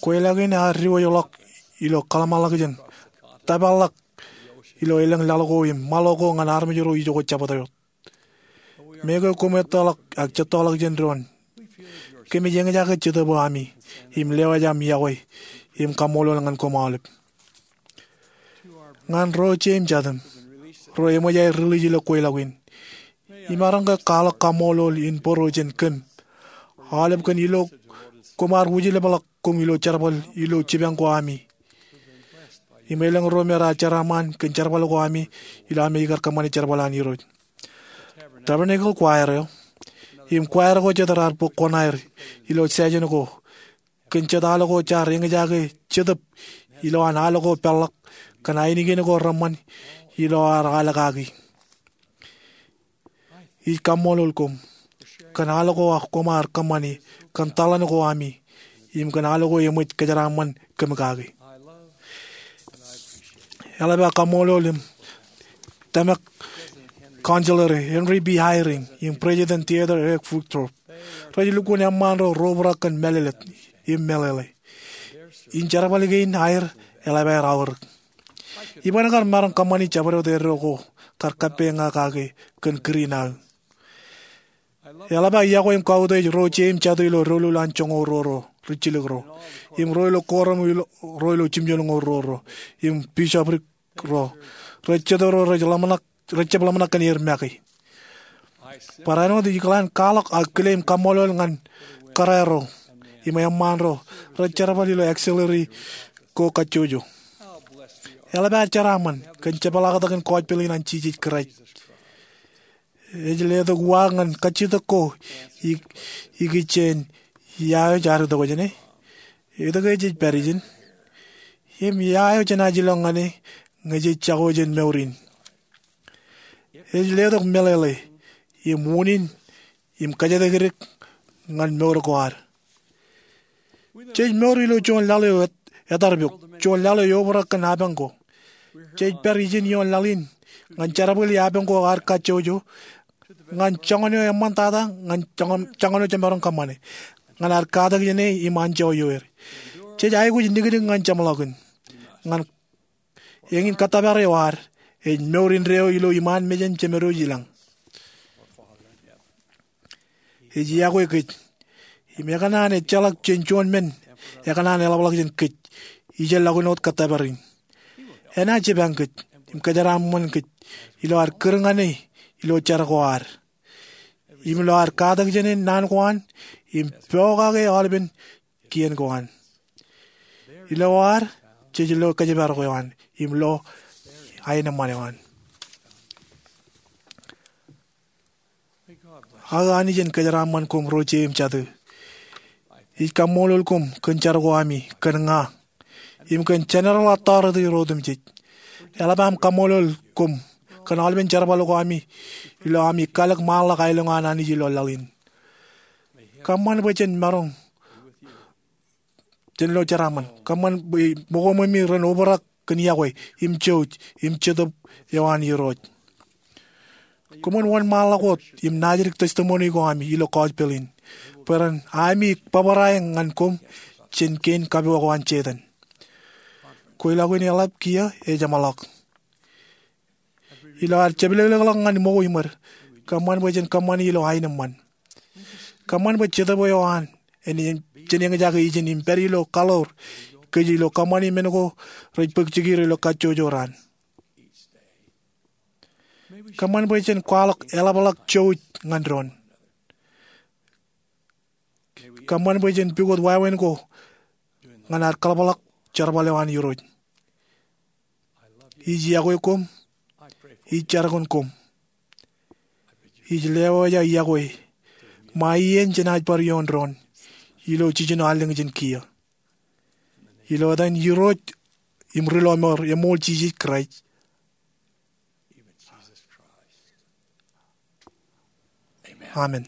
Kweilọk in ear diwōjḷọk ilo kōḷmānḷọkjeṇ, tōpar ḷọk ilo elōñ laḷ ko im ṃaḷo ko ñan armej ro ijoko jabdewōt. Meñe koṃ ettoḷọk ak jettoḷọk jān doon, kōmij eñjake Jetōb eo ami im lewōj aṃ iọkwe im kaṃṃoolol ñan koṃ aolep. Ñan ro jeiū im jatū ro eṃōj aer release ilo kweilọk in, imaroñ ke kwaḷọk kaṃṃoolol in bōro jān kōm aolep kōn ilo koṃ ar wūjlepḷọk koṃ ilo jerbal ilo jipañ ko ami im elōñ ro me raar jeraaṃṃan kōn jerbal ko ami ilo ami kar kōṃṃane jerbal an Irooj. Tabernacle Choir eo im choir ko jet raar bōk kuṇaer ilo session ko kōn jet al ko jaar eñjake Jetōb ilowaan al ko peḷḷọk kōn ainikien ko reṃṃan ilo ad al kaki. Ij kaṃṃoolol koṃ kōn al ko koṃ ar kōṃṃane, kōn taḷan ko ami, im kōn al ko eṃōj kōjeraaṃṃan kōm kaki. Eḷap aō kaṃṃoolol im tōmak Counselor Henry B. Eyring im President Dieter F. Uchtdorf. Rej lukkuun eṃṃaan ro ro obrak kōn mālōtlōt im meḷeḷe. Im jerbal kein aer eḷap aer aorōk. Iban kar maroñ kōṃṃani jabdewōt eddo ko kar kappok ña kake kōn kūr in aō. Eḷap aō iọkwe im kautiej ro jeiū im jatū ilo doulul an joñoul ruo ro rijjilōk ro, im ro ilo kooram ro ilo jimjuonñoul ruo ro, im bisoprik ro. Rej jete ro rej jab ḷōmṇak kōn er make. Barāinwōt ikōḷaan kwaḷọk aō kile im kaṃṃoolol ñan kōrā ro im eṃṃaan ro rej jerbal ilo auxiliary ko kajjojo. Eḷap aer jeraaṃṃan kōn jepḷaaktok in gospel in an Jisōs Kraist. Ej letok uwaak ñan kajjitōk ko ikijjien ia eo jej ad itok jāne, etke ej pād ijin, im ia eo jenaaj ilọk ñan e ñe jej jako jān mour in. Ej letok meḷeḷe im unin im kōjatdikdik ñan mour ko ad. Jej mour ilo juon laḷ eo etarpok, juon laḷ eo eobrak kōn apañ ko. Jej pād ijin ioon laḷ in ñan jerbali apañ ko ad kajjojo, ñan joñan eo eṃṃantata, ñan joñan eo jemaroñ kōṃṃane, ñan ad katak jāne im anjọ ioer. Jej aikuj nikdik ñan jeṃḷọkin, ñan eñin kōttōpar eo ad ej mour indeeo ilo iṃaan mejān Jemedwōj ilañ. Ej iọkwe kōj im ekōṇaan ejjeḷọk jān juon men ekōṇaan eḷapḷọk jān kōj ijellọkin wōt kōttōpar in. Enaaj jipañ kōj im kōjeraaṃṃan kōj ilo ad kūr ñan e ilo jar ko ad im ilo ad katak jān e naan ko an im pokake aolepen kien ko an. Ilo ad jej lo kōjparok eo an im lo aenōṃṃan eo an. Aō Anij en kōjeraaṃṃan koṃ ro jeiū im jatū. Ij kaṃṃoolol koṃ kōn jar ko ami kōn ña im kōn General Authority ro otemjej. Eḷap aṃ kaṃṃoolol koṃ kōn aolepen jerbal ko ami ilo ami kalōk ṃaanḷọk aelōñ an Anij ilo laḷ in. Kōṃṃan bwe jen maroñ jān ilo jeraaṃṃan. Kōṃṃan bwe ṃōkoṃōmi ren obrak kōn iọkwe im jouj im jetōb eo an Irooj. Koṃwin wōnṃaanḷọk wōt im naajdik testimony ko ami ilo gospel in bwe ren ami bōbrae ñan koṃ jān kein kapook eo an Setan. Kweilọk in eḷap kiiō ej jeṃḷọk. Ilo ad jepḷōklōkḷọk ñan ṃōko iṃōd, kōṃṃan bwe jen kōṃṃani ilo aenōṃṃan. Kōṃṃan bwe Jetōb eo an en jen eñjake ijin im pād ilo kaḷoor kōj ilo kōṃṃani men ko rej bōk jikier ilo kajjojo raṇ. Kōṃṃan bwe jen kwaḷọk eḷapḷọk jouj ñan doon. Kōṃṃan bwe jen pukot wāween ko ñan ad kaḷapḷọk jerbal eo an Irooj. Ij iọkwe koṃ. Ij jar kōn koṃ. Ij lewōj aō iọkwe ṃae iien jenaaj bar ioon doon ilo jiljino allōñ jān kiiō. Ilo etan Irooj im Ri-lọmọọr eṃool Jisōs Kraist. Amen.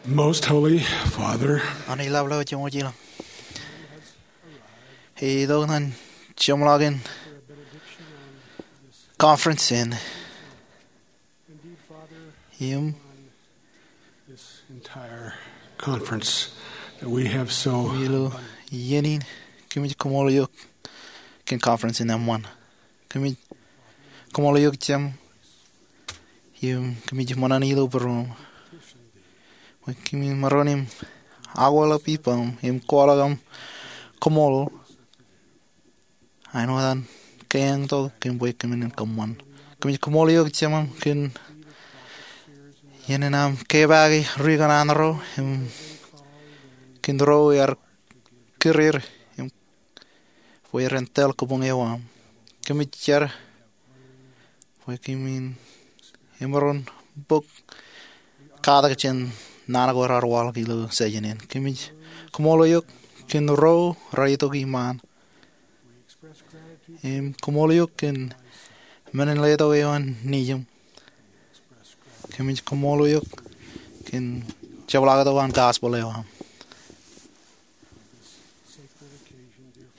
Most Holy Father, Anij Ḷapḷọk, Jeṃwōj ilañ. Itok ñan jeṃḷọkin conference in. Im this entire conference that we have so ilo iien in, kōmij koṃṃool eok kōn conference in eṃṃan. Kōmij koṃṃool eok Jemem, im kōmij ṃōṇōṇō ilo būruōṃ bwe kōmin maroñ im akwālōk ippaṃ im kwaḷọk aṃ koṃṃool āinwōt an keeañ tok kōm bwe kōmin kōṃṃan. Kōmij koṃṃool eok Jemem kōn iien in aṃ kepaake ri kanaan ro im kōn ro ear kūr er im bwe ren tōl kabuñ eo aṃ. Kōmij jar bwe kōmin emaroñ bōk katak jān naan ko raar waḷọk ilo session in. Kōmij koṃṃool eok kōn ro raar itok iṃaan im koṃṃool eok kōn men in letok eo an nejiṃ. Kōmij koṃṃool eok kōn jepḷaaktok an gospel eo aṃ.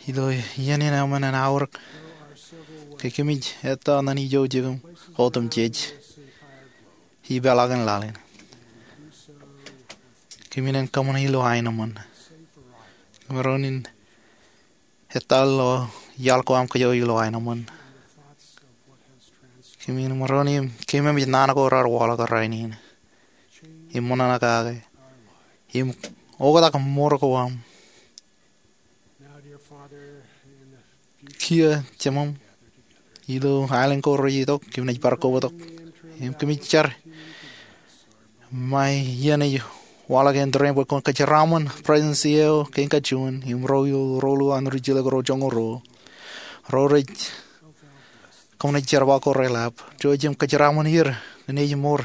Ilo iien in eṃṃan an aorōk ke kōmij ettā ñan ijo jikin otemjej ipeḷaakin laḷ in. Kōmin kōṃṃane ilo aenōṃṃan. Kōmij maroñ in ettā ḷọk iaḷ ko aṃ kōjro ilo aenōṃṃan. Kōmin maroñ im keememej naan ko raar waḷọk rainin im ṃōṇōṇō kake im oktak mour ko aṃ. Kiiō Jemem, ilo aelōñ ko rej itok kōm naaj bar kobatok im kōmij jar ṃae iien ej waḷọk āindein bwe kwōn kōjeraṃṃan Presidency eo kein kajuon im ro ilo roḷọk an ri jilkinḷọk ro joñoul ruo. Ro rej kōṃṃane jerbal ko reḷap. Jouj im kōjeraṃṃan er kōn ej mour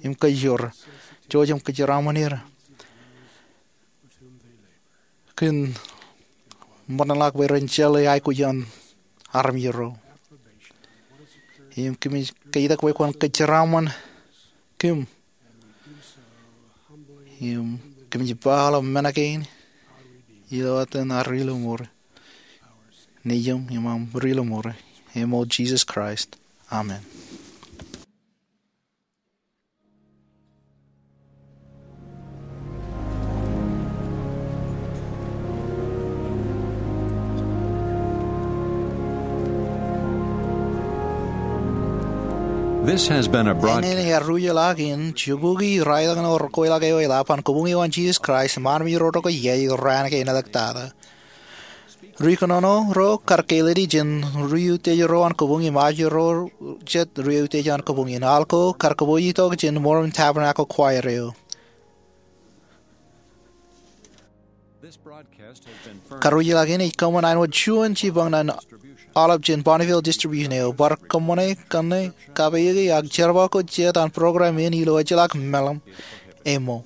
im kōjro. Jouj im kōjeraṃṃan er kōn ṃōttan ḷọk bwe ren jeḷā aikuj an armej ro. Im kōmij ketak bwe kwōn kōjeraṃṃan kōm im kōmij ba aolep men kein ilo etan ad Ri-lọmọọr, Nejiṃ im aṃ Ri-lọmọọr, eṃool Jisōs Kraist. Amen. This has been a broadcast. Āindein ear ruj ḷọk in jikuki raelōñ eo rekweilọk eo eḷap an Kabuñ eo an Jisōs Kraist im armej ro rej itok iien raan kein āliktata. Ri kōnono ro kar kālele jān ri utiej ro an kabuñ im ajri ro jet ri utiej an kabuñ in. Al ko kar kōpooj itok jān Mormon Tabernacle Choir eo. Karuj ḷọk in ej kōṃṃan āinwōt juon jipañ ñan aolep jān Bonneville Distribution eo. Bar kōṃṃane, kōṇe, kapeyeke ak jerbal ko jet an program in ilo ejjeḷọk meḷeḷe eo.